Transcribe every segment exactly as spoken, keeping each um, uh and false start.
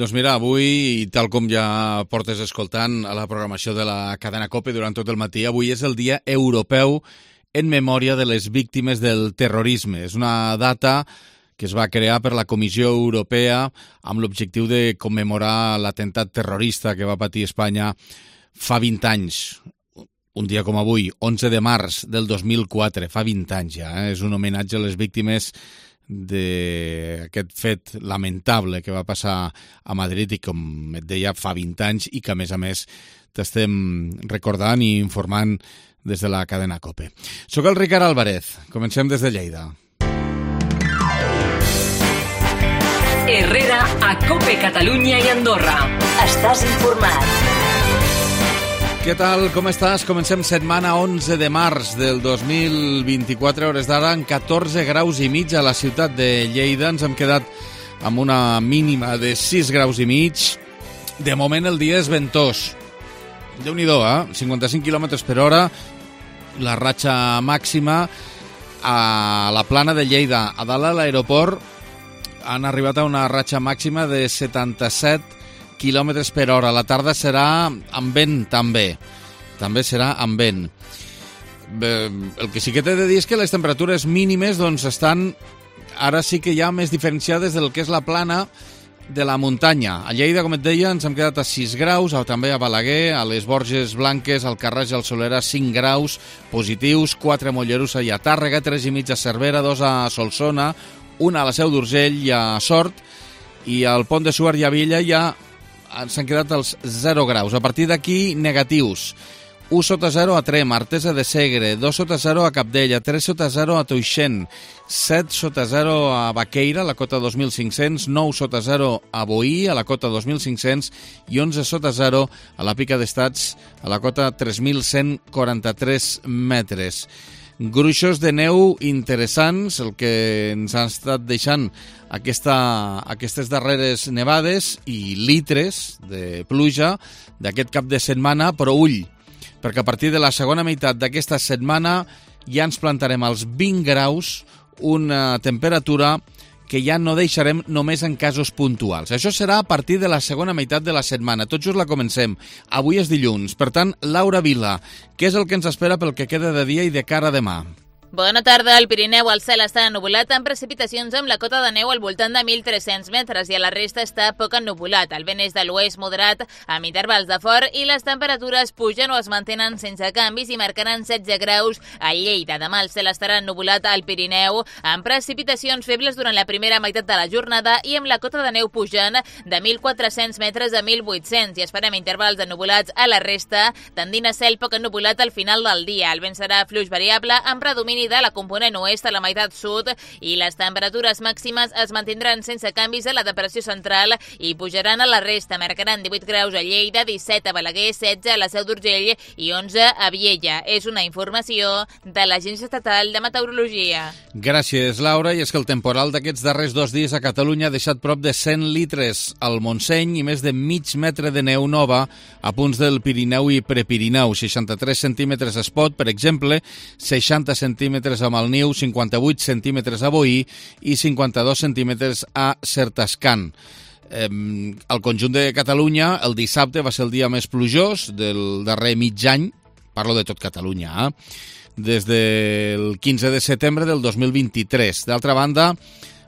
Doncs mira, avui, tal com ja portes escoltant a la programació de la cadena COPE durant tot el matí, avui és el Dia Europeu en memòria de les víctimes del terrorisme. És una data que es va crear per la Comissió Europea amb l'objectiu de commemorar l'atemptat terrorista que va patir Espanya fa vint anys. Un dia com avui, onze de març del dos mil quatre, fa vint anys ja. Eh? És un homenatge a les víctimes d'aquest fet lamentable que va passar a Madrid i, com et deia, fa vint anys i que, a més a més, t'estem recordant i informant des de la cadena COPE. Soc el Ricard Álvarez. Comencem des de Lleida. Herrera a COPE Catalunya i Andorra. Estàs informat. Què tal? Com estàs? Comencem setmana onze de març del dos mil vint-i-quatre, hores d'ara, en catorze graus i mig a la ciutat de Lleida. Ens hem quedat amb una mínima de sis graus i mig. De moment el dia és ventós. Déu-n'hi-do, eh? cinquanta-cinc quilòmetres per hora, la ratxa màxima a la plana de Lleida. A dalt a l'aeroport han arribat a una ratxa màxima de setanta-set quilòmetres per hora. La tarda serà amb vent, també. També serà amb vent. Bé, el que sí que t'he de dir és que les temperatures mínimes doncs, estan ara sí que ja més diferenciades del que és la plana de la muntanya. A Lleida, com et deia, ens hem quedat a sis graus, o també a Balaguer, a les Borges Blanques, al Carràs i al Solera, cinc graus positius, quatre a Mollerussa i a Tàrrega, tres i mig a Cervera, dos a Solsona, una a la Seu d'Urgell i a Sort, i al Pont de Suert i a Villa ja s'han quedat els zero graus. A partir d'aquí, negatius. u sota zero a Trem, Artesa de Segre, dos sota zero a Capdella, tres sota zero a Toixent, set sota zero a Baqueira, a la cota dos mil cinc-cents, nou sota zero a Boí, a la cota dos mil cinc-cents, i onze sota zero a la Pica d'Estats, a la cota tres mil cent quaranta-tres metres. Gruixos de neu interessants, el que ens han estat deixant aquesta, aquestes darreres nevades i litres de pluja d'aquest cap de setmana, però ull, perquè a partir de la segona meitat d'aquesta setmana ja ens plantarem als vint graus, una temperatura que ja no deixarem només en casos puntuals. Això serà a partir de la segona meitat de la setmana. Tot just la comencem. Avui és dilluns. Per tant, Laura Vila, què és el que ens espera pel que queda de dia i de cara a demà? Bona tarda. Al Pirineu el cel està ennuvolat amb precipitacions amb la cota de neu al voltant de mil tres-cents metres i a la resta està poc ennuvolat. El vent és de l'oest moderat amb intervals de fort i les temperatures pugen o es mantenen sense canvis i marcaran setze graus a Lleida. Demà el cel estarà ennuvolat al Pirineu amb precipitacions febles durant la primera meitat de la jornada i amb la cota de neu pujant de mil quatre-cents metres a mil vuit-cents i esperem intervals ennubulats a la resta, tendint a cel poc ennuvolat al final del dia. El vent serà fluix variable amb predomini de la component oest a la meitat sud i les temperatures màximes es mantindran sense canvis a la depressió central i pujaran a la resta. Marcaran divuit graus a Lleida, disset a Balaguer, setze a la Seu d'Urgell i onze a Viella. És una informació de l'Agència Estatal de Meteorologia. Gràcies, Laura. I és que el temporal d'aquests darrers dos dies a Catalunya ha deixat prop de cent litres al Montseny i més de mig metre de neu nova a punts del Pirineu i Prepirineu. seixanta-tres centímetres a Espot, per exemple, seixanta centímetres a Malniu, cinquanta-vuit centímetres a Boí i cinquanta-dos centímetres a Certascan. Eh, al conjunt de Catalunya, el dissabte va ser el dia més plujós del darrer mig any, parlo de tot Catalunya, eh? des del quinze de setembre del dos mil vint-i-tres. D'altra banda,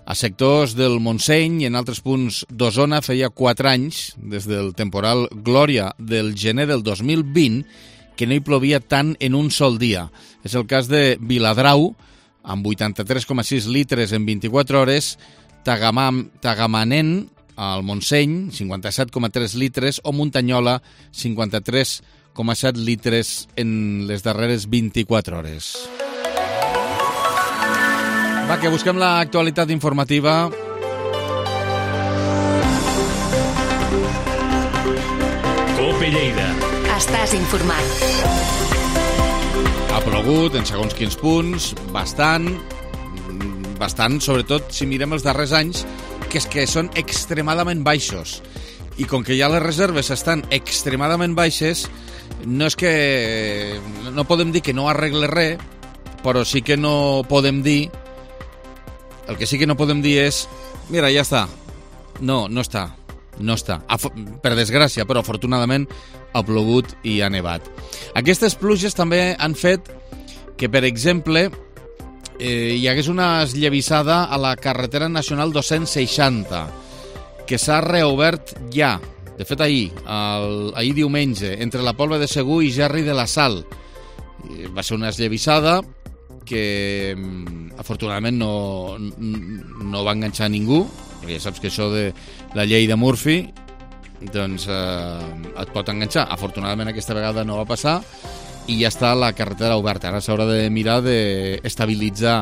a sectors del Montseny i en altres punts d'Osona feia quatre anys, des del temporal Glòria del gener del dos mil vint, que no hi plovia tant en un sol dia. És el cas de Viladrau, amb vuitanta-tres coma sis litres en vint-i-quatre hores, Tagamam, Tagamanent, al Montseny, cinquanta-set coma tres litres, o Muntanyola, cinquanta-tres coma set litres en les darreres vint-i-quatre hores. Va, que busquem l'actualitat informativa. COPE Lleida. Estàs informat. Ha plogut en segons quins punts, bastant, bastant, sobretot si mirem els darrers anys, que és que són extremadament baixos. I com que ja les reserves estan extremadament baixes, no és que no podem dir que no arregle res, però sí que no podem dir, el que sí que no podem dir és, mira, ja està. No, no està. no està. Per desgràcia, però afortunadament ha plogut i ha nevat. Aquestes pluges també han fet que, per exemple, eh, hi hagués una esllavissada a la carretera nacional dos-cents seixanta, que s'ha reobert ja, de fet ahir, el, ahir diumenge, entre la Pobla de Segur i Gerri de la Sal. Va ser una esllavissada que afortunadament no, no va enganxar ningú, perquè ja saps que això de la llei de Murphy doncs eh, et pot enganxar. Afortunadament aquesta vegada no va passar i ja està la carretera oberta. Ara s'haurà de mirar d'estabilitzar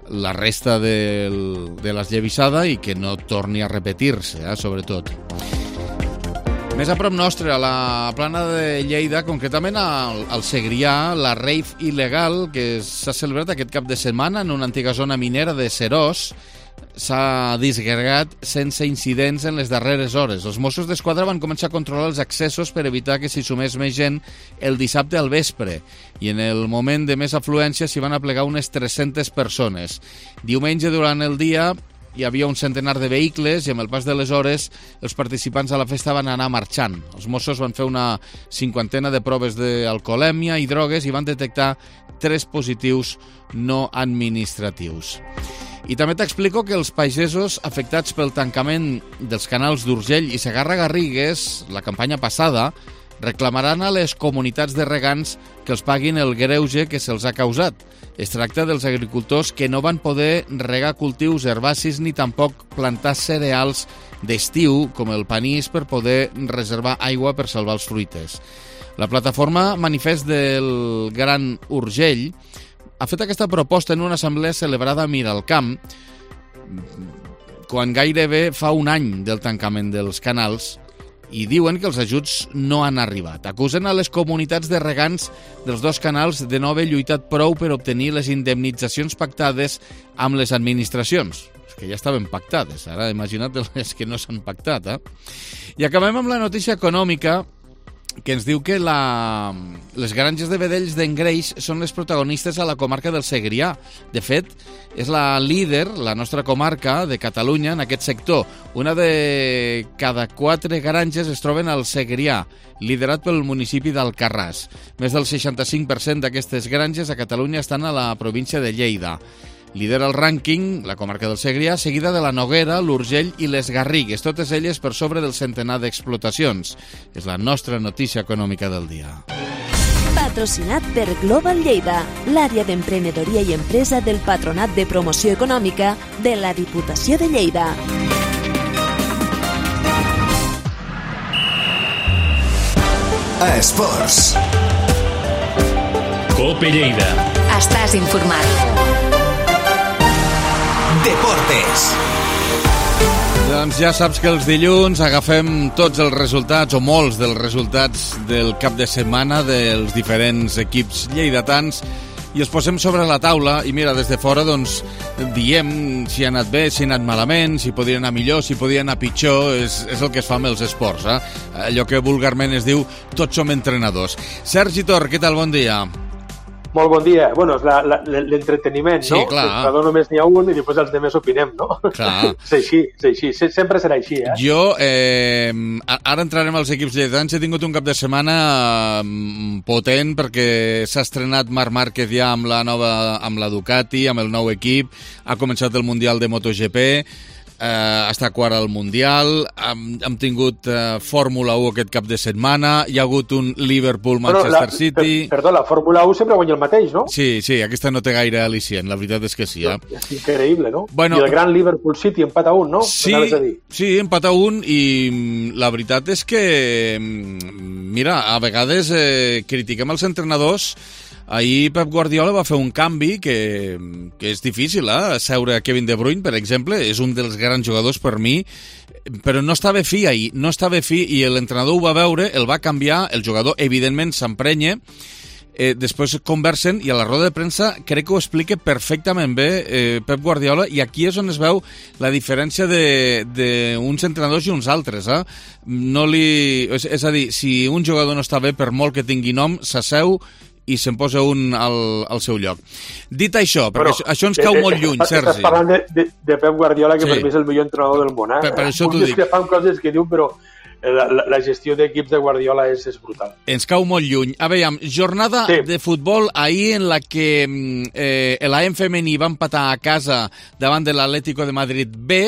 la resta del, de l'esllavissada i que no torni a repetir-se, eh, sobretot. Més a prop nostre, a la plana de Lleida, concretament al, al Segrià, la rave il·legal que s'ha celebrat aquest cap de setmana en una antiga zona minera de Serós s'ha disgregat sense incidents en les darreres hores. Els Mossos d'Esquadra van començar a controlar els accessos per evitar que s'hi sumés més gent el dissabte al vespre i en el moment de més afluència s'hi van aplegar unes tres-centes persones. Diumenge, durant el dia, hi havia un centenar de vehicles i amb el pas de les hores els participants a la festa van anar marxant. Els Mossos van fer una cinquantena de proves d'alcoholèmia i drogues i van detectar tres positius no administratius. I també t'explico que els pagesos afectats pel tancament dels canals d'Urgell i Segarra-Garrigues, la campanya passada, reclamaran a les comunitats de regants que els paguin el greuge que se'ls ha causat. Es tracta dels agricultors que no van poder regar cultius herbacis ni tampoc plantar cereals d'estiu, com el panís, per poder reservar aigua per salvar els fruites. La plataforma Manifest del Gran Urgell ha fet aquesta proposta en una assemblea celebrada a Miralcamp, quan gairebé fa un any del tancament dels canals, i diuen que els ajuts no han arribat. Acusen a les comunitats de regants dels dos canals de no haver lluitat prou per obtenir les indemnitzacions pactades amb les administracions. És que ja estaven pactades, ara imagina't les que no s'han pactat. Eh? I acabem amb la notícia econòmica que ens diu que la... les granges de vedells d'Engreix són les protagonistes a la comarca del Segrià. De fet, és la líder, la nostra comarca de Catalunya, en aquest sector. Una de cada quatre granges es troben al Segrià, liderat pel municipi d'Alcarràs. Més del seixanta-cinc per cent d'aquestes granges a Catalunya estan a la província de Lleida. Lidera el rànquing la comarca del Segrià, seguida de la Noguera, l'Urgell i les Garrigues, totes elles per sobre del centenar d'explotacions. És la nostra notícia econòmica del dia. Patrocinat per Global Lleida, l'àrea d'emprenedoria i empresa del Patronat de Promoció Econòmica de la Diputació de Lleida. Esports. Cope Lleida. Estàs informat. Deportes. Doncs ja saps que els dilluns agafem tots els resultats, o molts dels resultats del cap de setmana dels diferents equips lleidatans i els posem sobre la taula i mira, des de fora doncs diem si ha anat bé, si ha anat malament, si podria anar millor, si podria anar pitjor. És, és el que es fa amb els esports, eh? Allò que vulgarment es diu tots som entrenadors. Sergi Tor, què tal? Bon dia. Molt bon dia. Bueno, és la, la, l'entreteniment, sí, no? Clar. L'entrenador només n'hi ha un i després els demés opinem, no? Clar. És així, és així. Sempre serà així, eh? Jo, eh, ara entrarem als equips lleidatans. He tingut un cap de setmana potent perquè s'ha estrenat Marc Márquez ja amb la nova, amb la Ducati, amb el nou equip. Ha començat el Mundial de MotoGP. Uh, està quart al Mundial, hem, hem tingut uh, Fórmula u aquest cap de setmana, hi ha hagut un Liverpool-Manchester City... Per, perdó, la Fórmula u sempre guanya el mateix, no? Sí, sí, aquesta no té gaire al·licient, la veritat és que sí. Eh? És increïble, no? Bueno, I el gran Liverpool-City empat a un, no? Sí, a dir. sí, empat a un, i la veritat és que, mira, a vegades eh, critiquem els entrenadors. Ahir Pep Guardiola va fer un canvi que, que és difícil, eh? Seure a Kevin De Bruyne, per exemple, és un dels grans jugadors per mi, però no estava fi ahir, no estava fi, i l'entrenador ho va veure, el va canviar, el jugador evidentment s'emprenya, eh, després conversen i a la roda de premsa crec que ho explica perfectament bé eh, Pep Guardiola, i aquí és on es veu la diferència d'uns entrenadors i uns altres. Eh? No li, és, és a dir, si un jugador no està bé, per molt que tingui nom, s'asseu i se'n posa un al, al seu lloc. Dit això, perquè Però, això, això ens cau eh, molt eh, lluny, estàs Sergi. Estàs parlant de, de, de Pep Guardiola, que Sí. per mi és el millor entrenador del món. Eh? Per, per això t'ho Puc dic. discrepar amb coses que diu, però la, la, la gestió d'equips de Guardiola és, és brutal. Ens cau molt lluny. A veure, jornada Sí. de futbol ahir en la que eh, l'A M femení va empatar a casa davant de l'Atlético de Madrid B.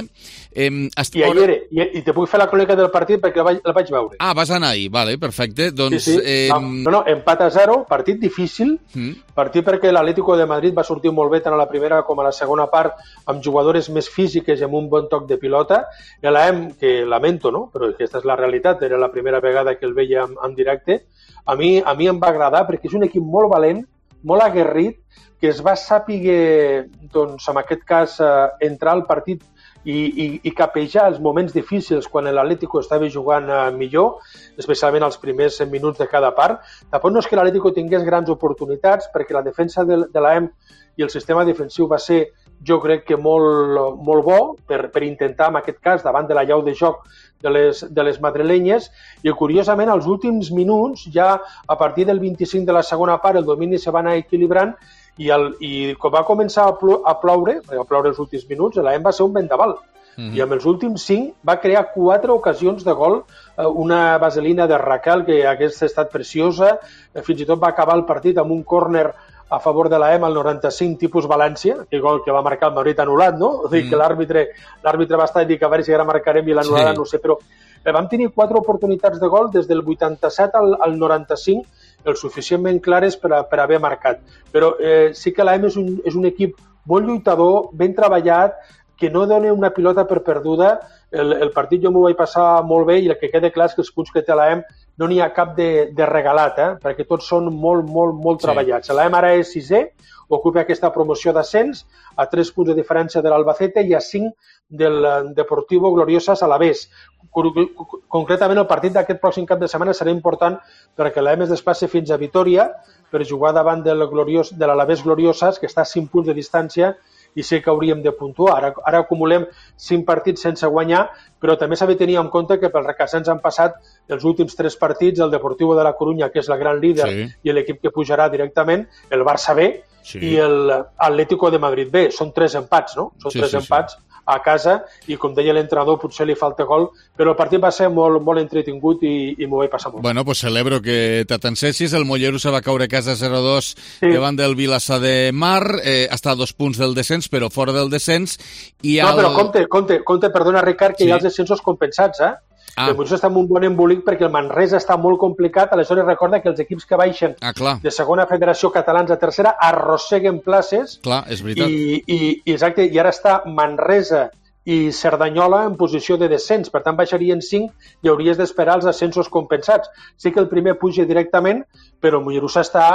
Eh, est... I ahir, i, i te puc fer la crònica del partit perquè la vaig, la vaig veure. Ah, vas anar ahir, vale, perfecte. Doncs, sí, sí. Eh... No, no, empat a zero, partit difícil, Mm. partit perquè l'Atlético de Madrid va sortir molt bé tant a la primera com a la segona part, amb jugadores més físiques i amb un bon toc de pilota. I l'A M, que lamento, no? Però aquesta és la realitat, era la primera vegada que el veia en, en directe, a mi, a mi em va agradar perquè és un equip molt valent, molt aguerrit, que es va sàpiga, doncs, en aquest cas, eh, entrar al partit i, i, i capejar els moments difícils quan l'Atlético estava jugant eh, millor, especialment els primers minuts de cada part. Tampoc no és que l'Atlético tingués grans oportunitats, perquè la defensa de, de l'A M i el sistema defensiu va ser, jo crec que molt, molt bo per, per intentar, en aquest cas, davant de la llau de joc de les, de les madrilenyes, i curiosament, als últims minuts, ja a partir del vint-i-cinc de la segona part, el domini se va anar equilibrant, i, el, i quan va començar a, plo, a ploure, a ploure els últims minuts, l'A M va ser un vendaval. Mm-hmm. I amb els últims cinc va crear quatre ocasions de gol, una vaselina de Raquel que hagués estat preciosa, fins i tot va acabar el partit amb un córner a favor de l'A M al noranta-cinc, tipus València, que gol que va marcar el Madrid anul·lat, no? O sigui, mm. que l'àrbitre l'àrbitre va estar a dir que a veure si ara marcarem i l'anul·lada, sí. No sé, però eh, vam tenir quatre oportunitats de gol des del vuitanta-set al, al noranta-cinc, el suficientment clares per, a, per haver marcat. Però eh, sí que l'A M és un, és un equip molt lluitador, ben treballat, que no dona una pilota per perduda. El, el partit jo m'ho vaig passar molt bé i el que queda clar és que els punts que té l'A M no n'hi ha cap de, de regalat, eh? Perquè tots són molt, molt, molt sí. treballats. L'A M ara és sisè, ocupa aquesta promoció d'ascens, a tres punts de diferència de l'Albacete i a cinc del Deportivo Gloriosas Alavés. Concretament, el partit d'aquest pròxim cap de setmana serà important perquè l'A M es desplaça fins a Vitoria per jugar davant del Gloriós, de l'Alavés Gloriosas, que està a cinc punts de distància, i sé que hauríem de puntuar. Ara, ara acumulem cinc partits sense guanyar, però també s'ha de tenir en compte que pel recassens han passat els últims tres partits, el Deportivo de la Corunya, que és el gran líder, sí. i l'equip que pujarà directament, el Barça B, sí. i l'Atlético de Madrid B. Són tres empats, no? Són sí, tres sí, empats sí. a casa, i com deia l'entrenador, potser li falta gol, però el partit va ser molt, molt entretingut i, i m'ho vaig passar molt. Bueno, pues celebro que t'atancessis. El Mollerussa va caure a casa zero dos sí. davant del Vilassar de Mar, eh, està a dos punts del descens, però fora del descens. I no, el... però compte, compte, compte, perdona, Ricard, que sí. hi ha els descensos compensats, eh? Ah. El Mollerussa està en un bon embolic perquè el Manresa està molt complicat, aleshores recorda que els equips que baixen ah, de segona federació catalans a tercera arrosseguen places. Clar, és veritat. I, i, exacte, i ara està Manresa i Cerdanyola en posició de descens, per tant baixarien cinc i hauries d'esperar els ascensos compensats. Sí que el primer puja directament, però el Mollerussa està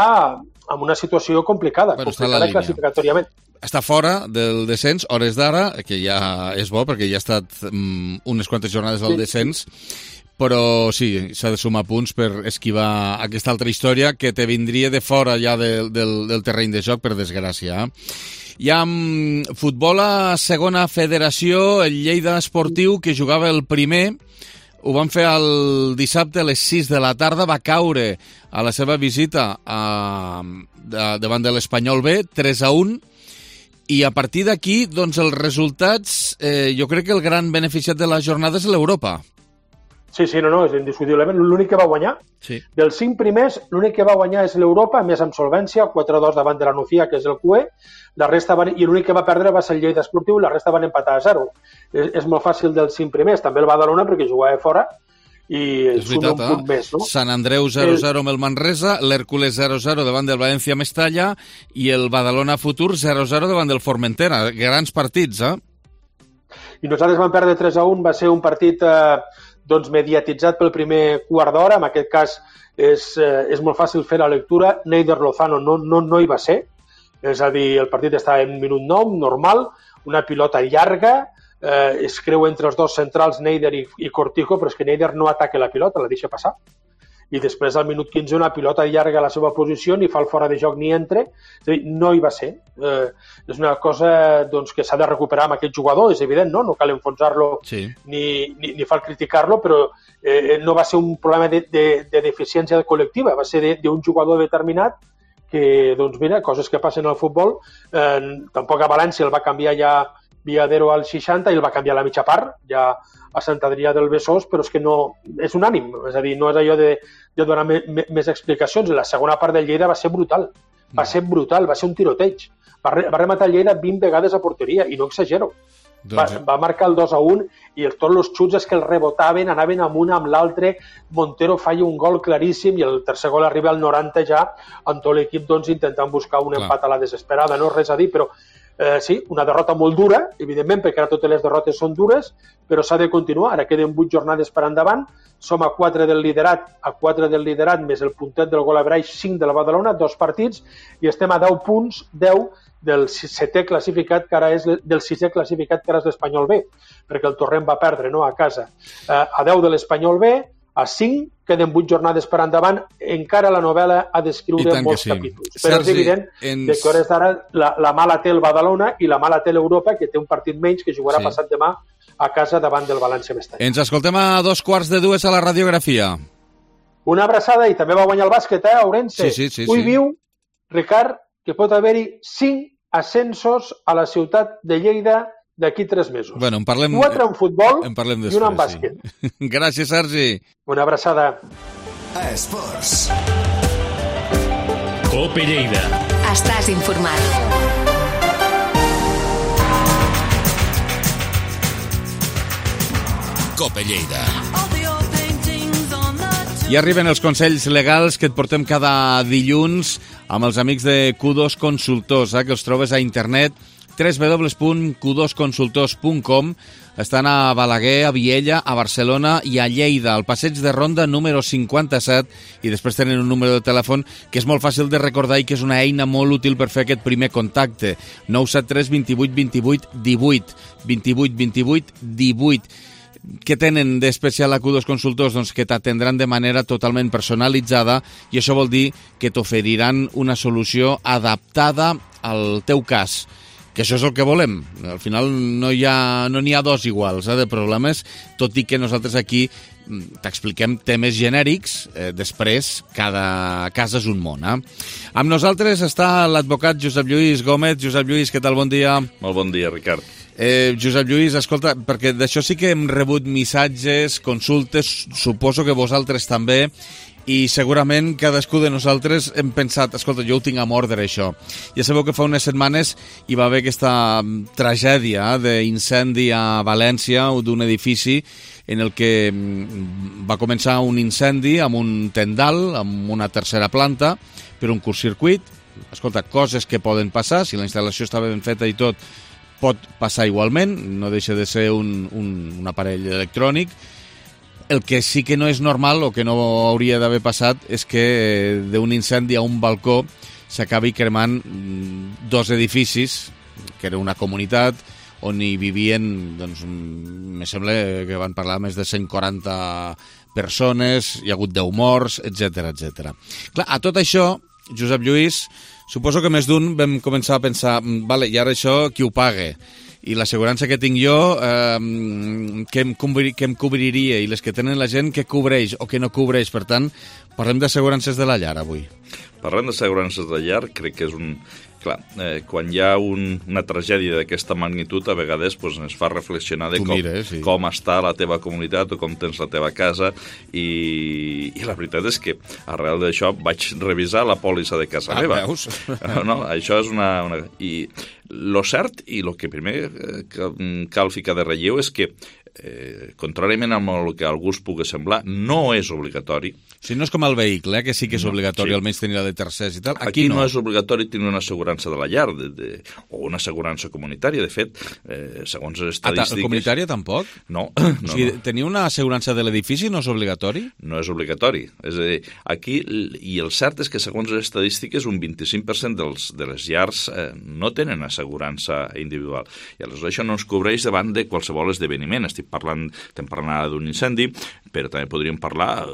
en una situació complicada, però complicada classificatòriament. Està fora del descens, hores d'ara, que ja és bo, perquè ja ha estat um, unes quantes jornades al sí. descens, però sí, s'ha de sumar punts per esquivar aquesta altra història que te vindria de fora ja de, del, del terreny de joc, per desgràcia. Hi ha um, futbol a segona federació, el Lleida Esportiu, que jugava el primer, ho van fer el dissabte a les sis de la tarda, va caure a la seva visita a, a, davant de l'Espanyol B, tres a un, i a partir d'aquí, doncs, els resultats, eh, jo crec que el gran beneficiat de la jornada és l'Europa. Sí, sí, no, no, és indiscutiblement l'únic que va guanyar. Sí. Dels cinc primers, l'únic que va guanyar és l'Europa, més amb solvència, quatre a dos davant de la Nucía, que és el Q E, la resta van, i l'únic que va perdre va ser el Lleida Esportiu, la resta van empatar a zero. És, és molt fàcil dels cinc primers, també el Badalona, perquè jugava fora, i és veritat, un punt eh? més, no? Sant Andreu zero a zero el... amb el Manresa, l'Hèrcules zero a zero davant del València Mestalla i el Badalona Futur zero a zero davant del Formentera. Grans partits, eh? I nosaltres vam perdre tres a un, va ser un partit eh, doncs mediatitzat pel primer quart d'hora, en aquest cas és, eh, és molt fàcil fer la lectura, Neider Lozano no, no, no hi va ser, és a dir, el partit estava en minut nou, normal, una pilota llarga, Eh, es creu entre els dos centrals Neider i, i Cortijo, però és que Neider no ataca la pilota, la deixa passar, i després al minut quinze una pilota llarga a la seva posició, ni fa el fora de joc ni entre, és a dir, no hi va ser. Eh, és una cosa doncs, que s'ha de recuperar amb aquest jugador, és evident, no, no cal enfonsar-lo sí. ni, ni, ni cal criticar-lo, però eh, no va ser un problema de, de, de deficiència col·lectiva, va ser d'un jugador determinat que, doncs mira, coses que passen al futbol, eh, tampoc a València el va canviar ja Viadero al seixanta i el va canviar a la mitja part, ja a Sant Adrià del Besòs, però és que no, és unànim, és a dir, no és allò de, de donar me, me, més explicacions. La segona part del Lleida va ser brutal, va ser brutal, va ser un tiroteig, va, re, va rematar el Lleida vint vegades a porteria, i no exagero. Va, va marcar el dos a un i el, tots els xuts és que el rebotaven, anaven amb un amb l'altre, Montero falla un gol claríssim i el tercer gol arriba al noranta ja, amb tot l'equip doncs, intentant buscar un empat a la desesperada, no res a dir, però eh, sí, una derrota molt dura, evidentment, perquè ara totes les derrotes són dures, però s'ha de continuar, ara queden vuit jornades per endavant, som a quatre del liderat, a quatre del liderat més el puntet del gol a Braix, cinc de la Badalona, dos partits, i estem a deu punts, deu del setè classificat, que ara és del sisè classificat, que ara és l'Espanyol B, perquè el Torrent va perdre, no?, a casa. Eh, a deu de l'Espanyol B, a cinc, queden vuit jornades per endavant, encara la novel·la ha d'escriure molts sí. capítols. Però Sergi, és evident ens... que hores d'ara la, la mala té el Badalona i la mala té l'Europa, que té un partit menys, que jugarà sí. passat demà a casa davant del València Mestalla. Ens escoltem a dos quarts de dues a la radiografia. Una abraçada, i també va guanyar el bàsquet, eh, Ourense? Sí, sí, sí. Avui sí. viu, Ricard, que pot haver-hi cinc ascensos a la ciutat de Lleida d'aquí tres mesos. Bueno, en parlem... Quatre en futbol en parlem després, i un en bàsquet. Sí. Gràcies, Sergi. Una abraçada. Esports. Cope Lleida. Estàs informat. Cope Lleida. I arriben els consells legals que et portem cada dilluns amb els amics de Q dos Consultors, eh, que els trobes a internet w w w punt q dos consultors punt com. Estan a Balaguer, a Viella, a Barcelona i a Lleida, al passeig de Ronda número cinquanta-set, i després tenen un número de telèfon que és molt fàcil de recordar i que és una eina molt útil per fer aquest primer contacte. nou set tres vint vuit vint vuit divuit, vint vuit vint vuit divuit. Què tenen d'especial a Q dos Consultors? Doncs que t'atendran de manera totalment personalitzada, i això vol dir que t'oferiran una solució adaptada al teu cas, que això és el que volem. Al final no hi ha, no n'hi ha dos iguals eh, de problemes, tot i que nosaltres aquí t'expliquem temes genèrics, eh, després cada cas és un món. Eh? Amb nosaltres està l'advocat Josep Lluís Gómez. Josep Lluís, què tal? Bon dia. Molt bon dia, Ricard. Eh, Josep Lluís, escolta, perquè d'això sí que hem rebut missatges, consultes, suposo que vosaltres també, i segurament cadascú de nosaltres hem pensat, escolta, jo ho tinc a mordre, això. Ja sabeu que fa unes setmanes hi va haver aquesta tragèdia d'incendi a València, d'un edifici en el que va començar un incendi amb un tendal, amb una tercera planta, per un curtcircuit. Escolta, coses que poden passar, si la instal·lació estava ben feta i tot, pot passar igualment, no deixa de ser un, un, un aparell electrònic. El que sí que no és normal, o que no hauria d'haver passat, és que d'un incendi a un balcó s'acabi cremant dos edificis, que era una comunitat on hi vivien, doncs, me sembla que van parlar més de cent quaranta persones, hi ha hagut deu morts, etcètera, etcètera. Clar, a tot això, Josep Lluís, suposo que més d'un vam començar a pensar, vale, i ara això qui ho paga? I l'assegurança que tinc jo, eh, què em, cobri, què em cobriria? I les que tenen la gent, què cobreix o què no cobreix? Per tant, parlem d'assegurances de la llar avui. Parlem d'assegurances de la llar, crec que és un... Clar, eh, quan hi ha un, una tragèdia d'aquesta magnitud, a vegades pues, ens fa reflexionar de com, mires, sí. com està la teva comunitat o com tens la teva casa, i, i la veritat és que arrel d'això vaig revisar la pòlissa de casa ah, meva. Veus? No, això és una... una... I lo cert, i el que primer cal ficar de relleu, és que eh, contràriament a el que a algú es pugui semblar, no és obligatori. Si no és com el vehicle, eh, que sí que és no, obligatori, sí. almenys tenir la de tercers i tal. Aquí, Aquí no. no és obligatori tenir una assegurança de la llar de, de, o una assegurança comunitària. De fet, eh, segons les estadístiques... Ah, comunitària tampoc? No. no o sigui, no. Tenir una assegurança de l'edifici no és obligatori? No és obligatori. És a dir, aquí, i el cert és que segons les estadístiques, un vint-i-cinc per cent dels, de les llars eh, no tenen assegurança individual. I aleshores això no ens cobreix davant de qualsevol esdeveniment. Estic parlant, estem parlant d'un incendi, però també podríem parlar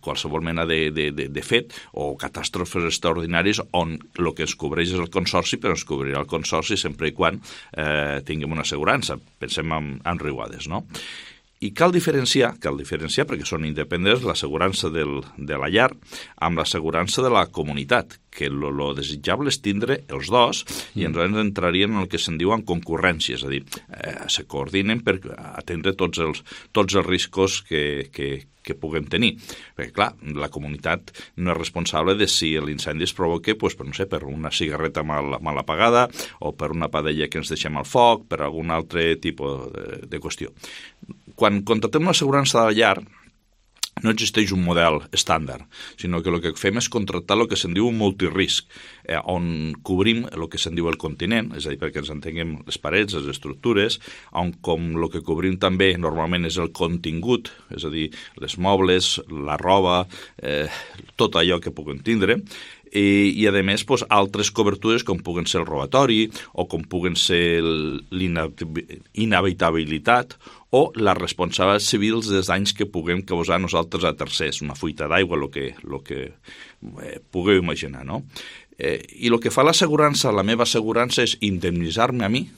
qualsevol mena de, de, de, de fet o catàstrofes extraordinàries on el que es cobreix és el consorci, però es cobrirà el consorci sempre i quan eh, tinguem una assegurança. Pensem en, en riuades, no? I cal diferenciar, cal diferenciar perquè són independents l'assegurança del, de la llar amb l'assegurança de la comunitat, que lo, lo desitjable és tindre els dos i ens entrarien en el que se'n diuen concurrència, és a dir, eh, se coordinen per atendre tots els, tots els riscos que, que, que puguem tenir. Perquè, clar, la comunitat no és responsable de si l'incendi es provoca pues, per, no sé, per una cigarreta mal, mal apagada o per una padella que ens deixem al foc, per algun altre tipus de, de qüestió. Quan contractem una assegurança de la llar, no existeix un model estàndard, sinó que el que fem és contractar el que se'n diu un multirisc, eh, on cobrim el que se'n diu el continent, és a dir, perquè ens entenguem les parets, les estructures, on com el que cobrim també normalment és el contingut, és a dir, les mobles, la roba, eh, tot allò que puguem tindre, i, i a més pues, altres cobertures com puguen ser el robatori o com puguen ser l'inhabitabilitat o les responsables civils dels danys que puguem causar nosaltres a tercers, una fuita d'aigua, el que, lo que eh, pugueu imaginar, no? Eh, I el que fa l'assegurança, la meva assegurança, és indemnitzar-me a mi,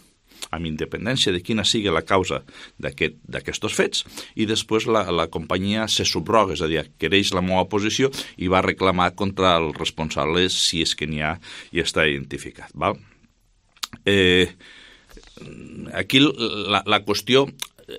amb independència de quina sigui la causa d'aquests aquest, fets, i després la, la companyia se subroga, és a dir, quereix la meva posició i va reclamar contra el responsable si és que n'hi ha i està identificat. Val? Eh, aquí la, la qüestió,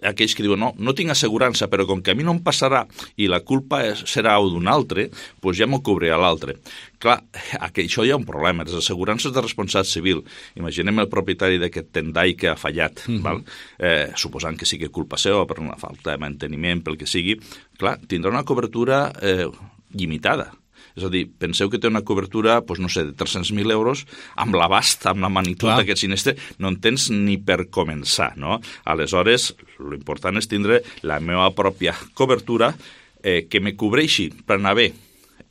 aquells que diuen, no, no tinc assegurança, però com que a mi no em passarà i la culpa és, serà d'un altre, doncs ja m'ho cobrirà l'altre. Clar, aquí, això hi ha un problema. Les assegurances de responsabilitat civil, imaginem el propietari d'aquest tendai que ha fallat, mm-hmm. val? Eh, suposant que sigui culpa seva per una falta de manteniment, pel que sigui, clar, tindrà una cobertura eh, limitada. És a dir, penseu que té una cobertura, doncs no sé, de tres-cents mil euros, amb l'abast, amb la magnitud d'aquest sinistre, no en tens ni per començar, no? Aleshores, l'important és tindre la meva pròpia cobertura eh, que me cobreixi per anar bé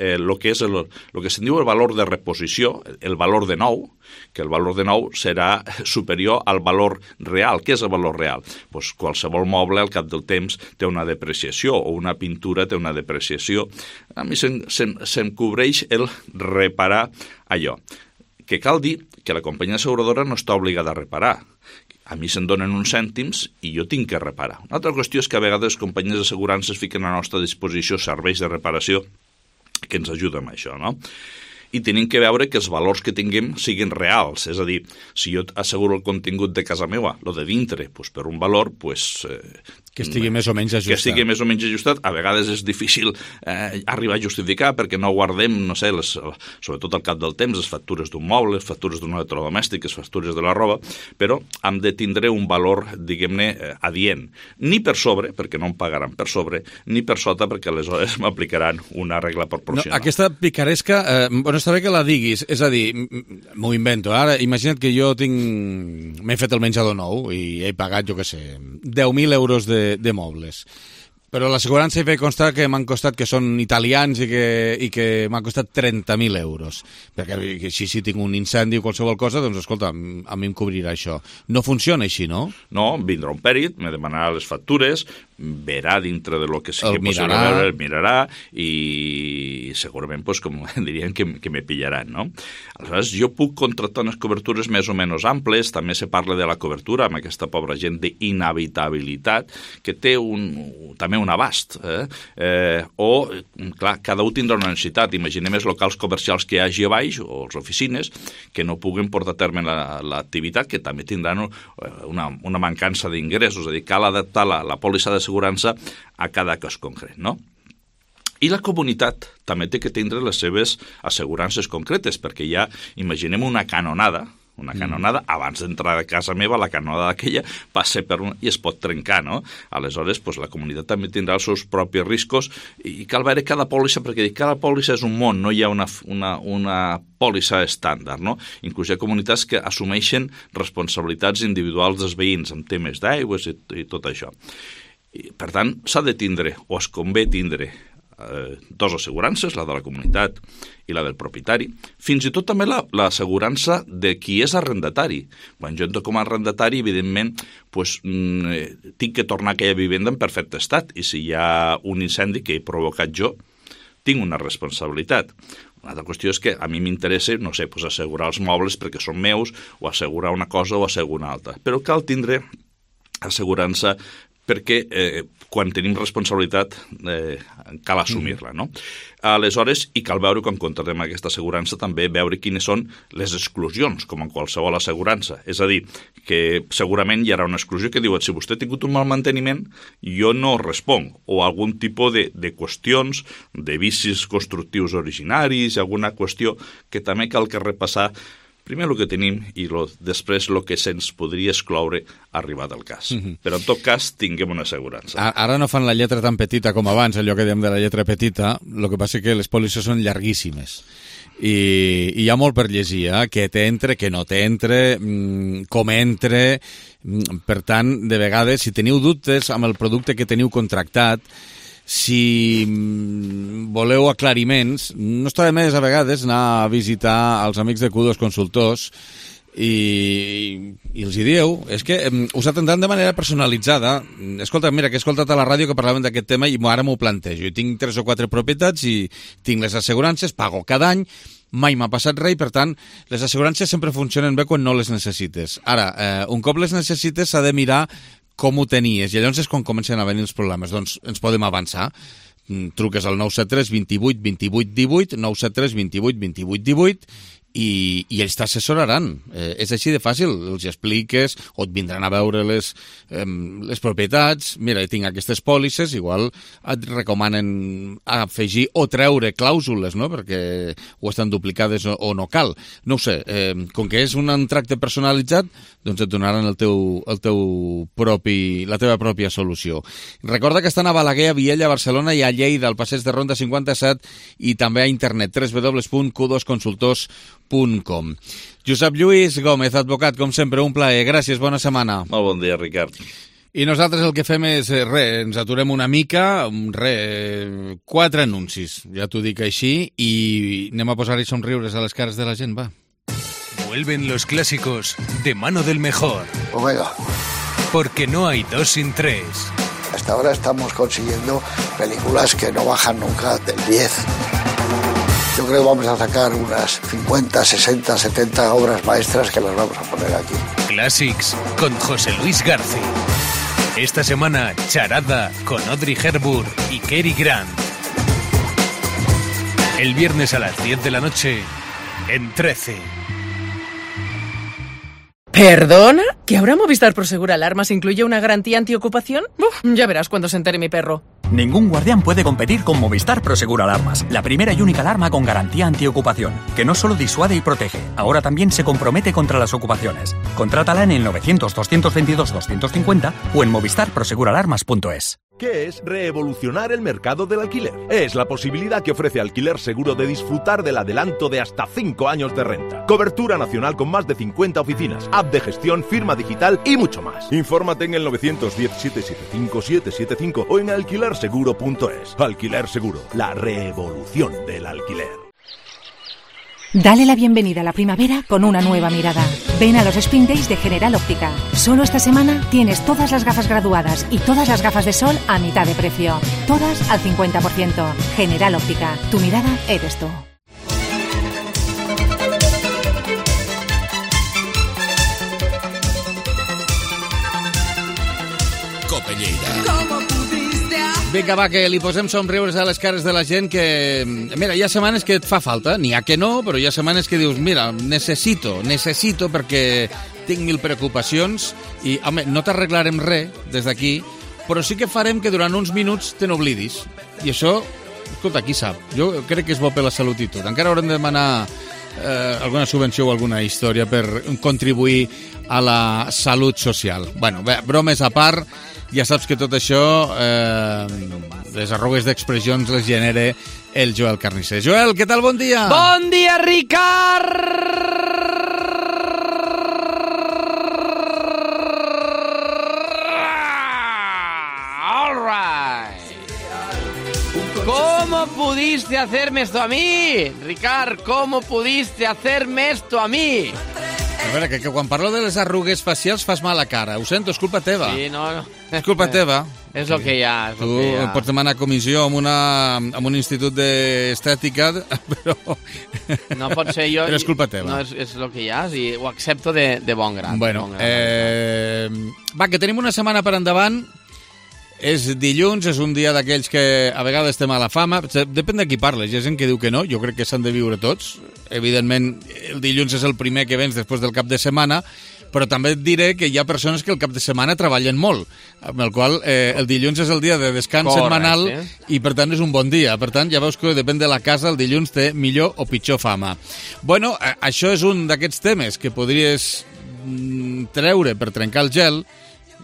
eh, el que és el, el que se'n diu el valor de reposició, el valor de nou, que el valor de nou serà superior al valor real. Què és el valor real? Pues qualsevol moble al cap del temps té una depreciació o una pintura té una depreciació. A mi se'm, se'm, se'm cobreix el reparar allò. Que cal dir que la companyia asseguradora no està obligada a reparar. A mi se'n donen uns cèntims i jo tinc que reparar. Una altra qüestió és que a vegades les companyies d'assegurances fiquen a la nostra disposició serveis de reparació que ens ajuden amb això, no? I tenim que veure que els valors que tinguem siguin reals, és a dir, si jo asseguro el contingut de casa meva, el de dintre, doncs per un valor, doncs... Eh, que estigui més o menys ajustat. Que estigui més o menys ajustat. A vegades és difícil eh, arribar a justificar perquè no guardem, no sé, les, sobretot al cap del temps, les factures d'un moble, les factures d'un electrodomèstic, les factures de la roba, però hem de tindre un valor, diguem-ne, eh, adient. Ni per sobre, perquè no em pagaran per sobre, ni per sota, perquè aleshores m'aplicaran una regla proporcional. No, aquesta picaresca, eh, bueno, està bé que la diguis, és a dir, m'ho invento, ara imagina't que jo tinc, m'he fet el menjador nou i he pagat, jo què sé, deu mil euros de de mobles. Però l'assegurança hi fa constar que m'han costat, que són italians i que, i que m'han costat trenta mil euros. Perquè si, si tinc un incendi o qualsevol cosa, doncs escolta, a mi em cobrirà això. No funciona així, no? No, vindrà un pèrit, me demanarà les factures, verà dintre de lo que sigui possible veure, el mirarà i segurament, pues, com dirien, que, que me pillaran, no? Aleshores, jo puc contractar unes cobertures més o menys amples, també se parla de la cobertura amb aquesta pobra gent d'inhabitabilitat, que té un, també un abast, eh? Eh, o, clar, cada un tindrà una necessitat. Imaginem els locals comercials que hi hagi a baix, o les oficines, que no puguen portar a terme l'activitat, que també tindran una, una mancança d'ingressos, és a dir, cal adaptar la, la pòlissa de assegurança a cada cas concret, no? I la comunitat també té que tindre les seves assegurances concretes, perquè ja, imaginem una canonada, una canonada, abans d'entrar a casa meva, la canonada aquella passa per un... i es pot trencar, no? Aleshores, pues, la comunitat també tindrà els seus propis riscos i cal veure cada pòlissa, perquè cada pòlissa és un món, no hi ha una, una, una pòlissa estàndard, no? Inclús hi ha comunitats que assumeixen responsabilitats individuals dels veïns en temes d'aigües i, i tot això. I, per tant, s'ha de tindre, o es convé tindre, eh, dos assegurances, la de la comunitat i la del propietari, fins i tot també l'assegurança la, de qui és arrendatari. Quan jo entro com a arrendatari, evidentment, pues, mm, tinc que tornar a aquella vivenda en perfecte estat, i si hi ha un incendi que he provocat jo, tinc una responsabilitat. Una altra qüestió és que a mi m'interessa, no sé, pues, assegurar els mobles perquè són meus, o assegurar una cosa o assegurar una altra. Però cal tindre assegurança perquè eh, quan tenim responsabilitat eh, cal assumir-la, no? Aleshores, i cal veure, quan contratem aquesta assegurança, també veure quines són les exclusions, com en qualsevol assegurança. És a dir, que segurament hi haurà una exclusió que diu si vostè ha tingut un mal manteniment, jo no responc, o algun tipus de, de qüestions, de vicis constructius originaris, alguna qüestió que també cal que repassar primer el que tenim i lo, després el que se'ns podria excloure arribat al cas. Mm-hmm. Però en tot cas tinguem una assegurança. Ara no fan la lletra tan petita com abans, allò que dèiem de la lletra petita, el que passa és que les pòlisses són llarguíssimes. I, i hi ha molt per llegir, eh? Què t'entre, què no t'entre, com entre. Per tant, de vegades, si teniu dubtes amb el producte que teniu contractat, si voleu aclariments, no està de més a vegades anar a visitar els amics de Q dos Consultors i, i els hi dieu, és que us atendran de manera personalitzada. Escolta, mira, que he escoltat a la ràdio que parlaven d'aquest tema i ara m'ho plantejo. Jo tinc tres o quatre propietats i tinc les assegurances, pago cada any, mai m'ha passat res i, per tant, les assegurances sempre funcionen bé quan no les necessites. Ara, eh, un cop les necessites s'ha de mirar com ho tenies, i llavors és quan comencen a venir els problemes. Doncs ens podem avançar. Truques al nou set tres vint vuit vint vuit divuit, nou set tres vint vuit vint vuit divuit, i, i ells t'assessoraran. Eh, és així de fàcil, els expliques, o et vindran a veure les, eh, les propietats. Mira, tinc aquestes pòlisses, igual et recomanen afegir o treure clàusules, no?, perquè o estan duplicades o, o no cal. No ho sé, eh, com que és un tracte personalitzat, doncs et donaran el teu, el teu propi, la teva pròpia solució. Recorda que estan a Balaguer, a Viella, a Barcelona i a Lleida, al passeig de Ronda cinquanta-set, i també a internet, w w w punt q dos consultors punt com. Josep Lluís Gómez, advocat, com sempre, un plaer. Gràcies, bona setmana. Molt bon dia, Ricard. I nosaltres el que fem és, res, ens aturem una mica, res, quatre anuncis, ja t'ho dic així, i anem a posar-hi somriures a les cares de la gent, va. Vuelven los clásicos de mano del mejor. Omega. Porque no hay dos sin tres. Hasta ahora estamos consiguiendo películas que no bajan nunca del diez. Yo creo que vamos a sacar unas cincuenta, sesenta, setenta obras maestras que las vamos a poner aquí. Classics con José Luis García. Esta semana, Charada con Audrey Hepburn y Cary Grant. El viernes a las diez de la noche, en trece. ¿Perdona? ¿Que ahora Movistar Prosegur Alarmas incluye una garantía antiocupación? Uf, ya verás cuando se entere mi perro. Ningún guardián puede competir con Movistar Prosegur Alarmas, la primera y única alarma con garantía antiocupación, que no solo disuade y protege, ahora también se compromete contra las ocupaciones. Contrátala en el novecientos, doscientos veintidós, doscientos cincuenta o en movistar prosegur alarmas punto es. ¿Qué es revolucionar el mercado del alquiler? Es la posibilidad que ofrece Alquiler Seguro de disfrutar del adelanto de hasta cinco años de renta. Cobertura nacional con más de cincuenta oficinas, app de gestión, firma digital y mucho más. Infórmate en el novecientos diez, setecientos setenta y cinco, setecientos setenta y cinco o en alquiler seguro punto es. Alquiler Seguro, la revolución del alquiler. Dale la bienvenida a la primavera con una nueva mirada. Ven a los Spring Days de General Óptica. Solo esta semana tienes todas las gafas graduadas y todas las gafas de sol a mitad de precio. Todas al cincuenta por ciento. General Óptica. Tu mirada eres tú. Cope Lleida. Vinga, va, que li posem somriures a les cares de la gent que... Mira, hi ha setmanes que et fa falta, n'hi ha que no, però hi ha setmanes que dius, mira, necessito, necessito perquè tinc mil preocupacions i, home, no t'arreglarem res des d'aquí, però sí que farem que durant uns minuts te n'oblidis. I això, escolta, qui sap? Jo crec que és bo per la salut i tot. Encara haurem de demanar eh, alguna subvenció o alguna història per contribuir a la salut social. Bueno, bé, bromes a part, ja saps que tot això, eh, les arrugues d'expressions les genera el Joel Carnisser. Joel, què tal? Bon dia! Bon dia, Ricard! All right. ¿Cómo pudiste hacerme esto a mí? Ricard, ¿cómo pudiste hacerme esto a mí? A veure, que, que quan parlo de les arrugues facials fas mala cara. Ho sento, és culpa teva. Sí, no, no. És culpa teva. És el que hi ha. Tu pots demanar comissió amb, una, amb un institut d'estètica, però... No pot ser jo... Però és culpa teva. No, és, és el que hi ha, i ho accepto de, de bon grat. Bueno, bon grat, eh, va, que tenim una setmana per endavant és dilluns, és un dia d'aquells que a vegades té mala fama, depèn de qui parles, hi ha gent que diu que no, jo crec que s'han de viure tots, evidentment el dilluns és el primer que vens després del cap de setmana, però també et diré que hi ha persones que el cap de setmana treballen molt, amb el qual eh, el dilluns és el dia de descans Correcte. setmanal i per tant és un bon dia, per tant ja veus que depèn de la casa, el dilluns té millor o pitjor fama. Bueno, eh, això és un d'aquests temes que podries mm, treure per trencar el gel.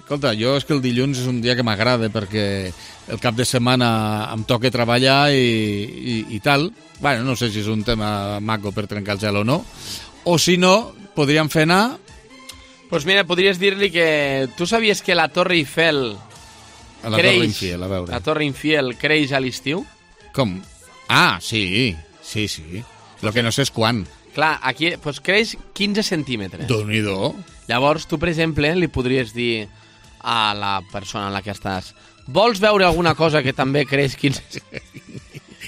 Escolta, jo és que el dilluns és un dia que m'agrada perquè el cap de setmana em toca treballar i, i, i tal. Bueno, no sé si és un tema maco per trencar el gel o no. O si no, podríem fer anar... Doncs pues mira, podries dir-li que tu sabies que la Torre Eiffel A la creix, Torre Infiel, a veure. La Torre Infiel creix a l'estiu? Com? Ah, sí, sí, sí. Lo que no sé és quan. Clar, aquí pues, creix quinze centímetres. Déu-n'hi-do. Llavors, tu, per exemple, li podries dir a la persona en la que estàs: vols veure alguna cosa que també creix quinze...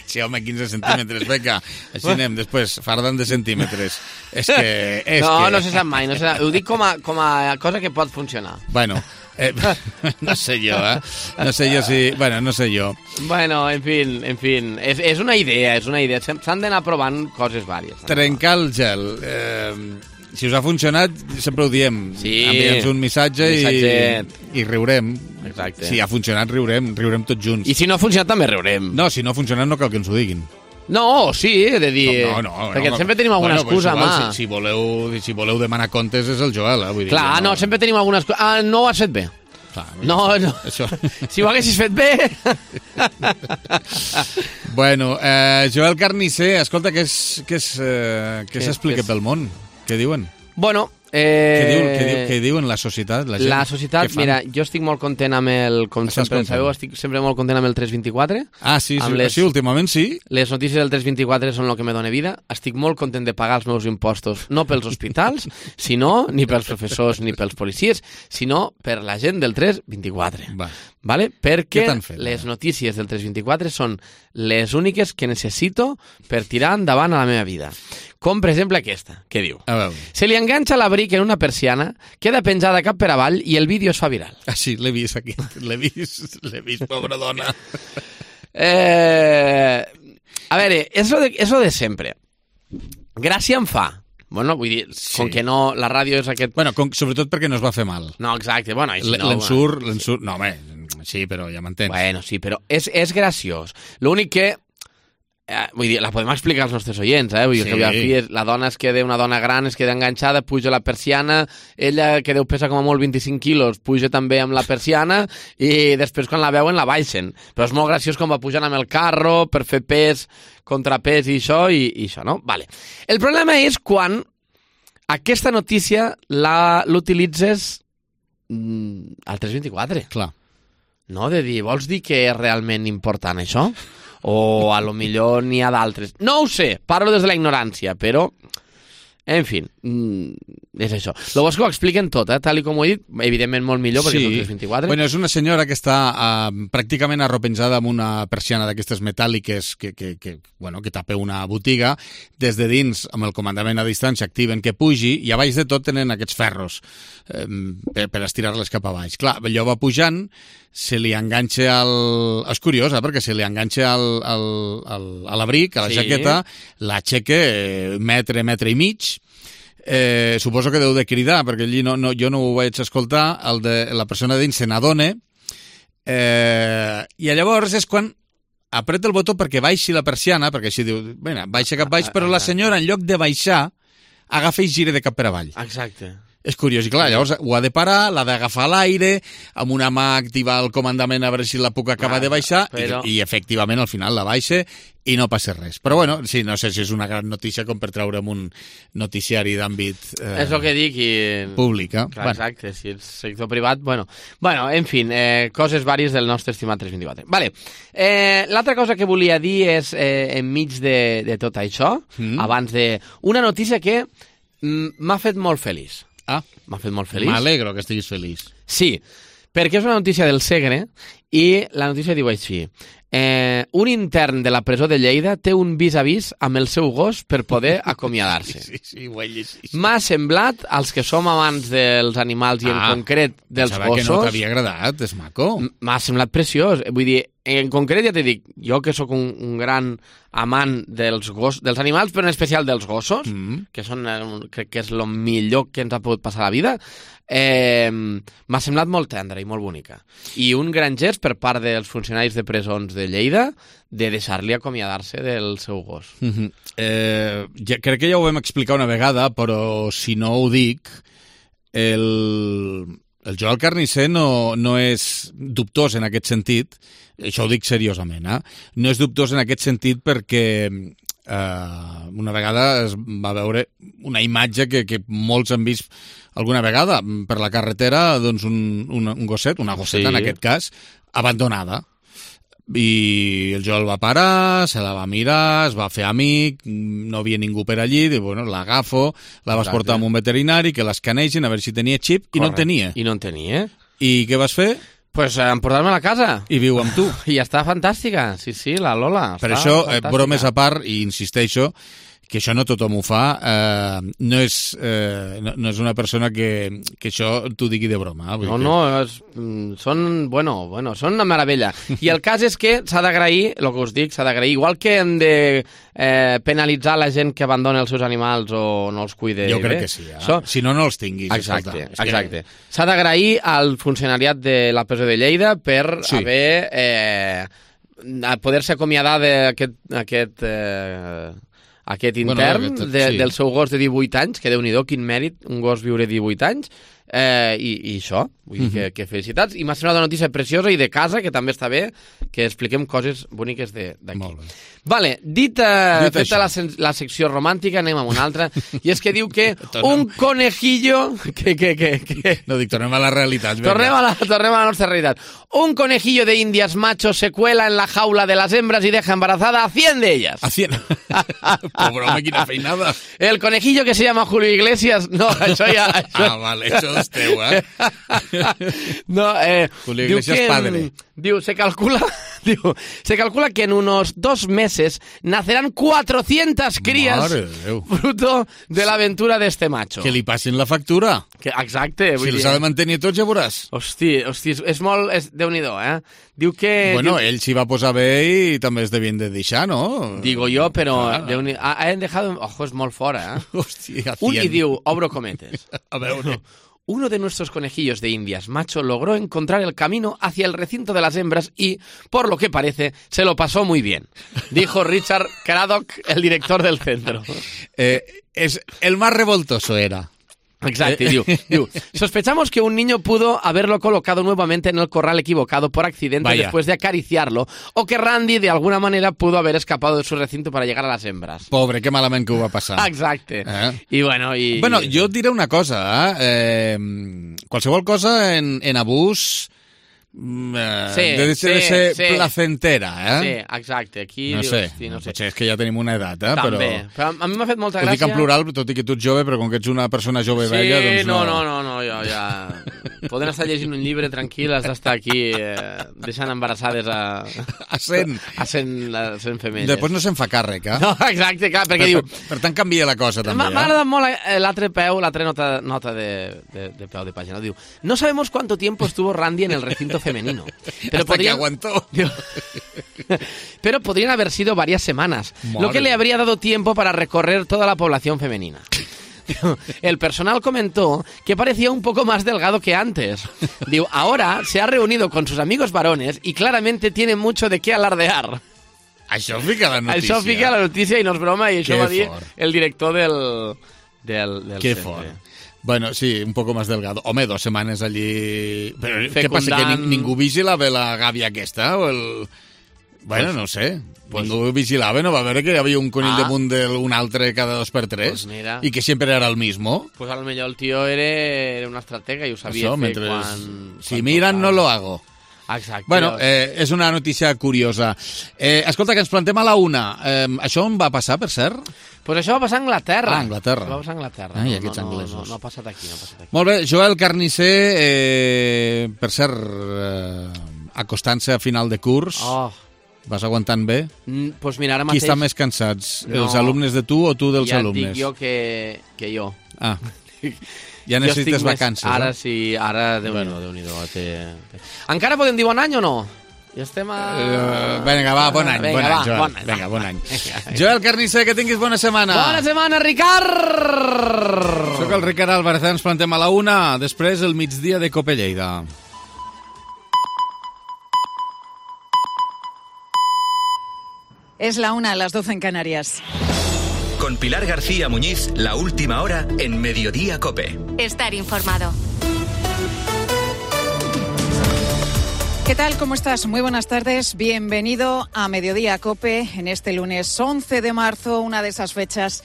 Sí, home, quinze centímetres, beca. Així anem, després, fardan de centímetres. És que... És no, que... no se sap mai. No se sap. Ho dic com a, com a cosa que pot funcionar. Bueno, eh, no sé jo, eh? No sé jo si... Bueno, no sé jo. Bueno, en fi, en fi, és, és una idea, és una idea. S'han d'anar provant coses vàries. Trencar el gel. Eh, si us ha funcionat, sempre ho diem. Sí. Envia'ns un missatge i, i riurem. Exacte. Si ha funcionat, riurem, riurem tots junts. I si no ha funcionat, també riurem. No, si no ha funcionat, no cal que ens ho diguin. No, sí, he de dir... No, no, no, perquè no, sempre tenim alguna bueno, excusa, igual, mà. Si, si, voleu, si voleu demanar comptes és el Joel, eh? Vull dir, Clar, no, no, sempre tenim alguna excusa. Ah, no ho has fet bé. Clar, no, no. Això... Si ho haguessis fet bé... Bueno, eh, Joel Carnicer, escolta, què s'explica eh, Què- pel món? Què diuen? Bueno, eh... Què, diu, què, diu, què diuen la societat? La, gent? La societat, mira, jo estic molt content amb el... Com Estàs sempre content? sabeu, estic sempre molt content amb el tres vint-i-quatre. Ah, sí, sí, Amb les- sí, últimament sí. Les notícies del tres vint-i-quatre són el que me dona vida. Estic molt content de pagar els meus impostos, no pels hospitals, sinó ni pels professors ni pels policies, sinó per la gent del tres vint-i-quatre. Va. Vale? Perquè Què t'han fet, les notícies del tres vint-i-quatre són les úniques que necessito per tirar endavant a la meva vida. Com, per exemple, aquesta, que diu: A veure. se li enganxa l'abric en una persiana, queda penjada cap per avall i el vídeo es fa viral. Ah, sí, l'he vist aquí. L'he vist, l'he vist, pobra dona. Eh, a veure, és lo de, és lo de sempre. Gràcia em fa. Bueno, vull dir, sí. Com que no, la ràdio és aquest... Bueno, com, sobretot perquè no es va fer mal. No, exacte, bueno, així no... L'ensurt, l'ensurt... No, home, sí, però ja m'entens. Bueno, sí, però és, és graciós. L'únic que... Eh, vull dir, la podem explicar als nostres oients, eh? Vull dir, Sí. que fi, és, la dona es queda, una dona gran es queda enganxada, puja la persiana, ella, que deu pesar com a molt vint-i-cinc quilos, puja també amb la persiana i després quan la veuen la baixen. Però és molt graciós com va pujant amb el carro per fer pes, contrapès i això, i, i això, no? Vale. El problema és quan aquesta notícia la- l'utilitzes mm, al tres vint-i-quatre. Clar. No? De dir, vols dir que és realment important això? O a lo millor n'hi ha d'altres. No ho sé, parlo des de la ignorància, però... En fi, mm, és això. Lo bo és que ho expliquen tot, eh? Tal i com ho he dit, evidentment molt millor, perquè Sí. és el tres vint-i-quatre. Bueno, és una senyora que està uh, pràcticament arropenjada amb una persiana d'aquestes metàl·liques que, que, que, bueno, que tapa una botiga. Des de dins, amb el comandament a distància, activen que pugi i a baix de tot tenen aquests ferros eh, per, per estirar-les cap a baix. Clar, allò va pujant, se li enganxa al... És curiosa, perquè se li enganxa al, al, al, a l'abric, a la Sí. jaqueta, l'aixeca eh, metre, metre i mig. Eh, suposo que deu de cridar, perquè allí no, no, jo no ho vaig escoltar, el de la persona dins se n'adona, eh, i llavors és quan apreta el botó perquè baixi la persiana, perquè així diu, bueno, baixa cap baix, però la senyora, en lloc de baixar, agafa i gira de cap per avall. Exacte. És curiós, i clar, llavors ho ha de parar, l'ha d'agafar a l'aire, amb una mà activar el comandament a veure si la puc acabar Ah, de baixar, però- i, i efectivament al final la baixa i no passa res. Però bueno, sí, no sé si és una gran notícia com per treure'm un noticiari d'àmbit eh, És el que dic i... públic. Eh? Clar, exacte, si és sector privat, bueno. Bueno, en fi, eh, coses vàries del nostre estimat tres vint-i-quatre. Vale. Eh, l'altra cosa que volia dir és, eh, enmig de, de tot això, Mm. abans de... Una notícia que mm, m'ha fet molt feliç. Ah, M'ha fet molt feliç. m'alegro que estiguis feliç. Sí, perquè és una notícia del Segre i la notícia diu així. Eh, un intern de la presó de Lleida té un vis-a-vis amb el seu gos per poder acomiadar-se. Sí, sí, ho he llegit. M'ha semblat, als que som amants dels animals i en Ah, concret dels pensava gossos... que no t'havia agradat, és maco. M'ha semblat preciós. Vull dir, en concret ja t'he dit, jo que sóc un, un gran amant dels gos, dels animals, però en especial dels gossos, mm. que són, eh, crec que és el millor que ens ha pogut passar a la vida, eh, m'ha semblat molt tendra i molt bonica. I un gran gest per part dels funcionaris de presons de Lleida de deixar-li acomiadar-se del seu gos. Mm-hmm. eh, ja, crec que ja ho vam explicar una vegada, però si no ho dic, el, el Joel Carnisser no, no és dubtós en aquest sentit, això ho dic seriosament, eh? No és dubtós en aquest sentit perquè eh, una vegada es va veure una imatge que, que molts han vist alguna vegada per la carretera, doncs un, un, un gosset, una gosseta sí. en aquest cas, abandonada. I el Joel va parar, se la va mirar, es va fer amic, no havia ningú per allí, diu, bueno, l'agafo, la vas portar a un veterinari, que l'escanegin a veure si tenia xip, i no en tenia. I no en tenia. I què vas fer? Pues eh, emportar-me a la casa. I viu amb tu. I està fantàstica, sí, sí, la Lola. Per això, eh, bromes a part, i insisteixo, que això no tothom ho fa, eh, no, és, eh, no, no és una persona que, que això t'ho digui de broma. Eh? No, que... no, és, són, bueno, bueno, són una meravella. I el cas és que s'ha d'agrair, el que us dic, s'ha d'agrair, igual que hem de eh, penalitzar la gent que abandona els seus animals o no els cuida jo bé. crec que sí, eh? So... si no, no els tinguis. Exacte, escolta, exacte. Que... S'ha d'agrair al funcionariat de la presó de Lleida per sí. haver... Eh, a poder-se acomiadar d'aquest... Aquest, eh, aquest intern bueno, aquest, de, sí. del seu gos de divuit anys, que Déu-n'hi-do, quin mèrit, un gos viure divuit anys, eh, i, i això, vull dir mm -hmm. que, que felicitats, i m'ha semblat una notícia preciosa i de casa, que també està bé, que expliquem coses boniques d'aquí. Vale, dit, eh, dit feta la, la secció romàntica, anem a una altra, i és que diu que un conejillo... Que, que, que, que... No, dic, tornem a la realitat. Tornem a la, tornem a la nostra realitat. Un conejillo de indias macho se cuela en la jaula de las hembras y deja embarazada a cien de ellas. A cien? Pobre home, quina feinada. El conejillo que se llama Julio Iglesias... No, això ja... Això... Ah, vale, això és teu, eh? No, eh... Julio Iglesias que, padre. Diu, se calcula... Diu, se calcula que en unos dos meses nacerán cuatrocientas crías fruto de l'aventura d'este macho. Que li passin la factura. Que, exacte. Si els ha de mantenir tots, ja veuràs. Hosti, hosti, és molt... És, Déu-n'hi-do, eh? Diu que... Bueno, diu... ell s'hi va posar bé i també es devien de deixar, no? Digo jo, però... Ah. Han dejado... Ojo, és molt fora, eh? Hòstia, Un i diu, obro cometes. A veure... Uno de nuestros conejillos de indias macho logró encontrar el camino hacia el recinto de las hembras y, por lo que parece, se lo pasó muy bien, dijo Richard Craddock, el director del centro. Eh, es, el más revoltoso era. Exacto, diu, diu, sospechamos que un niño pudo haberlo colocado nuevamente en el corral equivocado por accidente Vaya. después de acariciarlo, o que Randy de alguna manera pudo haber escapado de su recinto para llegar a las hembras. Pobre, que malament que ho va passar. Exacte. Eh? I bueno, i... Bueno, jo et diré una cosa, eh? eh qualsevol cosa en, en abús... Eh, sí, de, de, sí, de ser sí. placentera, eh? Sí, exacte. Aquí no dius, sé, hosti, no sé. Potser és que ja tenim una edat, eh? També, però... però a mi m'ha fet molta Ho gràcia... dic en plural, tot i que tu ets jove, però com que ets una persona jove sí, vella, doncs no... no... no, no, no, jo ja... Poden estar llegint un llibre tranquil, has d'estar aquí eh, deixant embarassades a... A cent. A cent, a cent femelles. Després no se'n fa càrrec, eh? No, exacte, clar, perquè per, diu... Per, per tant, canvia la cosa, també, M'ha eh? agradat molt eh, l'altre peu, l'altra nota, nota de, de, de peu de pàgina. Diu, no sabemos cuánto tiempo estuvo Randy en el recinto femenino. Pero Hasta podrían... que aguantó. Diu, pero podrían haber sido varias semanas, Madre. lo que le habría dado tiempo para recorrer toda la población femenina. El personal comentó que parecía un poco más delgado que antes. Diu, ahora se ha reunido con sus amigos varones y claramente tiene mucho de qué alardear. Això fica la notícia. Això fica la notícia i no és broma, i això Qué va dir fort. el director del, del, del Qué centre. fort. Bueno, sí, un poco más delgado. Home, dos setmanes allí... Però Fecundant... què passa, que ni, ningú vigilava la gàbia aquesta? O el... Bueno, pues, no sé. Pues, ningú vigilava, no va veure que hi havia un conill ah, damunt d'un altre cada dos per tres? Pues mira, i que sempre era el mismo? Pues a lo mejor el tío era, era un estratega i ho sabia Això, fer mentre... quan... Si quan miran, tocava. no lo hago. Exacte. Bueno, eh, és una notícia curiosa. Eh, escolta, que ens plantem a la una. Eh, això on va passar, per cert? Pues això va passar a Anglaterra. Ah, Anglaterra. Això va passar a Anglaterra. Ai, no, aquests no, anglesos. No, no, no ha passat aquí, no ha passat aquí. Molt bé, Joel Carnisser, eh, per cert, eh, acostant-se a final de curs. Oh. Vas aguantant bé? Mm, pues mira, ara Qui mateix... està més cansats? No. Els alumnes de tu o tu dels ja alumnes? Ja et dic jo que, que jo. Ah, ja necessites vacances, més... Ara eh? sí, ara, Déu-n'hi-do, Déu-n'hi-do. Té... Encara podem dir bon any o no? Ja estem a... Uh, vinga, va, bon any, Venga, bon any, va, Joel. bon any. Vinga, bon any. Joel Carnisser, que tinguis bona setmana. Bona setmana, Ricard! Soc el Ricard Álvarez, ens plantem a la una, després el migdia de Cope Lleida. Es la una a las doce en Canarias. Con Pilar García Muñiz, la última hora en Mediodía Cope. Estar informado. ¿Qué tal? ¿Cómo estás? Muy buenas tardes. Bienvenido a Mediodía Cope en este lunes once de marzo, una de esas fechas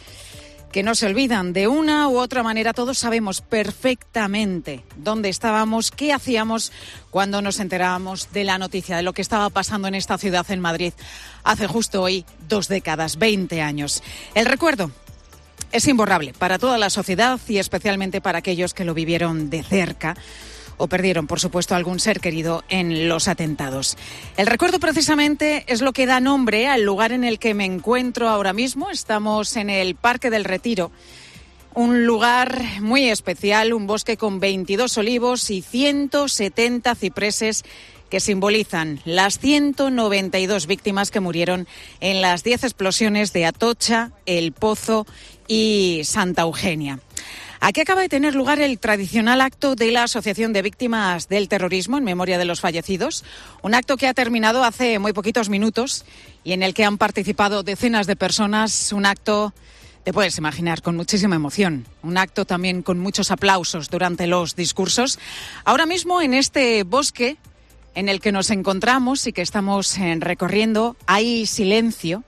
que no se olvidan. De una u otra manera todos sabemos perfectamente dónde estábamos, qué hacíamos cuando nos enterábamos de la noticia, de lo que estaba pasando en esta ciudad, en Madrid, hace justo hoy dos décadas, veinte años. El recuerdo es imborrable para toda la sociedad y especialmente para aquellos que lo vivieron de cerca o perdieron, por supuesto, algún ser querido en los atentados. El recuerdo precisamente es lo que da nombre al lugar en el que me encuentro ahora mismo. Estamos en el Parque del Retiro, un lugar muy especial, un bosque con veintidós olivos y ciento setenta cipreses que simbolizan las ciento noventa y dos víctimas que murieron en las diez explosiones de Atocha, El Pozo y Santa Eugenia. Aquí acaba de tener lugar el tradicional acto de la Asociación de Víctimas del Terrorismo en memoria de los fallecidos, un acto que ha terminado hace muy poquitos minutos y en el que han participado decenas de personas, un acto, te puedes imaginar, con muchísima emoción, un acto también con muchos aplausos durante los discursos. Ahora mismo en este bosque en el que nos encontramos y que estamos eh, recorriendo hay silencio.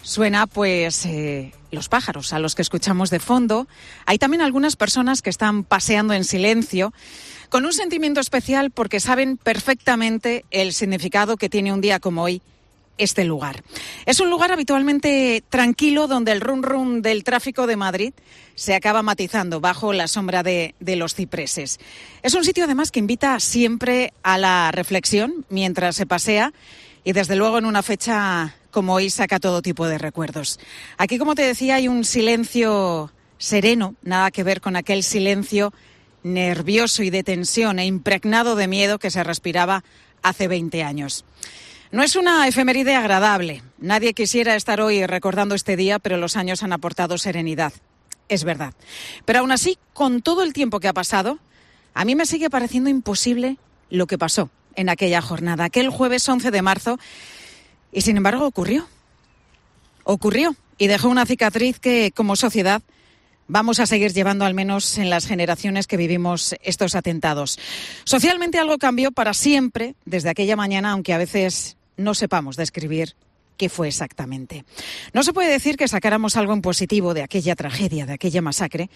Suena, pues, eh, los pájaros a los que escuchamos de fondo. Hay también algunas personas que están paseando en silencio, con un sentimiento especial porque saben perfectamente el significado que tiene un día como hoy este lugar. Es un lugar habitualmente tranquilo donde el rum rum del tráfico de Madrid se acaba matizando bajo la sombra de, de los cipreses. Es un sitio además que invita siempre a la reflexión mientras se pasea y desde luego en una fecha como hoy saca todo tipo de recuerdos. Aquí, como te decía, hay un silencio sereno, nada que ver con aquel silencio nervioso y de tensión e impregnado de miedo que se respiraba hace veinte años. No es una efeméride agradable. Nadie quisiera estar hoy recordando este día, pero los años han aportado serenidad. Es verdad. Pero aún así, con todo el tiempo que ha pasado, a mí me sigue pareciendo imposible lo que pasó en aquella jornada, aquel jueves once de marzo, y sin embargo ocurrió. Ocurrió y dejó una cicatriz que, como sociedad, vamos a seguir llevando al menos en las generaciones que vivimos estos atentados. Socialmente algo cambió para siempre desde aquella mañana, aunque a veces no sepamos describir qué fue exactamente. No se puede decir que sacáramos algo en positivo de aquella tragedia, de aquella masacre,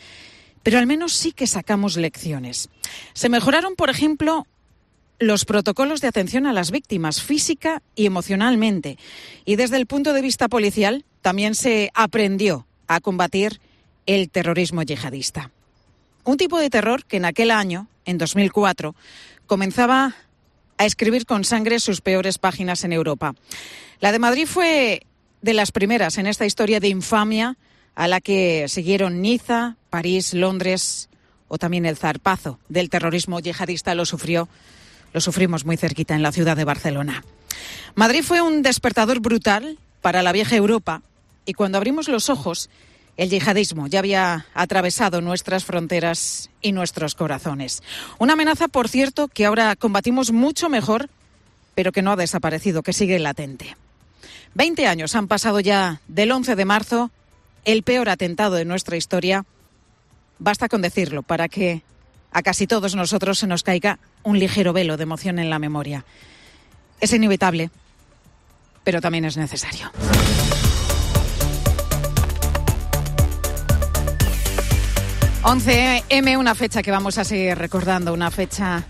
pero al menos sí que sacamos lecciones. Se mejoraron, por ejemplo, los protocolos de atención a las víctimas física y emocionalmente. Y desde el punto de vista policial también se aprendió a combatir el terrorismo yihadista. Un tipo de terror que en aquel año, en dos mil cuatro, comenzaba a escribir con sangre sus peores páginas en Europa. La de Madrid fue de las primeras en esta historia de infamia a la que siguieron Niza, París, Londres o también el zarpazo del terrorismo yihadista lo sufrió Lo sufrimos muy cerquita en la ciudad de Barcelona. Madrid fue un despertador brutal para la vieja Europa y cuando abrimos los ojos, el yihadismo ya había atravesado nuestras fronteras y nuestros corazones. Una amenaza, por cierto, que ahora combatimos mucho mejor, pero que no ha desaparecido, que sigue latente. Veinte años han pasado ya del once de marzo, el peor atentado de nuestra historia. Basta con decirlo para que a casi todos nosotros se nos caiga un ligero velo de emoción en la memoria. Es inevitable, pero también es necesario. once eme, una fecha que vamos a seguir recordando, una fecha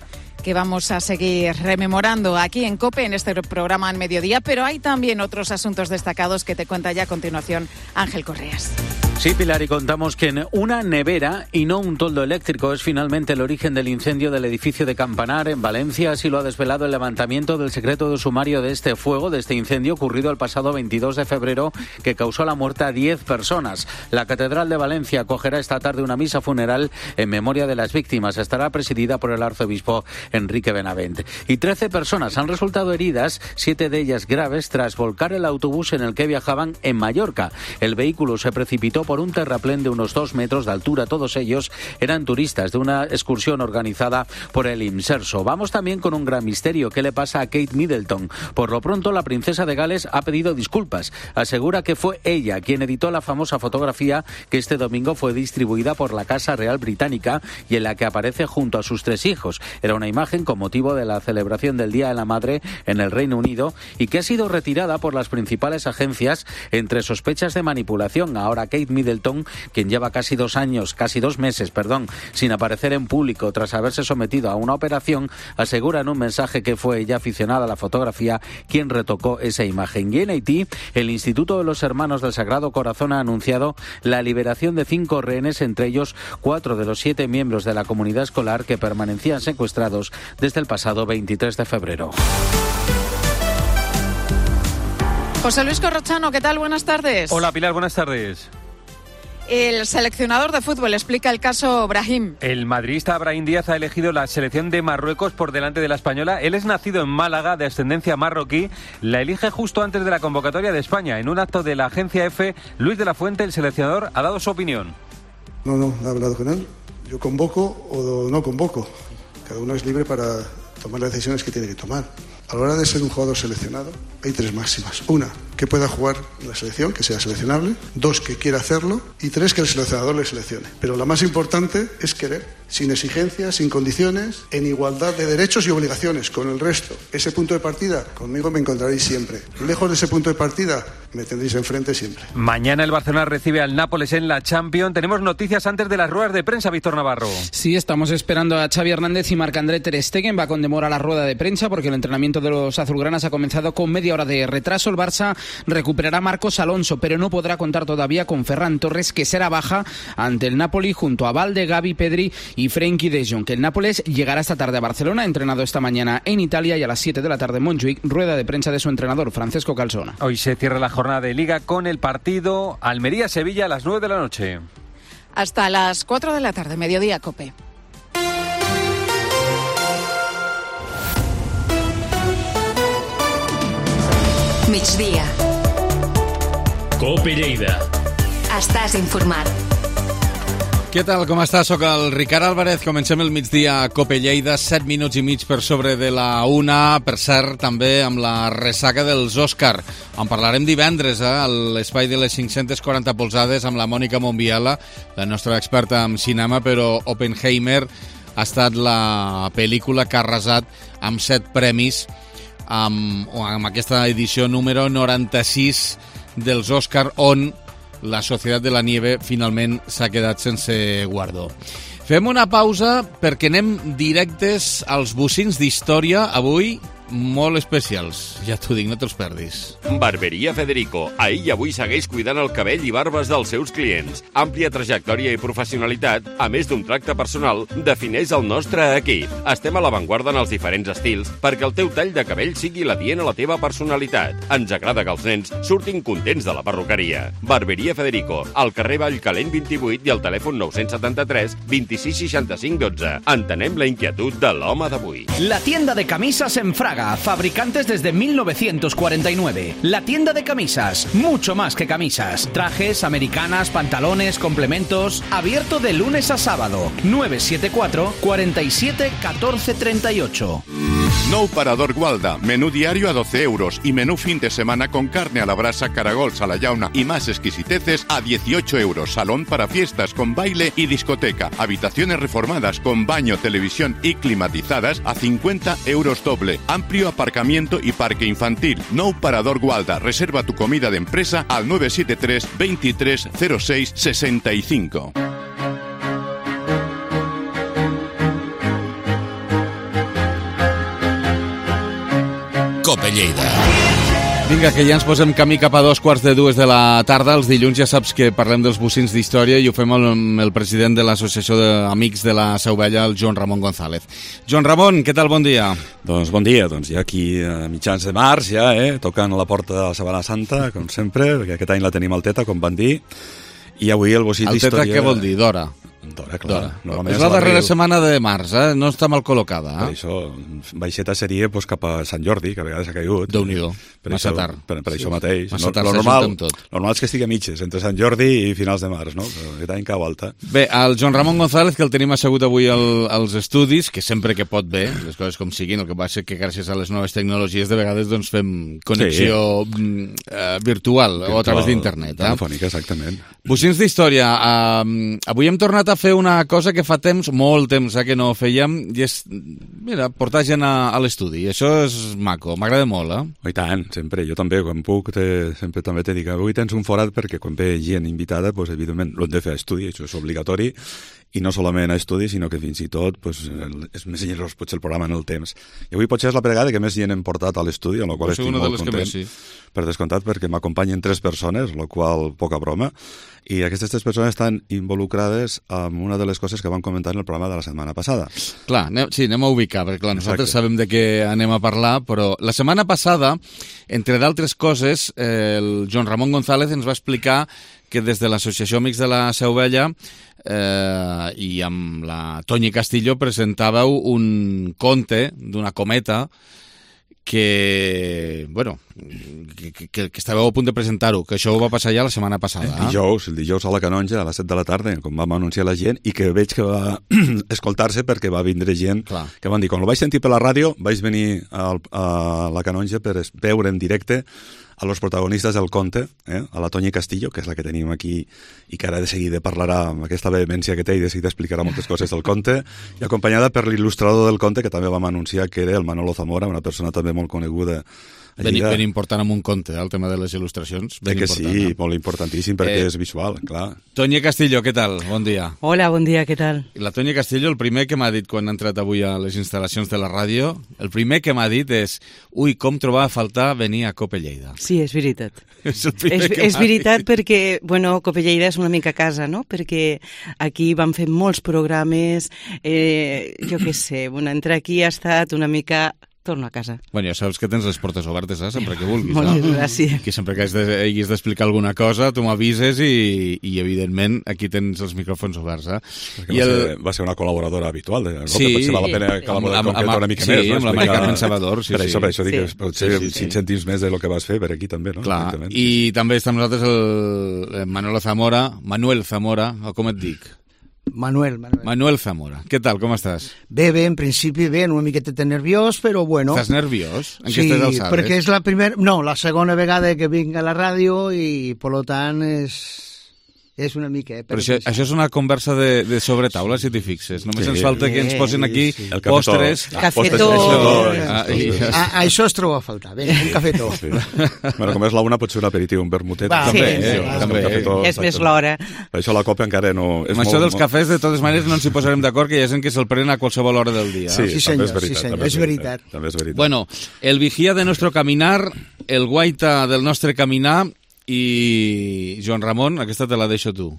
que vamos a seguir rememorando aquí en COPE, en este programa en Mediodía, pero hay también otros asuntos destacados que te cuenta ya a continuación Ángel Correas. Sí, Pilar, y contamos que en una nevera y no un toldo eléctrico es finalmente el origen del incendio del edificio de Campanar en Valencia. Así lo ha desvelado el levantamiento del secreto de sumario de este fuego, de este incendio ocurrido el pasado veintidós de febrero, que causó la muerte a diez personas. La Catedral de Valencia acogerá esta tarde una misa funeral en memoria de las víctimas. Estará presidida por el arzobispo Enrique Benavent. Y trece personas han resultado heridas, siete de ellas graves, tras volcar el autobús en el que viajaban en Mallorca. El vehículo se precipitó por un terraplén de unos dos metros de altura. Todos ellos eran turistas de una excursión organizada por el Imserso. Vamos también con un gran misterio. ¿Qué le pasa a Kate Middleton? Por lo pronto, la princesa de Gales ha pedido disculpas. Asegura que fue ella quien editó la famosa fotografía que este domingo fue distribuida por la Casa Real Británica y en la que aparece junto a sus tres hijos. Era una imagen con motivo de la celebración del Día de la Madre en el Reino Unido y que ha sido retirada por las principales agencias entre sospechas de manipulación. Ahora Kate Middleton, quien lleva casi dos años, casi dos meses, perdón, sin aparecer en público tras haberse sometido a una operación, asegura en un mensaje que fue ella, aficionada a la fotografía, quien retocó esa imagen. Y en Haití, el Instituto de los Hermanos del Sagrado Corazón ha anunciado la liberación de cinco rehenes, entre ellos cuatro de los siete miembros de la comunidad escolar que permanecían secuestrados desde el pasado veintitrés de febrero. José Luis Corrochano, ¿qué tal? Buenas tardes. Hola, Pilar, buenas tardes. El seleccionador de fútbol explica el caso Brahim. El madridista Brahim Díaz ha elegido la selección de Marruecos por delante de la española. Él es nacido en Málaga, de ascendencia marroquí. La elige justo antes de la convocatoria de España. En un acto de la agencia EFE, Luis de la Fuente, el seleccionador, ha dado su opinión. No, no, he hablado con él. Yo convoco o no convoco. Cada uno es libre para tomar las decisiones que tiene que tomar. A la hora de ser un jugador seleccionado, hay tres máximas. Una, que pueda jugar en la selección, que sea seleccionable. Dos, que quiera hacerlo. Y tres, que el seleccionador le seleccione. Pero la más importante es querer, sin exigencias, sin condiciones, en igualdad de derechos y obligaciones con el resto. Ese punto de partida, conmigo me encontraréis siempre. Lejos de ese punto de partida, me tendréis enfrente siempre. Mañana el Barcelona recibe al Nápoles en la Champions. Tenemos noticias antes de las ruedas de prensa, Víctor Navarro. Sí, estamos esperando a Xavi Hernández y Marc-André ter Stegen. Va con demora la rueda de prensa porque el entrenamiento de los azulgranas ha comenzado con media hora de retraso. El Barça recuperará a Marcos Alonso, pero no podrá contar todavía con Ferran Torres, que será baja ante el Napoli junto a Valde, Gavi, Pedri y Frenkie de Jong. Que el Nápoles llegará esta tarde a Barcelona, entrenado esta mañana en Italia, y a las siete de la tarde en Montjuic, rueda de prensa de su entrenador, Francesco Calzona. Hoy se cierra la jornada de Liga con el partido Almería-Sevilla a las nueve de la noche. Hasta las cuatro de la tarde, Mediodía COPE. Migdia. COPE Lleida. Estàs informat. Què tal, com estàs? Soc el Ricard Álvarez. Comencem el migdia a COPE Lleida, set minuts i mig per sobre de la una. Per cert, també amb la ressaca dels Òscar. En parlarem divendres, eh, a l'espai de les cinc-centes quaranta polzades amb la Mònica Monbiela, la nostra experta en cinema, però Oppenheimer ha estat la pel·lícula que ha arrasat amb set premis amb, amb aquesta edició número noranta-sis dels Òscar, on la Societat de la Nieve finalment s'ha quedat sense guardó. Fem una pausa perquè anem directes als bocins d'història avui, molt especials. Ja t'ho dic, no te'ls perdis. Barberia Federico. Ahir i avui segueix cuidant el cabell i barbes dels seus clients. Àmplia trajectòria i professionalitat, a més d'un tracte personal, defineix el nostre equip. Estem a l'avantguarda en els diferents estils perquè el teu tall de cabell sigui l'adient a la teva personalitat. Ens agrada que els nens surtin contents de la perruqueria. Barberia Federico, al carrer Vallcalent vint-i-vuit i al telèfon nou setanta-tres vint-i-sis seixanta-cinc dotze. Entenem la inquietud de l'home d'avui. La tienda de camisas en Fraga. Fabricantes desde mil novecientos cuarenta y nueve. La tienda de camisas, mucho más que camisas. Trajes, americanas, pantalones, complementos. Abierto de lunes a sábado. nueve siete cuatro, cuatro siete, uno cuatro tres ocho. Nou Parador Gualda, menú diario a doce euros y menú fin de semana con carne a la brasa, caragols a la llauna y más exquisiteces a dieciocho euros. Salón para fiestas con baile y discoteca. Habitaciones reformadas con baño, televisión y climatizadas a cincuenta euros doble. Amplio aparcamiento y parque infantil. Nou Parador Gualda. Reserva tu comida de empresa al nueve siete tres, veintitrés, cero seis, sesenta y cinco. COPE Lleida. Vinga, que ja ens posem camí cap a dos quarts de dues de la tarda. Els dilluns ja saps que parlem dels bocins d'història i ho fem amb el president de l'Associació d'Amics de la Seu Vella, el Joan Ramon González. Joan Ramon, què tal? Bon dia. Doncs bon dia, doncs ja aquí a mitjans de març, ja, eh, tocant a la porta de la Setmana Santa, com sempre, perquè aquest any la tenim al Teta, com van dir, i avui el bocí d'història... El Teta què vol dir? D'hora? D'hora, clar. És la darrera setmana de març, eh? No està mal col·locada. Eh? Per això, baixeta seria pues, cap a Sant Jordi, que a vegades ha caigut. Déu-n'hi-do, massa això, tard. Per, per sí. això mateix. Massa no, tard normal, tot. normal és que estigui a mitges, entre Sant Jordi i finals de març, no? Però aquest any cau alta. Bé, el Joan Ramon González, que el tenim assegut avui al, als estudis, que sempre que pot bé, les coses com siguin, el que passa que gràcies a les noves tecnologies de vegades doncs, fem connexió sí. uh, virtual, virtual o a través d'internet. Eh? Telefònica, exactament. Bocins d'història. Uh, avui hem tornat a fer una cosa que fa temps, molt temps eh, que no fèiem, i és, mira, portar gent a, a l'estudi. Això és maco, m'agrada molt, eh? Oh, i tant, sempre. Jo també, quan puc, te, sempre també te dic, avui tens un forat perquè quan ve gent invitada, pues, evidentment, l'hem de fer a estudi, això és obligatori, i no solament a estudi, sinó que fins i tot pues, és més generós potser el programa en el temps. I avui potser és la vegada que més gent hem portat a l'estudi, amb la qual estic molt content. Més, sí. Per descomptat, perquè m'acompanyen tres persones, la qual poca broma, i aquestes tres persones estan involucrades en una de les coses que vam comentar en el programa de la setmana passada. Clar, anem, sí, anem a ubicar, perquè clar, nosaltres Exacte. Sabem de què anem a parlar, però la setmana passada, entre d'altres coses, eh, el Joan Ramon González ens va explicar que des de l'Associació Amics de la Seu Vella eh, i amb la Toñi Castillo presentàveu un conte d'una cometa que, bueno, que, que, que estàveu a punt de presentar-ho, que això ho va passar ja la setmana passada. El dijous, el dijous a la Canonja, a les set de la tarda, com vam anunciar la gent, i que veig que va escoltar-se perquè va vindre gent, Clar. Que van dir, quan ho vaig sentir per la ràdio, vaig venir a, a la Canonja per veure en directe a los protagonistes del conte, eh? A la Toñi Castillo, que és la que tenim aquí i que ara de seguida parlarà amb aquesta vehemència que té i de seguida explicarà moltes coses del conte, i acompanyada per l'il·lustrador del conte, que també vam anunciar que era el Manolo Zamora, una persona també molt coneguda. Ben, ben important amb un conte, eh, el tema de les il·lustracions. Ben que important, sí, eh? molt importantíssim, perquè eh, és visual, clar. Toñi Castillo, què tal? Bon dia. Hola, bon dia, què tal? La Toñi Castillo, el primer que m'ha dit quan ha entrat avui a les instal·lacions de la ràdio, el primer que m'ha dit és ui, com trobava a faltar venir a Cope Lleida. Sí, és veritat. És el primer és, que és veritat dit. Perquè, bueno, Cope Lleida és una mica casa, no? Perquè aquí vam fer molts programes, eh, jo què sé, bueno, entrar aquí ha estat una mica... torno a casa. Bueno, ja saps que tens les portes obertes, eh? Sempre que vulguis. Moltes no? gràcies. Que sempre que hagis d'explicar alguna cosa, tu m'avises i, i, evidentment, aquí tens els micròfons oberts. Eh? Perquè I va, el... ser, va ser una col·laboradora habitual. De... Sí. Potser val la pena que la podem concretar una mica sí, més. Sí, amb no? la Mari Carmen Salvador. Sí, per això, per això sí. dic que potser sí, sí, sí. cinc cèntims més del que vas fer per aquí també, no? Clar, i també està amb nosaltres el Manolo Zamora, Manuel Zamora, o com et dic? Manuel, Manuel. Manuel Zamora. Què tal, com estàs? Bé, bé, en principi bé, una miqueta nerviós, però bueno. Estàs nerviós? En sí, aquestes alçades? Sí, perquè és la primera... No, la segona vegada que vinc a la ràdio i, per tant, és... És una mica, eh? Però això, això és una conversa de, de sobretaula, si t'hi fixes. Només sí. ens falta que ens posin aquí sí, sí. postres... Cafetó. Ah, i... ah, això es troba a faltar. Bé, un cafetó. Sí. Bueno, com és la una, pot ser un aperitiu, un vermutet. Va, també, sí, eh, sí, també. Cafetó, és més l'hora. Per això la copa encara no... És amb molt, això dels molt... cafès, de totes maneres, no ens hi posarem d'acord, que hi ha gent que se'l prenen a qualsevol hora del dia. Sí, sí senyor, també és veritat. Sí, senyor, és veritat. També és veritat. Bueno, el vigía de nuestro caminar, el guaita del nostre caminar i Joan Ramon, aquesta te la deixo tu.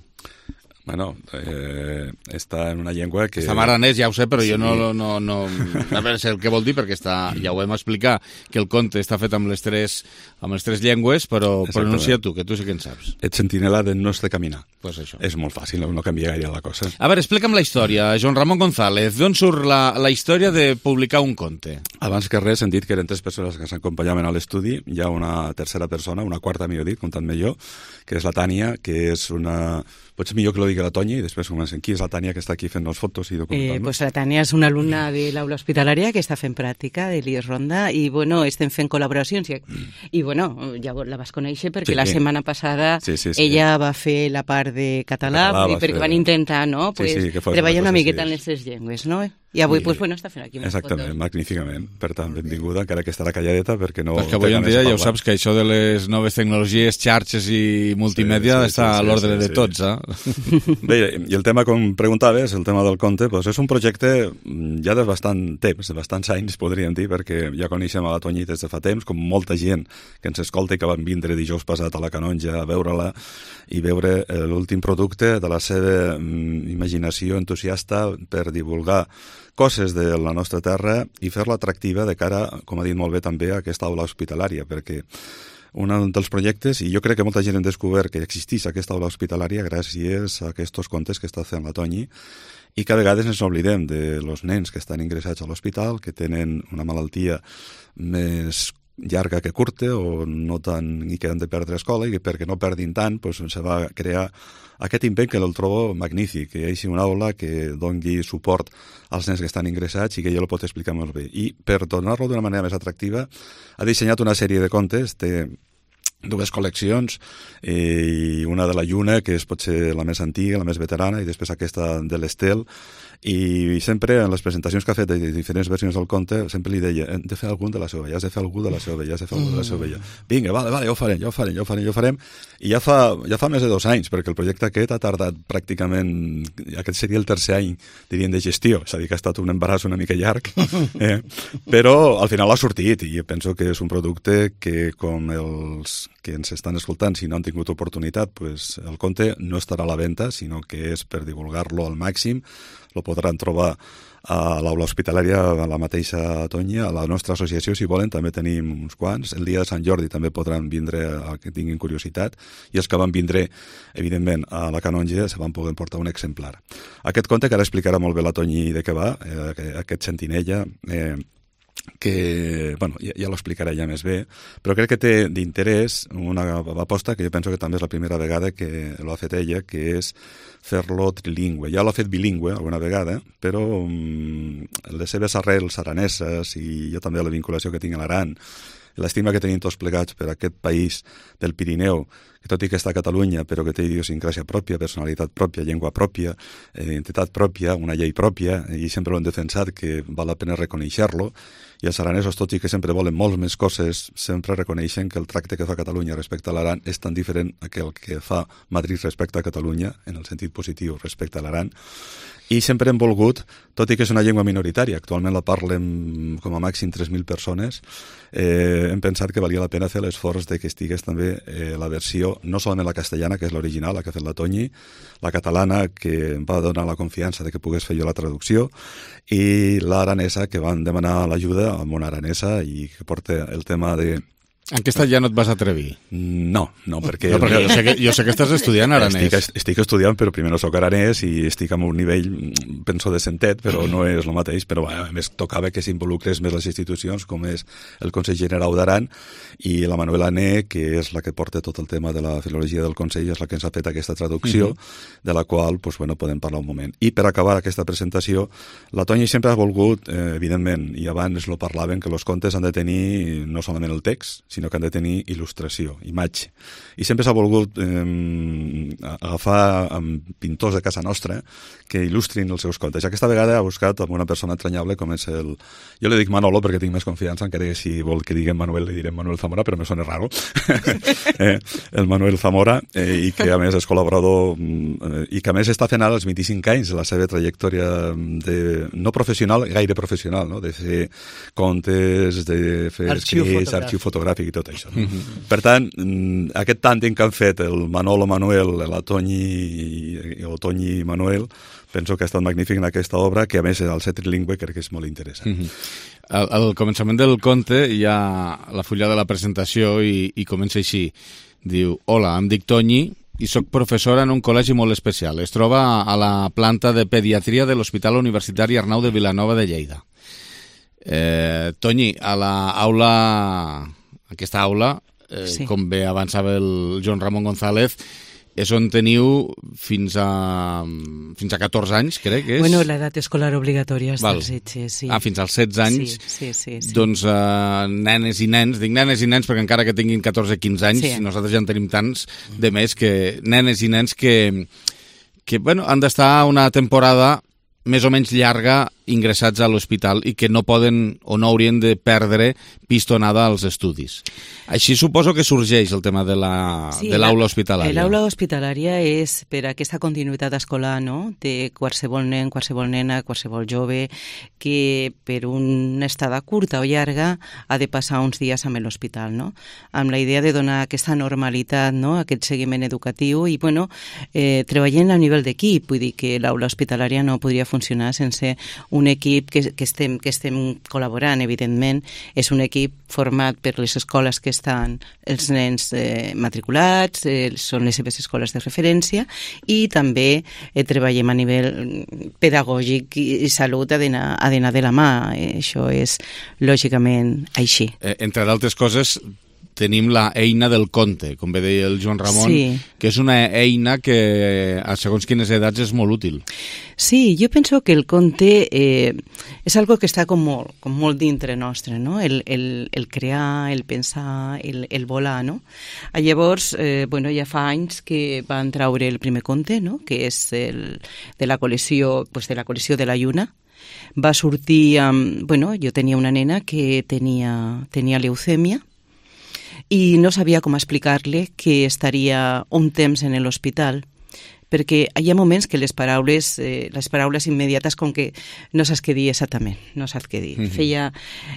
Bueno, eh, està en una llengua que... Està en aranès, ja ho sé, però sí. jo no, no, no... A veure el que vol dir, perquè està, ja ho hem explicat, que el conte està fet amb les tres, amb les tres llengües, però pronuncia tu, que tu sí que en saps. Ets sentinela del nostre caminar. Pues això. És molt fàcil, no canvia gaire la cosa. A veure, explica'm la història, Joan Ramon González. D'on surt la, la història de publicar un conte? Abans que res hem dit que eren tres persones que s'acompanyaven a l'estudi. Hi ha una tercera persona, una quarta, millor dit, comptant-me jo, que és la Tània, que és una... Potser millor que lo digui la Toñi i després comencem. Qui és la Tània que està aquí fent les fotos i documentant? Eh, pues la Tània és una alumna de l'aula hospitalària que està fent pràctica de l'I E S Ronda i, bueno, estem fent col·laboracions i, i bueno, ja la vas conèixer perquè sí. la setmana passada sí, sí, sí. ella va fer la part de català, català perquè fer... van intentar, no? Pues, sí, sí, treballar una miqueta sí. en les tres llengües, no? I avui, I, pues, bueno, està fent aquí unes exactament, fotos. magníficament. Per tant, benvinguda, encara que estarà calladeta, perquè no... Perquè avui en dia ja ho saps, que això de les noves tecnologies, xarxes i multimèdia sí, sí, està sí, sí, a l'ordre sí, sí, de tots, eh? Bé, i el tema, com preguntaves, el tema del conte, doncs és un projecte ja de bastant temps, de bastants anys, podríem dir, perquè ja coneixem a la Toñi des de fa temps, com molta gent que ens escolta i que van vindre dijous passat a la Canonja a veure-la i veure l'últim producte de la seva imaginació entusiasta per divulgar coses de la nostra terra i fer-la atractiva de cara, com ha dit molt bé també, a aquesta aula hospitalària, perquè un dels projectes, i jo crec que molta gent hem descobert que existeix aquesta aula hospitalària gràcies a aquests contes que està fent la Toñi, i que a vegades ens oblidem de los nens que estan ingressats a l'hospital, que tenen una malaltia més llarga que curta o no tant, i que han de perdre escola, i que perquè no perdin tant doncs, se va crear aquest invent que el trobo magnífic, que hi hagi una aula que doni suport als nens que estan ingressats i que ell ho pot explicar molt bé. I per donar-lo d'una manera més atractiva ha dissenyat una sèrie de contes, té dues col·leccions, i una de la Lluna, que és potser la més antiga, la més veterana, i després aquesta de l'Estel, i sempre en les presentacions que ha fet de diferents versions del conte sempre li deia, hem de fer algun de la seva vella, has de fer algú de la seva vella, has de fer algú de la seva vella. Vinga, vale, vale, ja ho farem, ja ho farem, ja ho farem, ja ho farem. I ja fa, ja fa més de dos anys, perquè el projecte aquest ha tardat pràcticament, aquest seria el tercer any, diríem, de gestió, és a dir, que ha estat un embaràs una mica llarg, eh? Però al final ha sortit, i penso que és un producte que, com els que ens estan escoltant, si no han tingut oportunitat, pues el conte no estarà a la venda, sinó que és per divulgar-lo al màxim. Lo podran trobar a l'aula hospitalària, a la mateixa Toñi, a la nostra associació, si volen, també tenim uns quants. El dia de Sant Jordi també podran vindre a que tinguin curiositat, i els que van vindre, evidentment, a la Canonja se van poder portar un exemplar. Aquest conte, que ara explicarà molt bé la Toñi de què va, eh, aquest Sentinella, eh, que, bueno, ja, ja l'explicaré ja més bé, però crec que té d'interès una aposta que jo penso que també és la primera vegada que l'ha fet ella, que és fer-lo trilingüe. Ja l'ha fet bilingüe alguna vegada, però um, les seves arrels araneses i jo també la vinculació que tinc a l'Aran, l'estima que tenim tots plegats per aquest país del Pirineu, que tot i que està a Catalunya, però que té idiosincràsia pròpia, personalitat pròpia, llengua pròpia, identitat pròpia, una llei pròpia, i sempre ho hem defensat, que val la pena reconèixer-lo, i els aranesos, tot i que sempre volen molts més coses, sempre reconeixen que el tracte que fa Catalunya respecte a l'Aran és tan diferent que el que fa Madrid respecte a Catalunya, en el sentit positiu respecte a l'Aran. I sempre hem volgut, tot i que és una llengua minoritària, actualment la parlen com a màxim tres mil persones, eh, hem pensat que valia la pena fer l'esforç de que estigués també eh, la versió, no solament la castellana, que és l'original, la que ha fet la Toñi, la catalana, que em va donar la confiança de que pogués fer jo la traducció, i l'aranesa, que van demanar l'ajuda a una aranesa i que porta el tema de... En aquesta ja no et vas atrevir? No, no, perquè... No, perquè jo, sé que, jo sé que estàs estudiant aranès. Estic, estic estudiant, però primer no soc aranès i estic en un nivell, penso, de centet, però no és el mateix. Però a més tocava que s'involucrés més les institucions, com és el Consell General d'Aran, i la Manuela Ané, que és la que porta tot el tema de la filologia del Consell, és la que ens ha fet aquesta traducció, uh-huh. de la qual pues, bueno, podem parlar un moment. I per acabar aquesta presentació, la Toñi sempre ha volgut, eh, evidentment, i abans lo parlaven, que els contes han de tenir no solament el text, sinó que han de tenir il·lustració, imatge. I sempre s'ha volgut eh, agafar amb pintors de casa nostra que il·lustrin els seus contes. Aquesta vegada ha buscat amb una persona entranyable com és el... Jo li dic Manolo perquè tinc més confiança, encara que si vol que diguem Manuel, li direm Manuel Zamora, però me sona raro. eh, el Manuel Zamora, eh, i que a més és col·laborador, eh, i que a més està fent ara els vint-i-cinc anys de la seva trajectòria de, no professional, gaire professional, no? De fer contes, de fer arxiu escrits, fotogràfic. arxiu fotogràfic i tot això. No? Mm-hmm. Per tant, aquest tàndem que han fet el Manolo Manuel, la Toñi i el Toñi i Manuel, penso que ha estat magnífic en aquesta obra, que a més al ser trilingüe crec que és molt interessant. Mm-hmm. Al, al començament del conte hi ha la fulla de la presentació i, i comença així. Diu, hola, em dic Toñi i soc professora en un col·legi molt especial. Es troba a la planta de pediatria de l'Hospital Universitari Arnau de Vilanova de Lleida. Eh, Toñi, a l'aula... Aquesta aula, eh, sí. com bé avançava el Joan Ramon González, és on teniu fins a, fins a catorze anys, crec que és. Bueno, l'edat escolar obligatòria és dels setze, sí. Ah, fins als setze anys. Sí, sí, sí. sí. Doncs uh, nenes i nens, dic nenes i nens perquè encara que tinguin catorze quinze anys, sí. nosaltres ja en tenim tants de més que nenes i nens que, que bueno, han d'estar una temporada més o menys llarga ingressats a l'hospital i que no poden o no haurien de perdre pistonada als estudis. Així suposo que sorgeix el tema de l'aula sí, hospitalària. L'aula hospitalària és per aquesta continuïtat escolar, no?, de qualsevol nen, qualsevol nena, qualsevol jove, que per una estada curta o llarga ha de passar uns dies amb l'hospital, no?, amb la idea de donar aquesta normalitat, no?, aquest seguiment educatiu i, bueno, eh, treballant a nivell d'equip, vull dir que l'aula hospitalària no podria funcionar sense un equip que, que, estem, que estem col·laborant, evidentment. És un equip format per les escoles que estan els nens eh, matriculats, eh, són les seves escoles de referència, i també eh, treballem a nivell pedagògic i, i salut ha d'anar de la mà. Eh, això és lògicament així. Eh, entre d'altres coses, tenim la eina del conte, com bé deia el Joan Ramon, sí. que és una eina que a segons quines edats és molt útil. Sí, jo penso que el conte eh, és algo que està com molt, com molt dintre nostre, no? El, el, el crear, el pensar, el, el volar, no? Llavors, eh, bueno, ja fa anys que van traure el primer conte, no?, que és el, de la col·lecció, pues de la col·lecció de la Lluna. Va sortir amb... Bueno, jo tenia una nena que tenia, tenia leucèmia, i no sabia com explicar-li que estaria un temps en l'hospital, perquè hi ha moments que les paraules, eh, les paraules immediates com que no saps què dir exactament, no saps què dir. Mm-hmm. Feia,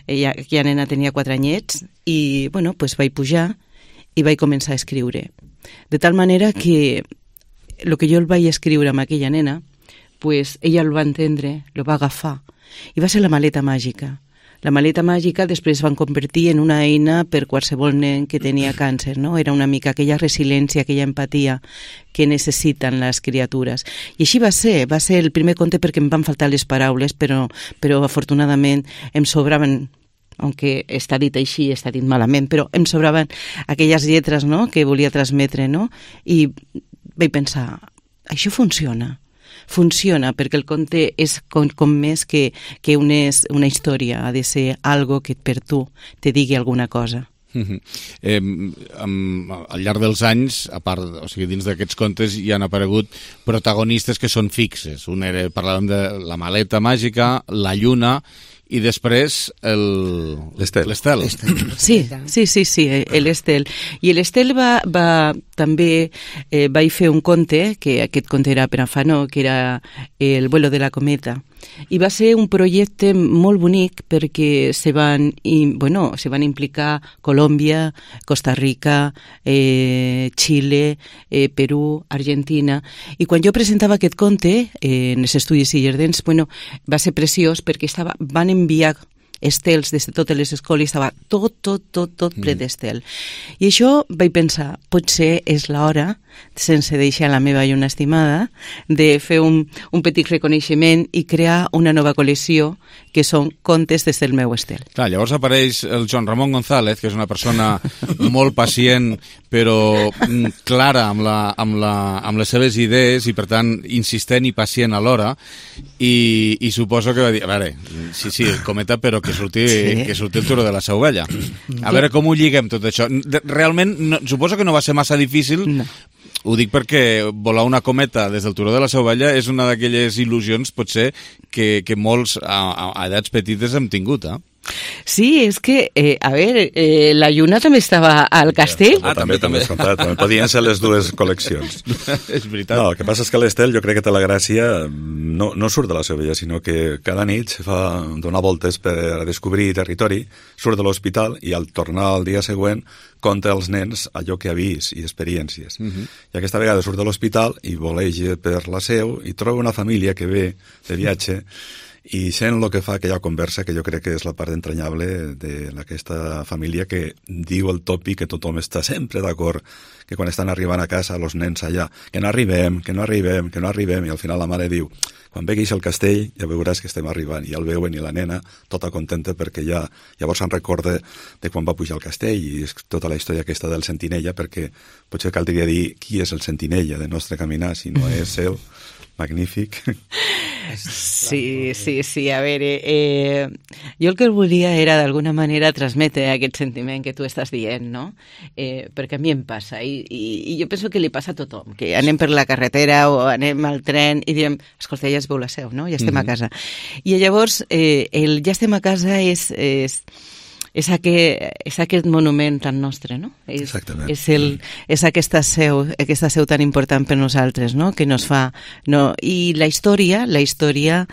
ella, aquella nena tenia quatre anyets i, bueno, pues vaig pujar i vaig començar a escriure. De tal manera que el que jo el vaig escriure amb aquella nena, pues ella el va entendre, el va agafar, i va ser la maleta màgica. La maleta màgica després van convertir en una eina per qualsevol nen que tenia càncer, no? Era una mica aquella resiliència, aquella empatia que necessiten les criatures. I així va ser, va ser el primer conte perquè em van faltar les paraules, però, però afortunadament em sobraven, aunque està dit així, està dit malament, però em sobraven aquelles lletres, no?, que volia transmetre, no? I vaig pensar, això funciona. Funciona perquè el conte és com, com més que, que una, una història, ha de ser algo que per tu te digui alguna cosa. Mm-hmm. eh, amb, al llarg dels anys, a part, o sigui, dins d'aquests contes hi han aparegut protagonistes que són fixes. Un era, parlàvem de la maleta màgica, la lluna, i després l'Estel. Sí, sí, sí, sí, l'Estel. I l'Estel va, va també eh, vaig fer un conte, que aquest conte era per a Fanó, que era El vuelo de la cometa. I va ser un projecte molt bonic perquè se van, i, bueno, se van implicar Colòmbia, Costa Rica, eh, Xile, eh, Perú, Argentina. I quan jo presentava aquest conte eh, en els estudis Illardens, bueno, va ser preciós perquè estava, van enviar estels des de totes les escoles, estava tot, tot, tot, tot ple d'estel. I això vaig pensar, potser és l'hora, sense deixar la meva lluna estimada, de fer un, un petit reconeixement i crear una nova col·lecció que són contes des del meu estel. Clar, llavors apareix el Joan Ramon González, que és una persona molt pacient, però clara amb, la, amb, la, amb les seves idees i, per tant, insistent i pacient alhora, i, i suposo que va dir, a veure, sí, sí, el cometa, però que surti, sí. que surti el toro de la seva ovella. A veure com ho lliguem tot això. Realment, no, suposo que no va ser massa difícil. No. Ho dic perquè volar una cometa des del turó de la seva ovella és una d'aquelles il·lusions, potser, que, que molts a, a edats petites hem tingut, eh? Sí, és que, eh, a veure, eh, la lluna també estava al castell. Ah, també, també és comptat. Podien ser les dues col·leccions. És veritat. No, el que passa és que l'Estel, jo crec que té la gràcia, no, no surt de la seva vella, sinó que cada nit se fa donar voltes per descobrir territori, surt de l'hospital i al tornar al dia següent conta als nens allò que ha vist i experiències. Uh-huh. I aquesta vegada surt de l'hospital i voleja per la seu i troba una família que ve de viatge i sent el que fa aquella conversa, que jo crec que és la part entranyable d'aquesta família, que diu el tòpic que tothom està sempre d'acord, que quan estan arribant a casa els nens allà, que no arribem, que no arribem, que no arribem, i al final la mare diu, quan veguis el castell ja veuràs que estem arribant, i el veuen i la nena tota contenta perquè ja llavors se'n recorda de quan va pujar al castell, i és tota la història aquesta del sentinella, perquè potser caldria dir qui és el sentinella del nostre caminar, si no és ell magnífic. Sí, sí, sí, a veure, eh, jo el que volia era d'alguna manera transmetre aquest sentiment que tu estàs dient, no? Eh, perquè a mi em passa, i, i, i jo penso que li passa a tothom, que anem per la carretera o anem al tren i diem, escolta, ja es veu la Seu, no? Ja estem mm-hmm. a casa. I llavors, eh, el ja estem a casa és... és és aquest, és aquest monument tan nostre, no? És, Exactament. És, el, és aquesta seu, aquesta seu tan important per nosaltres, no? Que nos fa... No? I la història, la història...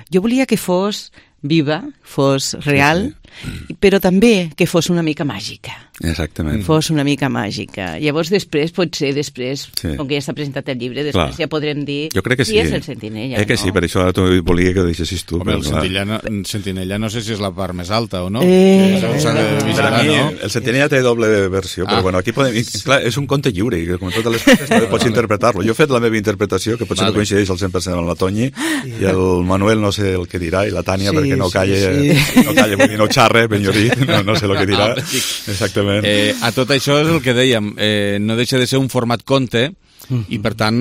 Jo volia que fos viva, fos real, sí, sí. però també que fos una mica màgica. Exactament. Fos una mica màgica. Llavors, després, potser, després, sí. com que ja s'ha presentat el llibre, després clar. Ja podrem dir jo crec que sí. qui és el Sentinella. Eh que no? sí, per això volia que ho deixessis tu. Home, el clar. Sentinella, Sentinella no sé si és la part més alta o no. Eh, s'ha de vigilar, mi, no? El Sentinella té doble versió, però ah. bueno, aquí podem... Clar, és un conte lliure, i com totes les coses també pots interpretar-lo. Jo he fet la meva interpretació, que potser vale. No coincideix al cent per cent amb la Toñi, i el Manuel no sé el que dirà, i la Tània, sí, perquè no calla, sí, sí. no calla, vull dir, no xarre, ben jo dit, no, no sé el que dirà. Exactament. Eh, a tot això és el que dèiem, eh, no deixa de ser un format conte, i per tant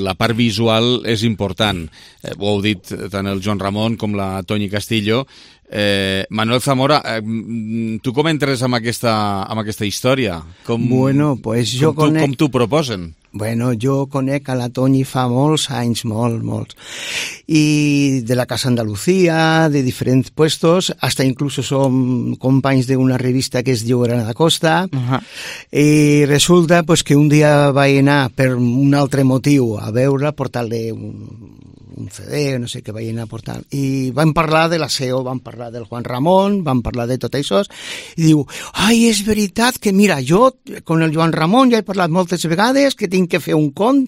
la part visual és important. Eh, ho heu dit tant el Joan Ramon com la Toñi Castillo. Eh, Manuel Zamora, eh, tu com entres amb aquesta, amb aquesta història? Com, bueno, pues jo com, conec... com t'ho proposen? Bueno, jo conec a la Toñi fa molts anys, molt, molts. I de la Casa Andalucía, de diferents puestos, hasta incluso som companys d'una revista que es diu Granada Costa. Uh-huh. I resulta pues, que un dia vaig anar per un altre motiu a veure, portar-li un, un C D, no sé què vaig anar a portar. I vam parlar de la S E O, vam parlar del Juan Ramon, vam parlar de tot això, i diu, ai, és veritat que, mira, jo, con el Joan Ramon ja he parlat moltes vegades, que tinc que fer un cont,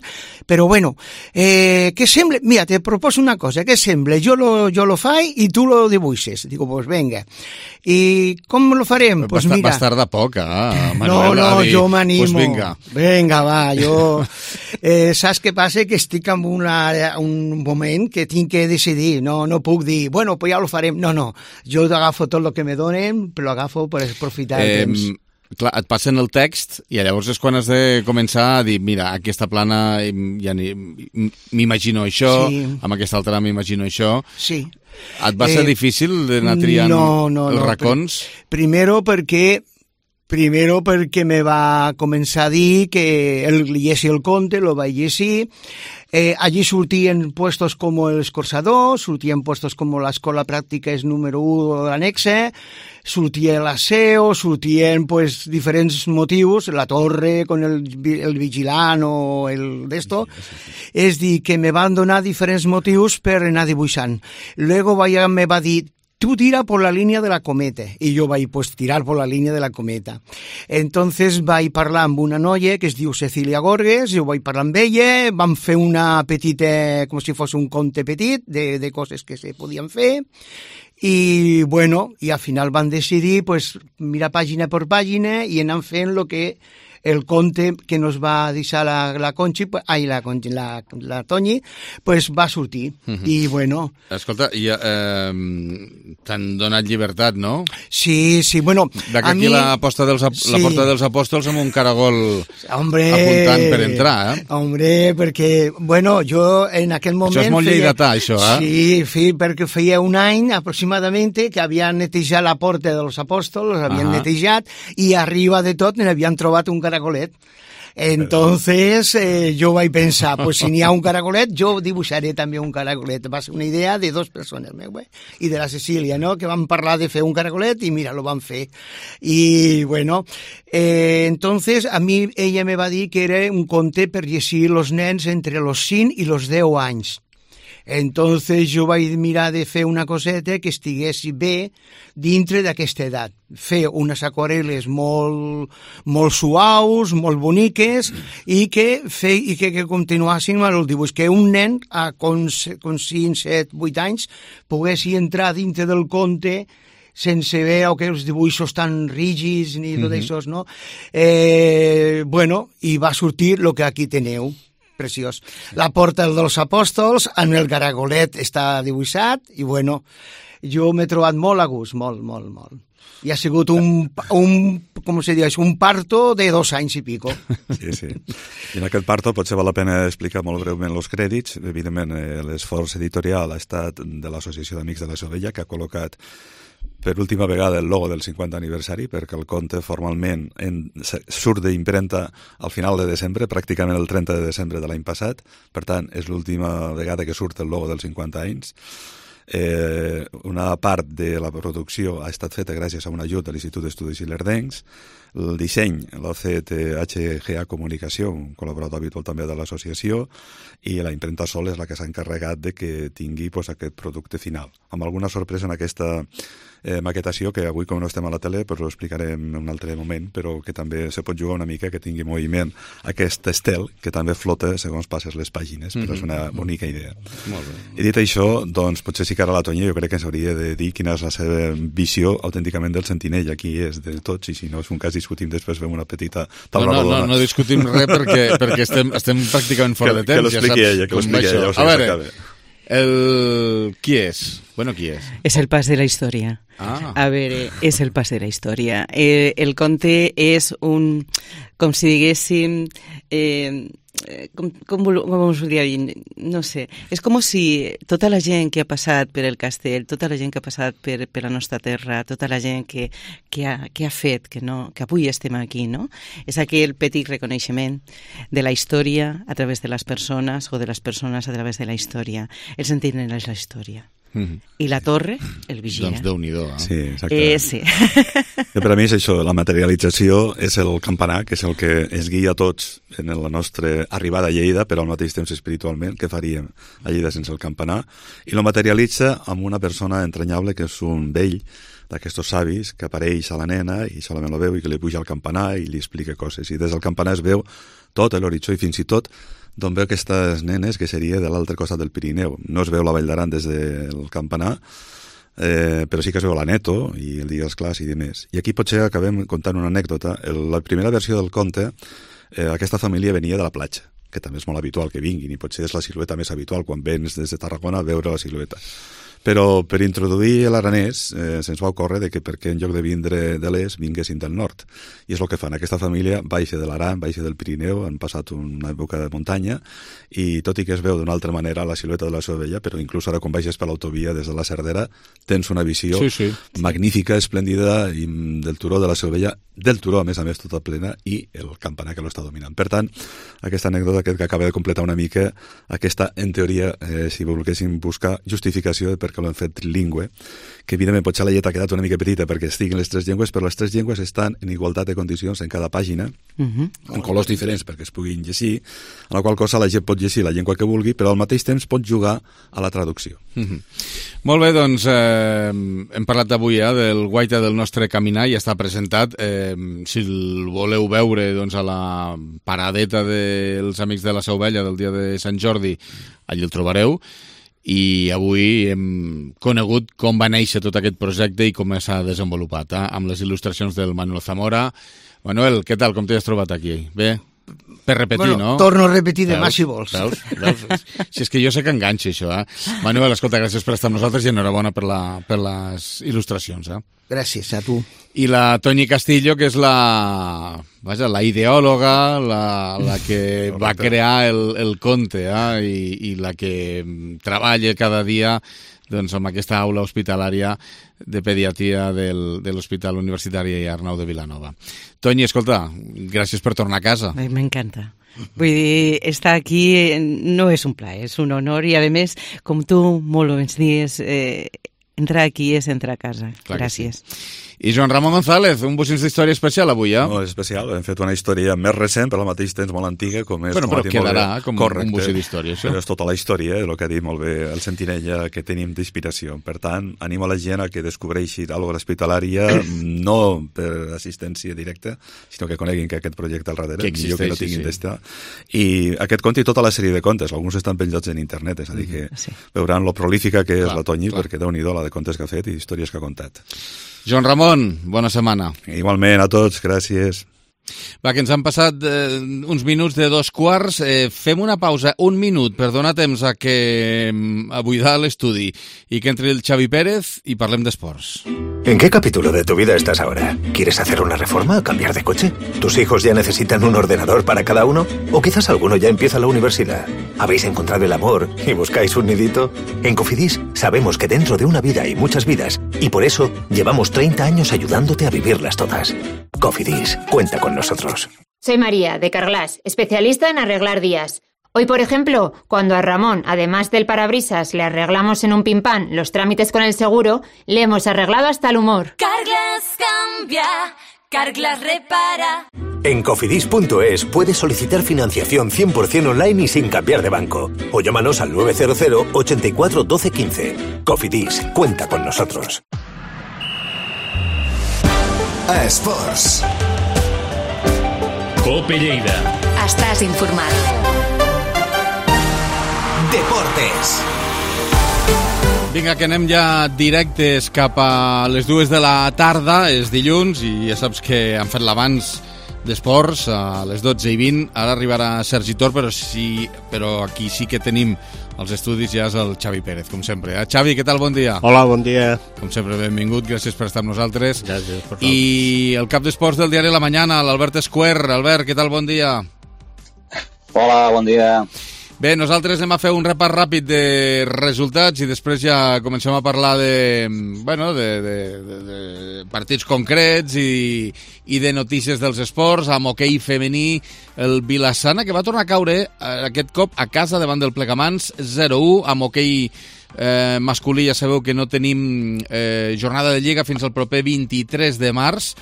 però bueno, eh, què sembla? Mira, te proposo una cosa, què sembla? Jo lo, jo lo faig i tu lo dibuixes. Digo, pues venga. I com lo farem? Pues, pues mira... mira... Vas tardar poc, ah, Manuel. No, no, dir, jo m'animo. Pues vinga. Vinga, va, jo... Eh, saps què passa? Que estic en una, un moment que tinc que decidir. No, no puc dir, bueno, pues ja lo farem. No, no. Jo agafo tot el que me donen, però agafo per aprofitar el eh, temps. Clar, et passen el text i llavors és quan has de començar a dir, mira, aquesta plana ja m'imagino això, sí. Amb aquesta altra m'imagino això. Sí. Et va ser eh, difícil d'anar triant no, no, els no, racons? Primero perquè Primero perquè me va començar a dir que el llegeixi el conte, lo vaig llegir. Eh, allí sortien puestos com l'Escorçador, sortien puestos com l'Escola Pràctica és número u de l'annexe, sortia la S E O, sortien pues, diferents motius, la torre con el, el vigilant o el d'esto. És dir, que me van donar diferents motius per anar dibuixant. Luego vaya, me va dir, tú tira por la línea de la cometa. Y yo vaig pues, tirar por la línea de la cometa. Entonces vaig parlar amb una noia que es diu Cecília Gorges, jo vaig parlar amb ella, vam fer una petita, com si fos un conte petit, de, de coses que se podien fer, i bueno, i al final van decidir pues, mirar pàgina per pàgina i anar fent el que el conte que nos va deixar la, la Conchi, ai, la, la, la Toñi, pues va sortir. Uh-huh. I bueno... Escolta, i, eh, t'han donat llibertat, no? Sí, sí, bueno... D'aquí aquí mi... la, posta dels, sí. La porta dels apòstols amb un caragol hombre, apuntant per entrar, eh? Hombre, perquè, bueno, jo en aquell moment... Això és molt feia... lleidatà, això, eh? Sí, sí, perquè feia un any aproximadament que havien netejat la porta dels apòstols, havien uh-huh. netejat, i arriba de tot n'havien trobat un caragolet. Entonces eh, yo vaig pensar, pues si n'hi ha un caragolet, jo dibuixaré també un caragolet. Va ser una idea de dos persones, meu, eh? I de la Cecília, no?, que van parlar de fer un caragolet i mira, lo van fer. I bueno, eh, entonces a mi ella me va dir que era un conte per llegir los nens entre los cinc i los deu anys. Entonces jo vaig mirar de fer una coseta que estigués bé dintre d'aquesta edat. Fer unes aquarel·les molt, molt suaus, molt boniques, i que, fe, i que, que continuassin amb el dibuix. Que un nen, a, con, con cinc, set, vuit anys, poguessi entrar dintre del conte sense veure que els dibuixos tan rígids ni tot mm-hmm. això, no? Eh, bueno, i va sortir el que aquí teniu. Preciós. La porta dels apòstols, en el caragolet està dibuixat, i bueno, jo m'he trobat molt a gust, molt, molt, molt. I ha sigut un, un com se diu, un parto de dos anys i pico. Sí, sí. I en aquest parto potser val la pena explicar molt breument els crèdits. Evidentment, eh, l'esforç editorial ha estat de l'Associació d'Amics de la Sovella, que ha col·locat per última vegada el logo del cinquanta aniversari, perquè el conte formalment en, surt d'impremta al final de desembre, pràcticament el trenta de desembre de l'any passat. Per tant, és l'última vegada que surt el logo dels cinquanta anys. Eh, una part de la producció ha estat feta gràcies a un ajut de l'Institut d'Estudis Ilerdencs. El disseny l'ha fet H G A Comunicació, un col·laborador habitual també de l'associació, i la impremta Sol és la que s'ha encarregat de que tingui pues, aquest producte final. Amb alguna sorpresa en aquesta eh, maquetació, que avui com no estem a la tele pues, ho explicarem en un altre moment, però que també se pot jugar una mica, que tingui moviment aquest estel, que també flota segons passes les pàgines, però mm-hmm. és una bonica idea. Molt bé. I dit això, doncs potser sí que ara la Tonya jo crec que ens hauria de dir quina és la seva visió autènticament del Sentinella, qui és de tots, i si no és un cas discutim després, fem una petita taula no, no, rodona. No, no discutim res perquè, perquè estem, estem pràcticament fora que, de temps. Que l'expliqui ja ella, que l'expliqui ella. A veure, el... qui és? Bueno, qui és? És el pas de la història. Ah. A veure, és el pas de la història. Eh, el conte és un, com si diguéssim... Eh, com, com, com us ho diria, no sé, és com si tota la gent que ha passat per el castell, tota la gent que ha passat per, per la nostra terra, tota la gent que, que, ha, que ha fet que, no, que avui estem aquí, no? És aquell petit reconeixement de la història a través de les persones o de les persones a través de la història. El Sentinella és la història. Mm-hmm. I la torre, el vigia. Doncs Déu-n'hi-do. Eh? Sí, exacte. Eh, sí. I per a mi és això, la materialització és el campanar, que és el que ens guia a tots en la nostra arribada a Lleida, però al mateix temps espiritualment, què faríem a Lleida sense el campanar? I lo materialitza amb una persona entranyable que és un vell d'aquestos savis que apareix a la nena i solament la veu i que li puja al campanar i li explica coses. I des del campanar es veu tot l'horitzó i fins i tot d'on veu aquestes nenes, que seria de l'altre costat del Pirineu. No es veu la Vall d'Aran des del campanar, eh, però sí que es veu l'Aneto i el Digues Clars i demés. I aquí potser acabem contant una anècdota. El, la primera versió del conte, eh, aquesta família venia de la platja, que també és molt habitual que vinguin, i potser és la silueta més habitual quan vens des de Tarragona a veure la silueta. Però per introduir l'aranès eh, se'ns va ocórrer de que perquè en lloc de vindre de l'est vinguessin del nord. I és el que fan. Aquesta família baixa de l'Aran, baixa del Pirineu, han passat una època de muntanya i tot i que es veu d'una altra manera la silueta de la Sovella, però inclús ara quan baixes per l'autovia des de la Cerdera tens una visió sí, sí. magnífica, esplèndida i del turó de la Sovella, del turó a més a més tota plena i el campanar que l'està dominant. Per tant, aquesta anècdota que acaba de completar una mica aquesta, en teoria, eh, si volguéssim buscar justificació de per que l'hem fet trilingüe, que evidentment potser la lletra ha quedat una mica petita perquè estiguin les tres llengües, però les tres llengües estan en igualtat de condicions en cada pàgina, uh-huh. en colors diferents perquè es puguin llegir, en la qual cosa la gent pot llegir la llengua que vulgui, però al mateix temps pot jugar a la traducció. Uh-huh. Molt bé, doncs eh, hem parlat avui eh, del guaita del nostre caminar, ja està presentat. Eh, si el voleu veure doncs, a la paradeta dels Amics de la Sovella del dia de Sant Jordi, allí el trobareu. I avui hem conegut com va néixer tot aquest projecte i com s'ha desenvolupat, eh? Amb les il·lustracions del Manuel Zamora. Manuel, què tal? Com t'hi has trobat aquí? Bé? Per repetir, bueno, no? Torno a repetir demà si vols. Veus? Veus? Si és que jo sé que enganxa això, eh? Manuel, escolta, gràcies per estar amb nosaltres i enhorabona per, la, per les il·lustracions, eh? Gràcies a tu. I la Toñi Castillo, que és la, vaja, la ideòloga, la, la que va crear el, el conte, eh? I, i la que treballa cada dia doncs, amb aquesta aula hospitalària de pediatria del, de l'Hospital Universitari Arnau de Vilanova. Toñi, escolta, gràcies per tornar a casa. M'encanta. Vull dir, estar aquí no és un plaer, és un honor i, a més, com tu molt ens dius, eh, entrar aquí és entrar a casa. Clar gràcies. Sí. I Joan Ramon González, un bocins d'història especial avui, eh? No, és especial, hem fet una història més recent, però al mateix temps molt antiga, com és... Bueno, com però quedarà com correcte, un bocí d'història, això. Però és tota la història, el que ha dit molt bé el Sentinella, que tenim d'inspiració. Per tant, animo a la gent a que descobreixi alguna cosa hospitalària, no per assistència directa, sinó que coneguin que aquest projecte al darrere, que existeix, millor que no tinguin sí. d'estar. I aquest conte i tota la sèrie de contes, alguns estan penjats en internet, és a dir, que sí. veuran lo prolífica que és clar, la Toñi, clar. Perquè déu-n'hi-do la de contes que ha fet i històries que ha contat. Joan Ramon, bona setmana. Igualment, a tots, gràcies. Va, que ens han passat eh, uns minuts de dos quarts. Eh, fem una pausa, un minut, per donar temps a que a buidar l'estudi i que entri el Xavi Pérez i parlem d'esports. ¿En qué capítulo de tu vida estás ahora? ¿Quieres hacer una reforma o cambiar de coche? ¿Tus hijos ya necesitan un ordenador para cada uno? ¿O quizás alguno ya empieza la universidad? ¿Habéis encontrado el amor y buscáis un nidito? En Cofidis sabemos que dentro de una vida hay muchas vidas y por eso llevamos treinta años ayudándote a vivirlas todas. Cofidis, cuenta con nosotros. Soy María, de Carglass, especialista en arreglar días. Hoy, por ejemplo, cuando a Ramón, además del parabrisas, le arreglamos en un pimpán los trámites con el seguro, le hemos arreglado hasta el humor. Carglass cambia, Carglass repara. En cofidis punto es puedes solicitar financiación cien por ciento online y sin cambiar de banco. O llámanos al nueve cero cero, ochenta y cuatro, doce, quince. Cofidis, cuenta con nosotros. Esports. Cope Lleida. Estàs informat. Deportes. Vinga, que anem ja directes cap a les dues de la tarda, és dilluns, i ja saps que han fet l'abans d'esports a les dotze i vint. Ara arribarà Sergi Tor, però, sí, però aquí sí que tenim els estudis, ja és el Xavi Pérez, com sempre. Eh? Xavi, què tal? Bon dia. Hola, bon dia. Com sempre, benvingut, gràcies per estar amb nosaltres. Gràcies, per favor. I el cap d'esports del diari La Mañana, l'Albert Esquer. Albert, què tal? Bon dia. Hola, bon dia. Bé, nosaltres anem a fer un repàs ràpid de resultats i després ja comencem a parlar de, bueno, de, de, de, de partits concrets i, i de notícies dels esports, amb hoquei femení, el Vilassana, que va tornar a caure aquest cop a casa davant del Plegamans, zero a u, amb hoquei eh, masculí ja sabeu que no tenim eh, jornada de Lliga fins al proper vint-i-tres de març.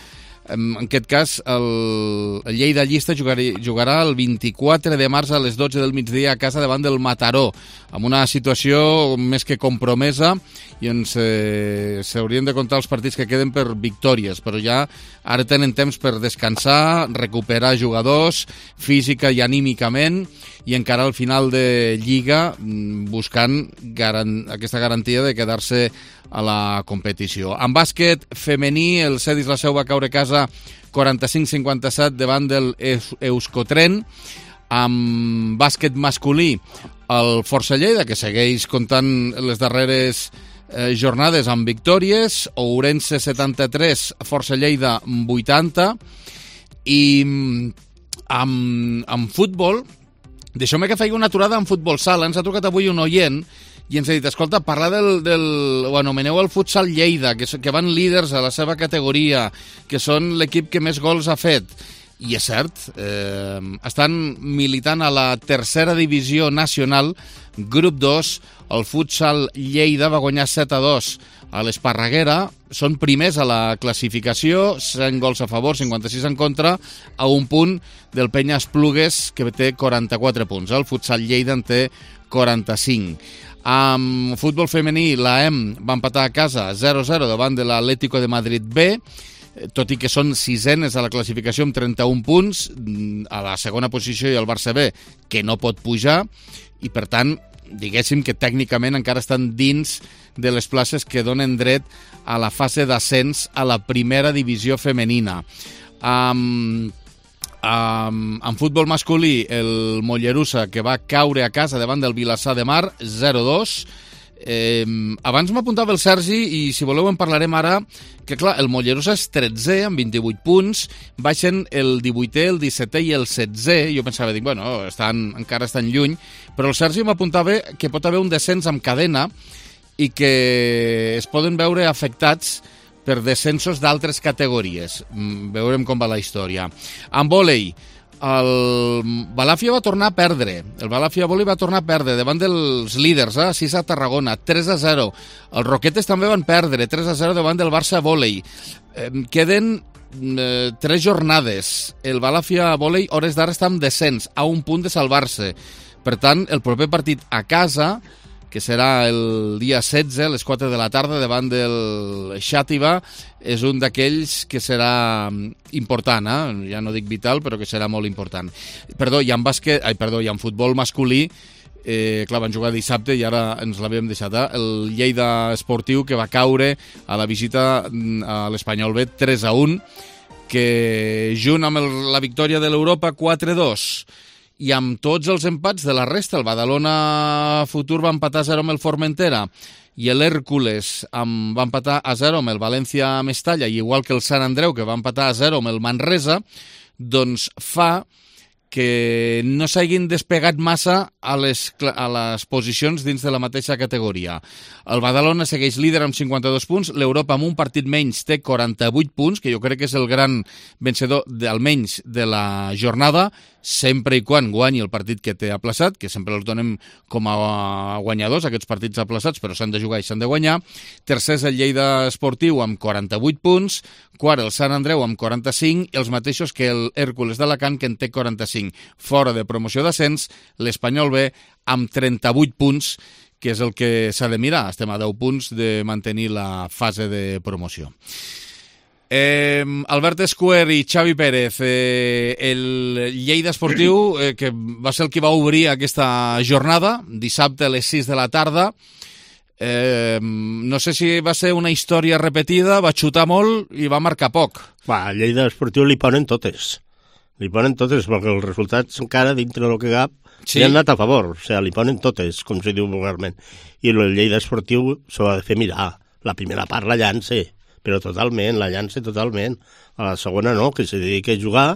En aquest cas, el, el Lleida Llista jugarà, jugarà el vint-i-quatre de març a les dotze del migdia a casa davant del Mataró, amb una situació més que compromesa, i ens eh, s'haurien de comptar els partits que queden per victòries, però ja ara tenen temps per descansar, recuperar jugadors física i anímicament, i encara al final de Lliga buscant garan- aquesta garantia de quedar-se a la competició. En bàsquet femení, el Cedis la Seu va caure a casa quaranta-cinc cinquanta-set davant del Euskotren. Amb bàsquet masculí, el Força Lleida, que segueix comptant les darreres eh, jornades amb victòries, Ourense setanta-tres, Força Lleida vuitanta, i amb, amb futbol, deixeu-me que faci una aturada en futbol sala. Ens ha trucat avui un oient i ens ha dit, escolta, parla del, del ho anomeneu el futsal Lleida, que, que van líders a la seva categoria, que són l'equip que més gols ha fet. I és cert, eh, estan militant a la tercera divisió nacional, grup dos, el futsal Lleida va guanyar set a dos a l'Esparreguera, són primers a la classificació, cent gols a favor, cinquanta-sis en contra, a un punt del Penya Esplugues, que té quaranta-quatre punts. El futsal Lleida en té quaranta-cinc. Amb futbol femení, la E M va empatar a casa zero a zero davant de l'Atlético de Madrid B, tot i que són sisenes a la classificació amb trenta-un punts, a la segona posició i el Barça B, que no pot pujar, i per tant, diguéssim que tècnicament encara estan dins de les places que donen dret a la fase d'ascens a la primera divisió femenina. Amb... Um, en futbol masculí, el Mollerussa, que va caure a casa davant del Vilassar de Mar, zero a dos. Eh, abans m'apuntava el Sergi, i si voleu en parlarem ara, que clar, el Mollerussa és tretzè amb vint-i-vuit punts, baixen el divuitè, el dissetè i el setzè. Jo pensava, dic, bueno, estan, encara estan lluny, però el Sergi m'apuntava que pot haver un descens amb cadena i que es poden veure afectats per descensos d'altres categories. Veurem com va la història. En vòlei, el Balàfia va tornar a perdre. El Balàfia Vòlei va tornar a perdre davant dels líders, eh? sis a Tarragona, tres a zero. Els Roquetes també van perdre, tres a zero davant del Barça Vòlei. Eh, queden eh, tres jornades. El Balàfia Vòlei, hores d'ara, està en descens, a un punt de salvar-se. Per tant, el proper partit a casa, que serà el dia setze, a les quatre de la tarda, davant del Xàtiva, és un d'aquells que serà important, eh? Ja no dic vital, però que serà molt important. Perdó, i en bàsquet, ai, perdó, i en futbol masculí, eh, clar, van jugar dissabte i ara ens l'havíem deixat, eh? El Lleida Esportiu, que va caure a la visita a l'Espanyol B tres a un, que junt amb el, la victòria de l'Europa quatre dos i amb tots els empats de la resta, el Badalona Futur va empatar a zero amb el Formentera i l'Hèrcules va empatar a zero amb el València Mestalla, i igual que el Sant Andreu, que va empatar a zero amb el Manresa, doncs fa que no s'hagin despegat massa a les, a les posicions dins de la mateixa categoria. El Badalona segueix líder amb cinquanta dos punts, l'Europa amb un partit menys té quaranta-vuit punts, que jo crec que és el gran vencedor de, almenys de la jornada, sempre i quan guanyi el partit que té aplaçat, que sempre els donem com a guanyadors, aquests partits aplaçats, però s'han de jugar i s'han de guanyar. Tercer és el Lleida Esportiu amb quaranta-vuit punts, quart el Sant Andreu amb quaranta-cinc, i els mateixos que el Hèrcules d'Alacant, que en té quaranta-cinc. Fora de promoció d'ascens, l'Espanyol B amb trenta-vuit punts, que és el que s'ha de mirar. Estem a deu punts de mantenir la fase de promoció. Eh, Albert Escuer i Xavi Pérez, eh, el Lleida Esportiu, eh, que va ser el que va obrir aquesta jornada, dissabte a les sis de la tarda. Eh, no sé si va ser una història repetida, va xutar molt i va marcar poc. Va, al Lleida Esportiu li ponen totes. Li ponen totes, perquè els resultats encara dintre del que cap sí. li han anat a favor. O sigui, li ponen totes, com se diu vulgarment. I el Lleida Esportiu s'ho ha de fer mirar. La primera part la llança, però totalment, la llança totalment. A la segona no, que se dedica a jugar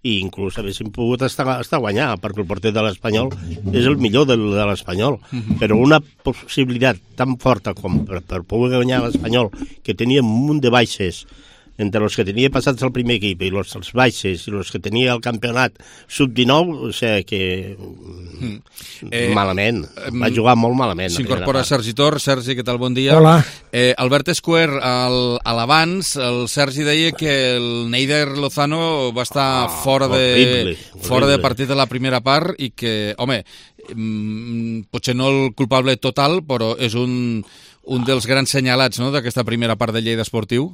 i inclús haguéssim pogut estar, estar a guanyar, perquè el porter de l'Espanyol és el millor de, de l'Espanyol. Uh-huh. Però una possibilitat tan forta com per, per poder guanyar l'Espanyol, que tenia un munt de baixes, entre els que tenia passats al primer equip i els, els baixes i els que tenia el campionat sub dinou, o sigui que mm. eh, malament, va jugar molt malament. S'incorpora Sergi Tor. Sergi, què tal? Bon dia. Hola. Eh, Albert Escuer, al, a l'abans, el Sergi deia que el Neider Lozano va estar ah, fora, de, horrible, horrible. fora de partit de la primera part i que, home, mm, potser no el culpable total, però és un, un dels grans senyalats, no?, d'aquesta primera part del Lleida Esportiu.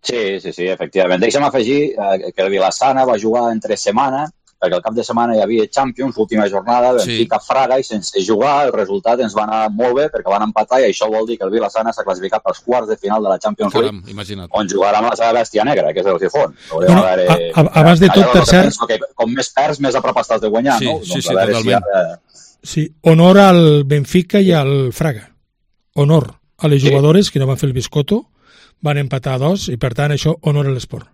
Sí, sí, sí, efectivament. Deixa'm afegir eh, que el Vilassana va jugar entre setmana, perquè el cap de setmana hi havia Champions, l'última jornada, Benfica sí. Fraga, i sense jugar el resultat ens va anar molt bé, perquè van empatar, i això vol dir que el Vilassana s'ha classificat pels quarts de final de la Champions Caram, League, imagina't. On jugarà amb la seva bèstia negra, que és el Gijón. Bueno, haver, a, a, abans de tot, per cert... Com més perds, més a prop estàs de guanyar, sí, no? Sí, doncs sí, totalment. Si ha... Sí, honor al Benfica i al Fraga. Honor a les jugadores sí. que no van fer el biscotto, van empatar a dos, i per tant això honora l'esport.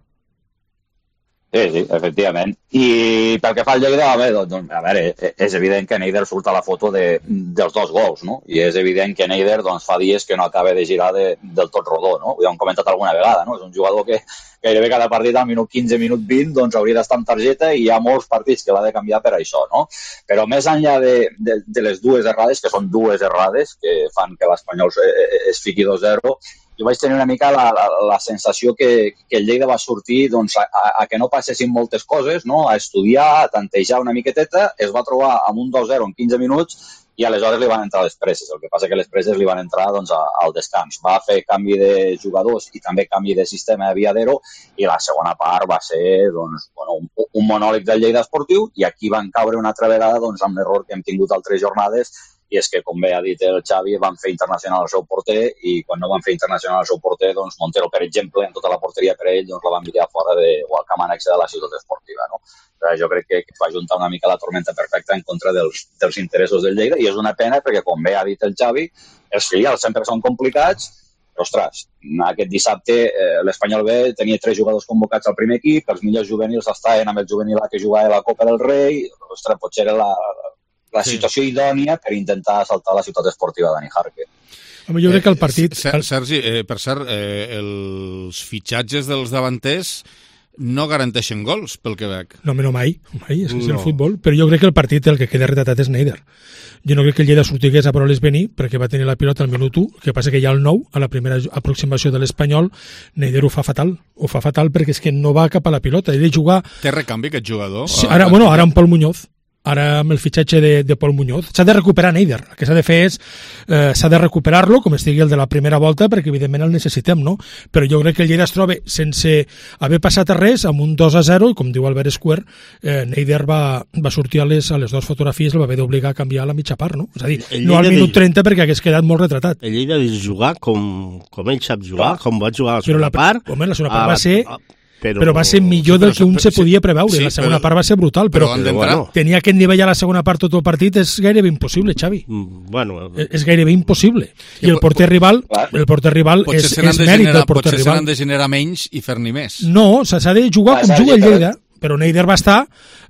Sí, sí, efectivament. I pel que fa al Lleida, a veure, doncs, a veure, és evident que Neider surt a la foto de, dels dos gols, no? I és evident que Neider doncs, fa dies que no acaba de girar de, del tot rodó, no? Ho hem comentat alguna vegada, no? És un jugador que gairebé cada partit al minut quinze, minut vint, doncs hauria d'estar amb targeta, i hi ha molts partits que l'ha de canviar per això, no? Però més enllà de, de, de les dues errades, que són dues errades que fan que l'Espanyol es fiqui dos zero, jo vaig tenir una mica la, la, la sensació que, que el Lleida va sortir doncs, a, a que no passessin moltes coses, no? A estudiar, a tantejar una miqueteta, es va trobar amb un dos zero en quinze minuts i aleshores li van entrar les presses. El que passa que les presses li van entrar doncs, a, al descans. Va fer canvi de jugadors i també canvi de sistema de Viadero, i la segona part va ser doncs, bueno, un, un monòleg del Lleida Esportiu, i aquí van caure una altra vegada doncs, amb l'error que hem tingut altres jornades, i és que, com bé ha dit el Xavi, van fer internacional el seu porter, i quan no van fer internacional el seu porter, doncs Montero, per exemple, en tota la porteria per ell, doncs la van enviar fora de, o al camp annexe de la ciutat esportiva, no? Però jo crec que va juntar una mica la tormenta perfecta en contra dels, dels interessos del Lleida, i és una pena perquè, com bé ha dit el Xavi, els filials sempre són complicats, però, ostres, aquest dissabte eh, l'Espanyol B tenia tres jugadors convocats al primer equip, els millors juvenils estaven amb el juvenil A que jugava a la Copa del Rei, ostres, potser era la... la situació sí. idònia per intentar assaltar la ciutat esportiva d'Ani Jarque. Home, jo crec que el partit... Eh, Sergi, eh, per cert, eh, els fitxatges dels davanters no garanteixen gols, pel que veig. No, no mai, mai, és, no. és el futbol, però jo crec que el partit el que queda retratat és Neider. Jo no crec que el Lleida sortigués a per-les venir, perquè va tenir la pilota al minut u, que passa que ja al nou, a la primera aproximació de l'Espanyol, Neider ho fa fatal, ho fa fatal perquè és que no va cap a la pilota, ell de jugar... Té recanvi aquest jugador? Sí, ara, bueno, ara amb Pol Muñoz, ara amb el fitxatge de, de Pol Muñoz. S'ha de recuperar Neider. El que s'ha de fer és eh, s'ha de recuperar-lo, com estigui el de la primera volta, perquè evidentment el necessitem, no? Però jo crec que el Lleida es troba sense haver passat a res, amb un dos a zero, i com diu Albert Escuer, eh, Neider va, va sortir a les, a les dues fotografies, el va haver d'obligar a canviar a la mitja part, no? És a dir, no al minut trenta perquè hagués quedat molt retratat. El Lleida de jugar com, com ell sap jugar, com va jugar a la segona la, part. Home, la segona part va ser... però, però va ser millor del que un se podia preveure. Sí, la segona però, part va ser brutal, però, però bueno, tenir aquest nivell a la segona part tot el partit és gairebé impossible, Xavi. Bueno, és, és gairebé impossible. I el porter rival, el porter rival és, és mèrit del porter rival. Potser se n'han de generar menys i fer-n'hi més. No, s'ha de jugar com juga el Lleida. Però Neider va estar,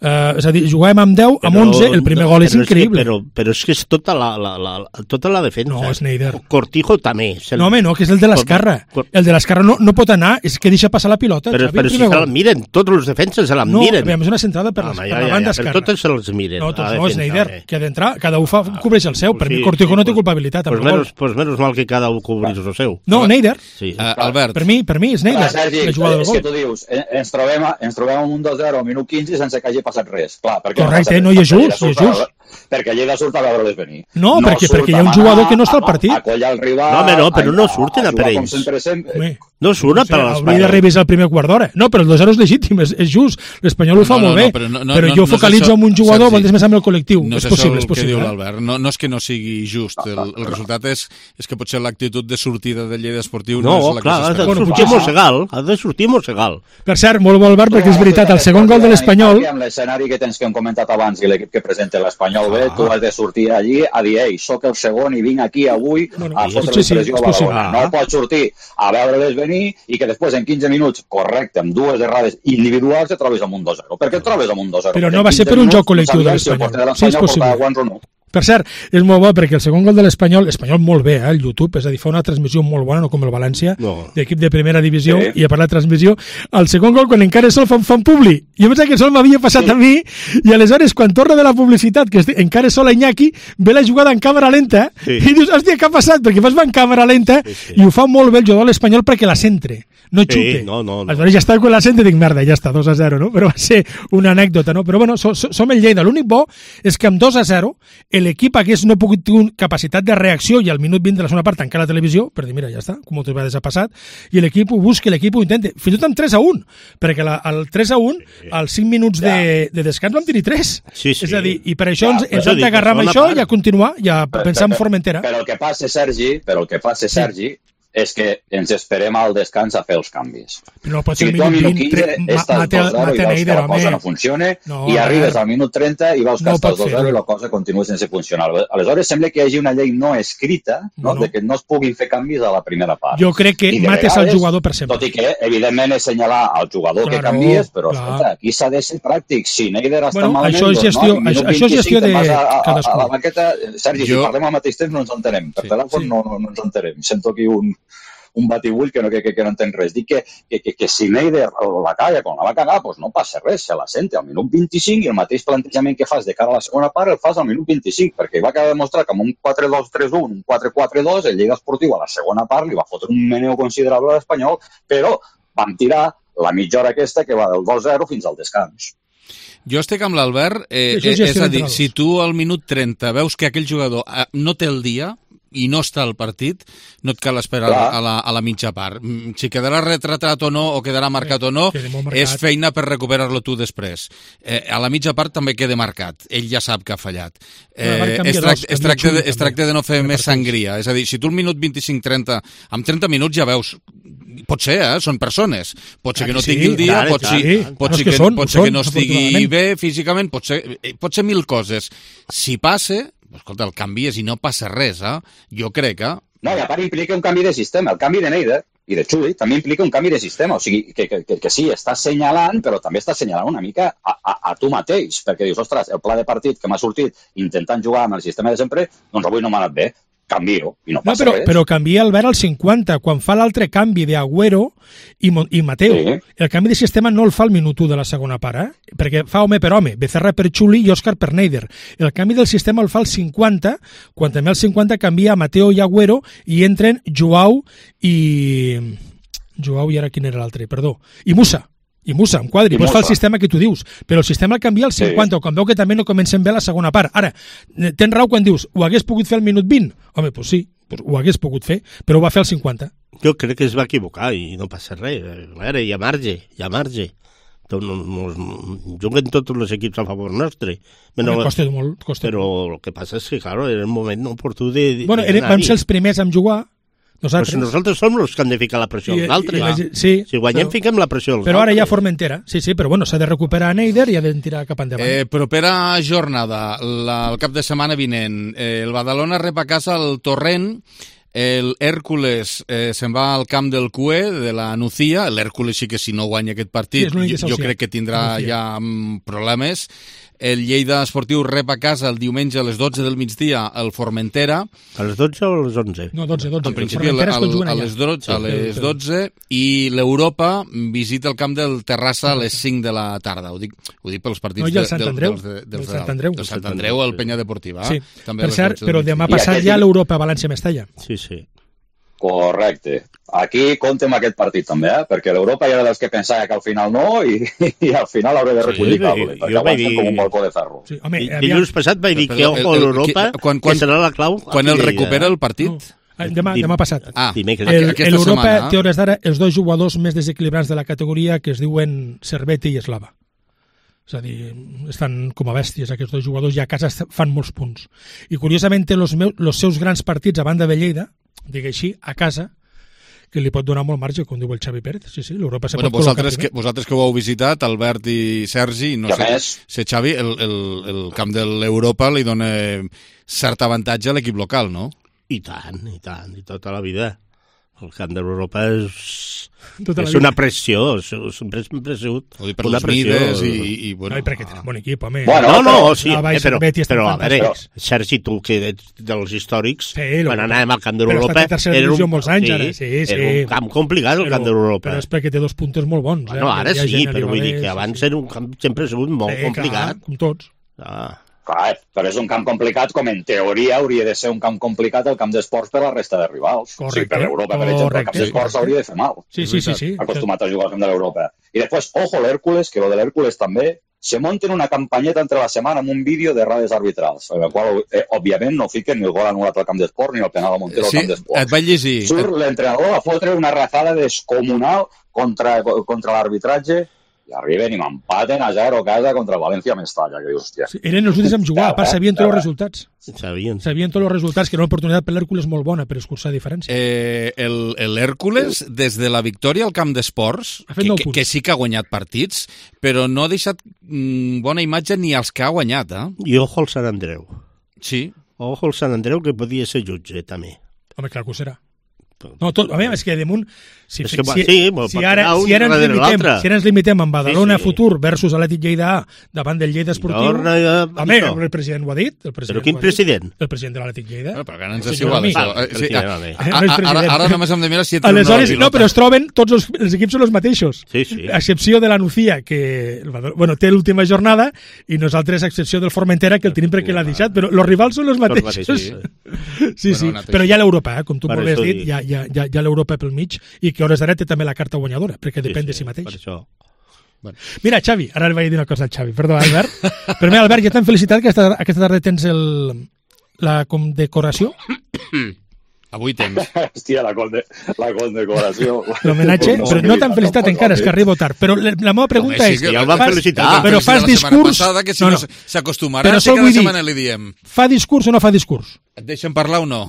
eh, és a dir, jugàvem amb deu, amb onze, el primer gol és increïble. Però, però és que és tota la, la, la, tota la defensa. No, és Neider. Cortijo també. El... No, home, no, que és el de l'esquerra. El de l'esquerra no, no pot anar, és que deixa passar la pilota. Però, Xavi, però si se la miren, tots els defenses se la no, miren. No, és una centrada per, les, ah, per ja, la banda esquerra. Però tots se els miren. No, tots no, és Neider, eh. que ha d'entrar, cada un fa, cobreix el seu. Per sí, mi Cortijo sí, no té pues, culpabilitat. Pues menos, pues menos mal que cada un cobreix el seu. No, Neider. Sí. Uh, Albert. Per mi, per mi és Neider. Sergi, és que tu dius, ens trobem, ens trobem amb un dos zero al minut quinze sense que hagi passat res. Clar, perquè correcte, no hi és just, hi és just. Perquè Lleida surt a veure-les venir. No, no perquè, perquè hi ha un jugador que no està al partit. A, a collar el rival... No, home, no, però no surten a, a, a per ells. Sempre, sempre. No surt no sé, per a l'Espanyol. Hauria de revisar el primer quart d'hora. No, però el dos zero és legítim, és, és just. L'Espanyol ho fa no, no, molt bé. No, però no, no, però no, jo no focalitzo en un jugador, vol dir més amb el col·lectiu. No és possible, és possible. Diu l'Albert. No, no és que no sigui just. El, el resultat és, és que potser l'actitud de sortida del Lleida Esportiu no, no és la clar, que s'espera. No, clar, ha de sortir Mosegal. Ha de sortir Mosegal. Per cert, molt bo, Albert, perquè és veritat, el segon gol de l'Espanyol... Amb l'escenari que tens que hem comentat abans i l'equip que presenta l'Espanyol B, tu has de sortir allí a dir, ei, soc el segon i vinc aquí avui a fotre pressió a Badalona. No pots sortir a veure-les venir i que després en quinze minuts, correcte, amb dues errades individuals et trobes amb un dos zero. Per què et trobes amb un dos zero? Però no va ser per un joc col·lectiu de l'Espanyol. Sí, és possible. Per cert, és molt bo perquè el segon gol de l'Espanyol, l'Espanyol molt bé, eh, el YouTube, és a dir, fa una transmissió molt bona, no com el València, no. d'equip de primera divisió, sí. I a part de transmissió, el segon gol, quan encara sol fan, fan publi, jo pensava que sol m'havia passat sí. a mi, i aleshores, quan torna de la publicitat, que encara sol a Iñaki, ve la jugada en càmera lenta, sí. i dius, hòstia, què ha passat? Perquè fas va en càmera lenta, sí, sí. i ho fa molt bé el jugador l'Espanyol perquè la centre, no xute. Sí, no, no, no. Aleshores ja està quan la centre i dic, merda, ja està, dos a zero, no? Però va ser una anècdota, no? Però bueno, so, so, som el Lleida. L'únic bo és que amb dos a zero l'equip hagués no pogut tenir capacitat de reacció i al minut vint de la segona part tancar la televisió, per dir, mira, ja està, com moltes vegades ha passat, i l'equip ho busca, l'equip ho intenta, fins i tot amb tres a un, perquè la, el tres a un, sí. als cinc minuts ja. de, de descans vam tenir tres. Sí, sí. És a dir, i per això ja, ens, ens hem d'agarrar amb això part. I a continuar, i a però, pensar però, en Formentera. Però el que passa, Sergi, però el que passa, Sergi, sí. és que ens esperem al descans a fer els canvis. Però no pot ser si el minut vint, estàs dos zero i veus que la cosa no funciona, no, i arribes al minut trenta i veus que no estàs dos zero i la cosa continua sense funcionar. Aleshores sembla que hi hagi una llei no escrita, no? No, no. de que no es puguin fer canvis a la primera part. Jo crec que mates vegades, el jugador per sempre. Tot i que, evidentment, és senyalar al jugador claro, que canvies, però escolta, aquí s'ha de ser pràctic. Si Neider està bueno, malament, això és gestió, doncs, no? això, això és gestió de cadascú. A la banqueta, Sergi, si parlem al mateix temps no ens entenem. Per telèfon no ens entenem. Sento aquí un... un batibull que no, que, que, que no entenc res. Dic que, que, que, que si Neider la calla quan la va cagar, doncs no passa res, se la sente al minut vint-i-cinc i el mateix plantejament que fas de cara a la segona part el fas al minut vint-i-cinc, perquè va quedar demostrat que amb un quatre dos tres un, un quatre quatre dos, el Lleida Esportiu a la segona part li va fotre un meneu considerable a l'Espanyol, però vam tirar la mitja hora aquesta que va del dos zero fins al descans. Jo estic amb l'Albert, eh, sí, és a dir, si tu al minut trenta veus que aquell jugador no té el dia, i no està al partit, no et cal esperar a la, a la mitja part. Si quedarà retratat o no, o quedarà marcat o no, és feina per recuperar-lo tu després. Eh, a la mitja part també queda marcat. Ell ja sap que ha fallat. Eh, es, trac es, tracta de, es tracta de no fer més sangria. És a dir, si tu al minut vint-i-cinc trenta, amb trenta minuts ja veus... Pot ser, eh? Són persones. Pot ser que no tingui el dia, pot ser que no estigui bé físicament, pot ser, pot ser mil coses. Si passa... Escolta, el canvi és i no passa res, eh? Jo crec, eh? No, i a part implica un canvi de sistema. El canvi de Neider i de Xuli també implica un canvi de sistema. O sigui, que, que, que, que sí, estàs senyalant, però també estàs senyalant una mica a, a, a tu mateix, perquè dius, ostres, el pla de partit que m'ha sortit intentant jugar amb el sistema de sempre, doncs avui no m'ha anat bé. Canvio, i no passa no, però, res. Però canvia Albert al cinquanta, quan fa l'altre canvi d'Agüero i, i Mateo. Sí. El canvi de sistema no el fa al minut u de la segona part, eh? Perquè fa home per home, Becerra per Xuli i Òscar per Neider. El canvi del sistema el fa al cinquanta, quan també al cinquanta canvia Mateo i Agüero i entren Joao i... Joao i ara quin era l'altre? Perdó. I Musa. I Musa, amb quadri, pots fer el sistema que tu dius, però el sistema el canvia al cinquanta, sí. Quan veu que també no comencem bé la segona part. Ara, tens raó quan dius, ho hagués pogut fer al minut vint? Home, doncs sí, pues ho hagués pogut fer, però ho va fer al cinquanta. Jo crec que es va equivocar i no passa res. A veure, hi ha marge, hi ha marge. Juguen tots els equips a favor nostre. Però, costa molt, costa però el que passa és que, clar, era un moment oportú de... Bueno, era, vam ser els primers a jugar, Nosaltres. Pues nosaltres som els que han de ficar la pressió als altres. La, sí, si guanyem, però, fiquem la pressió als però altres. Però ara ja Formentera. Sí, sí, però bueno, s'ha de recuperar Neider i ha de tirar cap endavant. Eh, propera jornada, la, el cap de setmana vinent, eh, el Badalona rep a casa el Torrent. El Hèrcules eh, se'n va al camp del Cue, de la Nucía. L'Hèrcules sí que si no guanya aquest partit, sí, jo, jo crec que tindrà ja mm, problemes. El Lleida Esportiu rep a casa el diumenge a les dotze del migdia el Formentera. A les dotze o a les onze? No, dotze, dotze. Al principi al, al, a les dotze, a les dotze i l'Europa visita el camp del Terrassa a les cinc de la tarda. Ho dic, ho dic pels partits no, de, Sant Andreu, del, del, del, del Sant Andreu. Del Sant Andreu al Penya Deportiva. Sí. També per cert, però demà migdia. passat ja l'Europa València-Mestalla. Sí, sí. Correcte. Aquí compte amb aquest partit també, eh? Perquè l'Europa ja era dels que pensava que al final no i, i al final hauré de recollir cable, sí, perquè avancen dir... com un balcó de ferro. Sí, home, I, dilluns passat vaig dir que ojo a l'Europa, que, que serà la clau. Quan el recupera el partit? No. Demà, demà passat. Ah, l'Europa té hores d'ara els dos jugadors més desequilibrats de la categoria que es diuen Servete i Eslava. És a dir, estan com a bèsties aquests dos jugadors i a casa fan molts punts. I curiosament té els seus grans partits a banda de Lleida, digue així, a casa, que li pot donar molt marge, com diu el Xavi Pérez. Sí, sí, l'Europa se bueno, pot vosaltres que, vosaltres que ho heu visitat, Albert i Sergi, no sé, sé, Xavi, el, el, el camp de l'Europa li dona cert avantatge a l'equip local, no? I tant, i tant, i tota la vida. El camp de l'Europa és, tota és una pressió, és, és un pressió. Ho dic per les mides i... i bueno. No, i perquè tenen bon equip, home. Bueno, no, no, sí, no, eh, però, però a veure, però... Sergi, tu que ets dels històrics, sí, quan anàvem al camp de l'Europa... Era un, molts anys, sí, ara. Sí, sí. Era un camp complicat, el camp de l'Europa. Però és perquè té dos puntos molt bons. Bueno, eh? ara sí, però vull dir que abans sí. Era un camp sempre ha sigut molt sí, complicat. Clar, com tots. Ah. Clar, però és un camp complicat, com en teoria hauria de ser un camp complicat el camp d'esports per la resta de rivals. Correcte, sí, per l'Europa, per exemple, el camp d'esports sí, hauria de fer mal. Sí, sí, sí, sí. Acostumat a jugar al camp de l'Europa. I després, ojo l'Hèrcules, que lo de l'Hèrcules també, se munten una campanyeta entre la setmana amb un vídeo de errades arbitrals, en el qual, eh, òbviament, no fiquen ni el gol anul·lat al camp d'esport ni el penal a Montero sí, al camp d'esport. Et vaig llegir. Surt l'entrenador a fotre una razada descomunal contra, contra l'arbitratge i arriben i m'empaten a zero a casa contra el València-Mestalla, que dius, hòstia. Sí, eren els últims en jugar, a part sabien tots els resultats. Sabien. Sabien tots els resultats, que era una oportunitat per l'Hèrcules molt bona per escurçar diferència. Eh, L'Hèrcules, des de la victòria al camp d'esports, que, que, que sí que ha guanyat partits, però no ha deixat mm, bona imatge ni als que ha guanyat, eh? I ojo al Sant Andreu. Sí. Ojo al Sant Andreu, que podia ser jutge, també. Home, clar que ho serà. No, tot, a veure, és que damunt si, és que, si, sí, si, ara, si, ara ens limitem, si ara ens limitem en Badalona sí, sí. Futur versus Atlètic Lleida A davant del Lleida Esportiu, no, no, home, el president ho ha dit, el president però quin president? El president de l'Atlètic Lleida. No, però ara ens és igual això. Sí, ara, ara només hem de mirar si et aleshores, no, però es troben, tots els, els equips són els mateixos, sí, sí. a excepció de la Nucía, que bueno, té l'última jornada, i nosaltres a excepció del Formentera, que el tenim perquè l'ha deixat, però els rivals són els mateixos. Sí, sí, però hi ha l'Europa, com tu molt has dit, hi ha l'Europa pel mig, i que a hores d'ara té també la carta guanyadora, perquè depèn sí, sí, de si mateix. Per això. Bueno. Mira, Xavi, ara li vaig dir una cosa al Xavi, perdó, Albert. Però mira, Albert, ja t'han felicitat que aquesta, aquesta tarda tens el, la condecoració. Avui tens. Hòstia, la, conde, la condecoració. L'homenatge, no, però no t'han felicitat encara, és que arribo tard. Però la, la meva pregunta Home, sí, és... Ja el van felicitar. Però fas discurs... Passada, que si no, no, no s'acostumarà, sí que la setmana li diem. Fa discurs o no fa discurs? Et deixen parlar o no?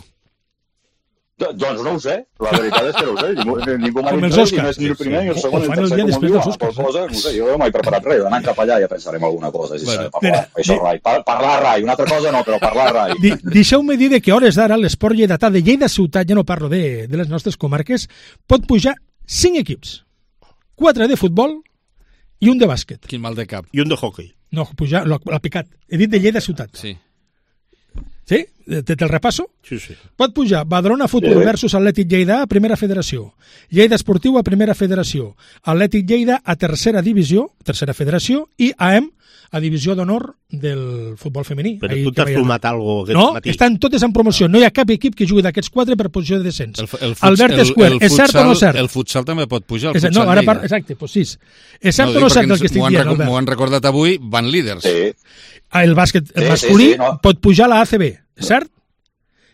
Doncs no ho sé, la veritat és que no ho sé. Ningú, ningú m'ha dit res, ni, més, ni el primer ni el segon ni el tercer, com diu, qualsevol cosa, no sé, jo no m'he preparat res, anant cap allà ja pensarem alguna cosa, si bueno, s'ha de parlar, mira, això rai, Par parlar rai, una altra cosa no, però parlar rai. Di Deixeu-me dir que a hores d'ara l'esport lleidatà de Lleida Ciutat, ja no parlo de, de les nostres comarques, pot pujar cinc equips, quatre de futbol i un de bàsquet. Quin mal de cap. I un de hockey. No, pujar, l'ha picat, he dit de Lleida Ciutat. Sí. Sí? Te el repasso? Sí, sí. Pot pujar Badalona Futur versus Atlètic Lleida a Primera Federació, Lleida Esportiu a Primera Federació, Atlètic Lleida a Tercera Divisió, Tercera Federació, i A E M a Divisió d'Honor del futbol femení. Però tu t'has fumat alguna cosa no, matí? Estan totes en promoció. No hi ha cap equip que jugui d'aquests quatre per posició de descens. El, el Albert Escuer, és cert o no cert? El futsal també pot pujar, el futsal no, ara par... Exacte, doncs sis. És cert no, o no cert el que estic dient, Albert? M'ho han recordat avui, van líders. Sí. El bàsquet el masculí sí, sí, sí, no. pot pujar a la A C B, cert?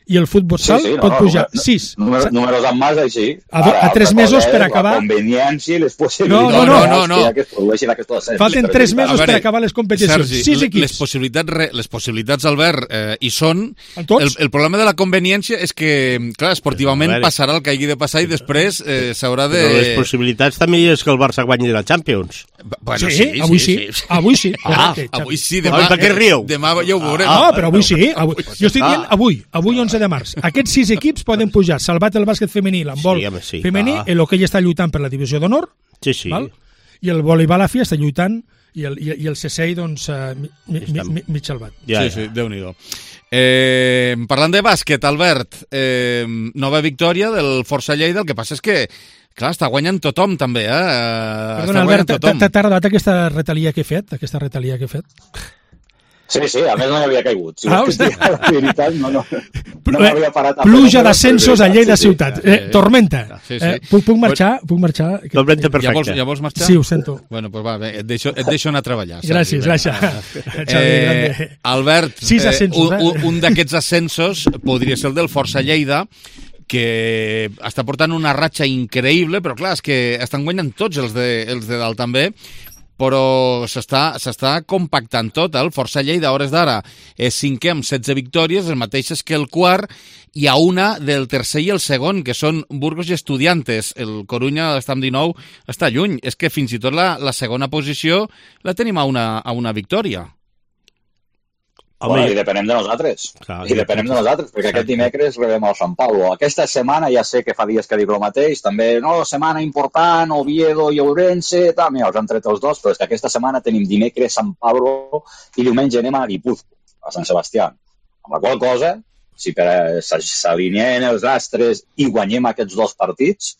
i el futbol-sal sí, sí, no, pot no, pujar no, sis. Número, números en mas, així. A, do, a tres mesos per acabar... La conveniència i les possibilitats no, no, no, no, no. que es produeixin aquests ascensos. Falten tres mesos veure, per acabar les competicions. Sergi, sis equips. Les possibilitats, les possibilitats Albert, eh, hi són. El, el problema de la conveniència és que, clar, esportivament passarà el que hagi de passar i després eh, s'haurà de... Però les possibilitats també és que el Barça guanyi la Champions. Bueno, sí, sí, avui sí. sí, sí. Avui sí. Ah, avui sí. Demà, per què riu? Demà ja ho veurem. Ah, però avui sí. Avui. Jo estic dient avui, avui onze de març. Aquests sis equips poden pujar, salvat el bàsquet femení, l'handbol sí, sí, femení, ah. l'hoquei està lluitant per la divisió d'honor, sí, sí. val? I el voleibol a fi està lluitant i el, i, i el C S I, doncs, uh, mi, mi, mi, mig salvat. Ja, sí, ja. sí, Déu-n'hi-do. Eh, parlant de bàsquet, Albert, eh, nova victòria del Força Lleida, el que passa és que clar, està guanyant tothom, també, eh? Perdona, Albert, t'ha agradat aquesta retalia que he fet? Aquesta retalia que he fet? Sí, sí, a més no hi havia caigut. Si ah, la veritat, no, no, no m'havia parat. Pluja d'ascensos a Lleida sí, sí. ciutat. Eh, tormenta. Sí, sí. Eh, puc, puc marxar? Puc marxar? Tormenta perfecta. Ja vols, ja vols marxar? Sí, ho sento. Bueno, pues va, bé, et deixo, et deixo anar a treballar. Gràcies, gràcies. Eh, Albert, Sis ascensos, eh, un, un d'aquests ascensos podria ser el del Força Lleida, que està portant una ratxa increïble, però clar, és que estan guanyant tots els de, els de dalt també, però s'està compactant tot. El Força Lleida, a hores d'ara, és cinquè amb setze victòries, les mateixes que el quart, i a una del tercer i el segon, que són Burgos i Estudiantes. El Corunya està amb dinou, està lluny. És que fins i tot la, la segona posició la tenim a una, a una victòria. Bueno, i depenem de nosaltres. Clar, I depenem de nosaltres, perquè exacte. Aquest dimecres rebem el Sant Paulo. Aquesta setmana ja sé que fa dies que dic el mateix, també, no, setmana important, Oviedo i Ourense, també els han tret els dos, però és que aquesta setmana tenim dimecres Sant Paulo i diumenge anem a Guipúzcoa, a Sant Sebastià. Amb la qual cosa, si s'alineen els astres i guanyem aquests dos partits,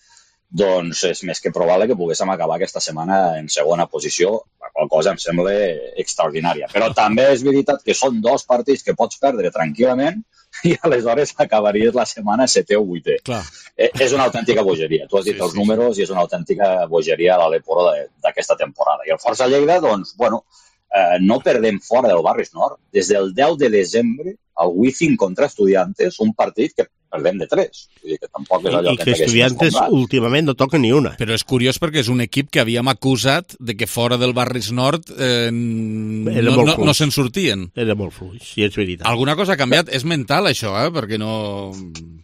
doncs és més que probable que poguéssim acabar aquesta setmana en segona posició, la qual cosa em sembla extraordinària. Però també és veritat que són dos partits que pots perdre tranquil·lament i aleshores acabaries la setmana setè o vuitè. Clar. Eh, és una autèntica bogeria. Tu has dit sí, els sí, números sí. I és una autèntica bogeria a l'Eporo d'aquesta temporada. I el Força Lleida, doncs, bueno, eh, no perdem fora del Barris Nord. Des del deu de desembre, el Wizzing contra Estudiantes, un partit que perdem de tres. Vull dir que tampoc és allò I que, que Estudiantes últimament no toca ni una. Però és curiós perquè és un equip que havíem acusat de que fora del Barris Nord eh, no, no, no se'n sortien. Era molt fluix, si és veritat. Alguna cosa ha canviat? És mental, això, eh? Perquè no...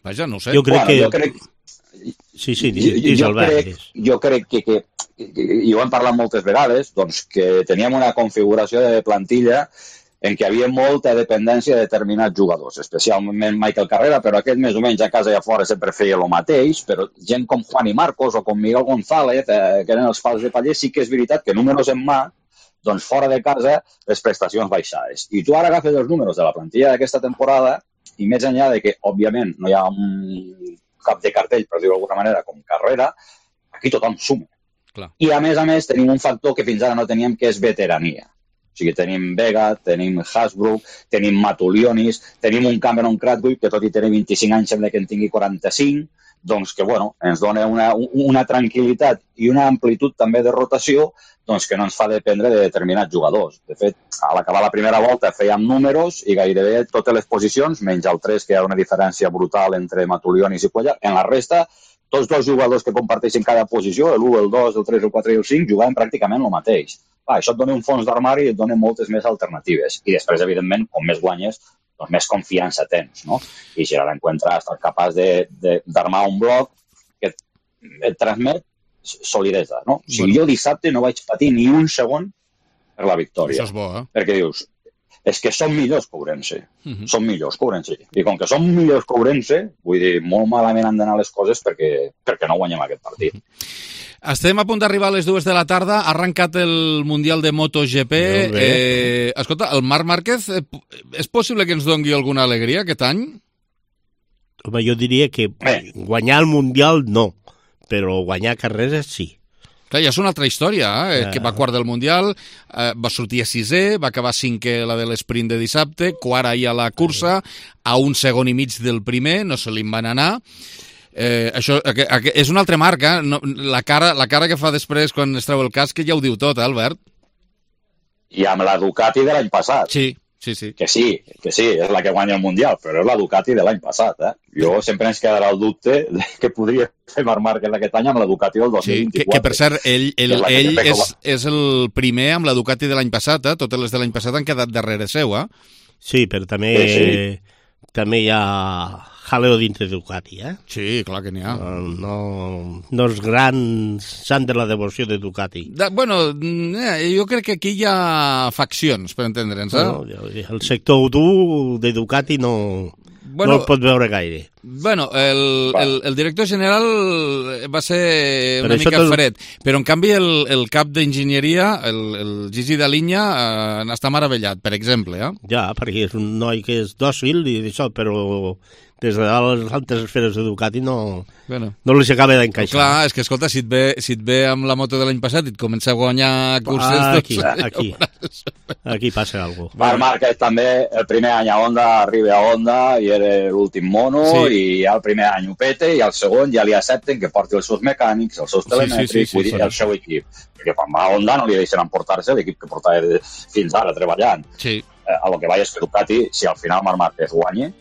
Vaja, no ho sé. Jo crec bueno, que... Jo crec... Sí, sí, dis, dis jo, Albert. Crec, jo crec que, que, i ho hem parlat moltes vegades, doncs que teníem una configuració de plantilla en què hi havia molta dependència de determinats jugadors, especialment Michael Carrera, però aquest més o menys a casa i a fora sempre feia el mateix, però gent com Juan i Marcos o com Miguel González, eh, que eren els pals de paller, sí que és veritat que números en mà, doncs fora de casa les prestacions baixades. I tu ara agafes els números de la plantilla d'aquesta temporada i més enllà de que, òbviament, no hi ha un cap de cartell, per dir-ho d'alguna manera, com Carrera, aquí tothom suma. Clar. I a més a més tenim un factor que fins ara no teníem, que és veterania. O sigui, tenim Vega, tenim Hasbrook, tenim Matulionis, tenim un Cameron Cradwick, que tot i tenir vint-i-cinc anys sembla que en tingui quaranta-cinc, doncs que, bueno, ens dona una, una tranquil·litat i una amplitud també de rotació doncs que no ens fa dependre de determinats jugadors. De fet, a l'acabar la primera volta fèiem números i gairebé totes les posicions, menys el tres, que hi ha una diferència brutal entre Matulionis i Cuellar, en la resta, tots dos jugadors que comparteixen cada posició, l'u, el dos, el tres, el quatre i el cinc, jugaven pràcticament el mateix. Ah, això et dona un fons d'armari i et dona moltes més alternatives. I després, evidentment, com més guanyes, doncs més confiança tens, no? I si ara l'encuentra estar capaç d'armar un bloc que et transmet solidesa, no? O sigui, jo dissabte no vaig patir ni un segon per la victòria. Això és bo, eh? Perquè dius, és que som millors que Ourense. Uh -huh. Som millors que Ourense. I com que som millors que Ourense, vull dir, molt malament han d'anar les coses perquè, perquè no guanyem aquest partit. Uh -huh. Estem a punt d'arribar a les dues de la tarda, ha arrencat el Mundial de MotoGP. Eh, escolta, el Marc Márquez, eh, és possible que ens doni alguna alegria aquest any? Home, jo diria que eh. guanyar el Mundial no, però guanyar carreres sí. Clar, ja és una altra història, eh? eh. que va quart del Mundial, eh, va sortir a sisè, va acabar cinquè la de l'esprint de dissabte, quart ahir a la cursa, a un segon i mig del primer, no se li van anar. Eh, això que, que, és una altra marca, eh? no, la, cara, la cara que fa després quan es treu el casc ja ho diu tot, eh, Albert? I amb la Ducati de l'any passat. Sí, Sí, sí. Que sí, que sí, és la que guanya el Mundial, però és la Ducati de l'any passat. Eh? Jo sempre ens quedarà el dubte de que podria fer Marc Márquez aquest any amb la Ducati del dos mil vint-i-quatre. Sí, que, que per cert, ell, ell, és, ell és, és el primer amb la Ducati de l'any passat, eh? Totes les de l'any passat han quedat darrere seu, eh? Sí, però també, sí, sí. també hi ha jaleo dintre de Ducati, eh? Sí, clar que n'hi ha. No, no els grans sant de la devoció de Ducati. De, bueno, eh, jo crec que aquí hi ha faccions, per entendre'ns, eh? No, el sector dur de Ducati no, bueno, no el pot veure gaire. Bueno, el, el, el director general va ser una mica tot... fred, però en canvi el, el cap d'enginyeria, el, el Gigi Dalinya, eh, n'està meravellat, per exemple. Eh? Ja, perquè és un noi que és dòcil i d'això, però des de les altres esferes de Ducati no, bueno. no li s'acaba d'encaixar. Clar, és que escolta, si et, ve, si et ve amb la moto de l'any passat i et comença a guanyar curses... Ah, aquí, doncs, aquí, aquí passa alguna cosa. Marc Márquez també, el primer any a Honda, arriba a Honda i era l'últim mono, sí. i ja el primer any ho pete i el segon ja li accepten que porti els seus mecànics, els seus telemètrics, sí, sí, sí, vull dir, sí, el seu equip. Perquè quan va a Honda no li deixen emportar-se l'equip que portava fins ara treballant. Sí. Eh, a lo que vaig és que Ducati, si al final Marc Márquez guanya,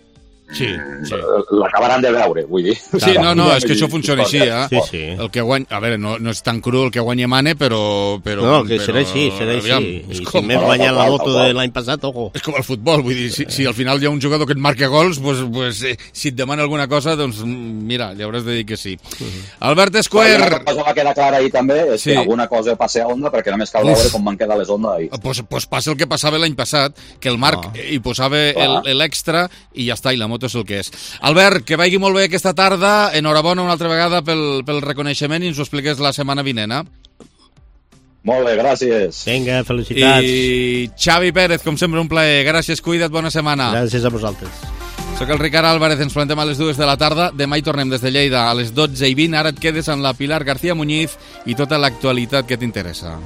sí, sí. l'acabaran de veure, vull dir. Sí, no, no, és que això funciona així, eh? Sí, sí. El que guanya, a veure, no, no és tan cru el que guanya Mane, però... però no, que però, serà així, serà aviam, així. I si m'he guanyat la moto de l'any passat, ojo. És com el futbol, vull dir, si, si al final hi ha un jugador que et marca gols, pues, pues, eh, si et demana alguna cosa, doncs mira, li hauràs de dir que sí. Uh-huh. Albert Esquer... Una cosa va quedar clara ahir també, és sí. que alguna cosa passa a Honda, perquè només cal Uf. veure com van quedar les Honda ahir. Pues, pues passa el que passava l'any passat, que el Marc oh. hi posava l'extra i ja està, i la moto és el que és. Albert, que vagi molt bé aquesta tarda, enhorabona una altra vegada pel, pel reconeixement i ens ho expliques la setmana vinent, eh? Molt bé, gràcies. Vinga, felicitats. I Xavi Pérez, com sempre, un plaer. Gràcies, cuida't, bona setmana. Gràcies a vosaltres. Soc el Ricard Álvarez, ens plantem a les dues de la tarda. Demà hi tornem des de Lleida a les dotze i vint. Ara et quedes amb la Pilar García Muñiz i tota l'actualitat que t'interessa.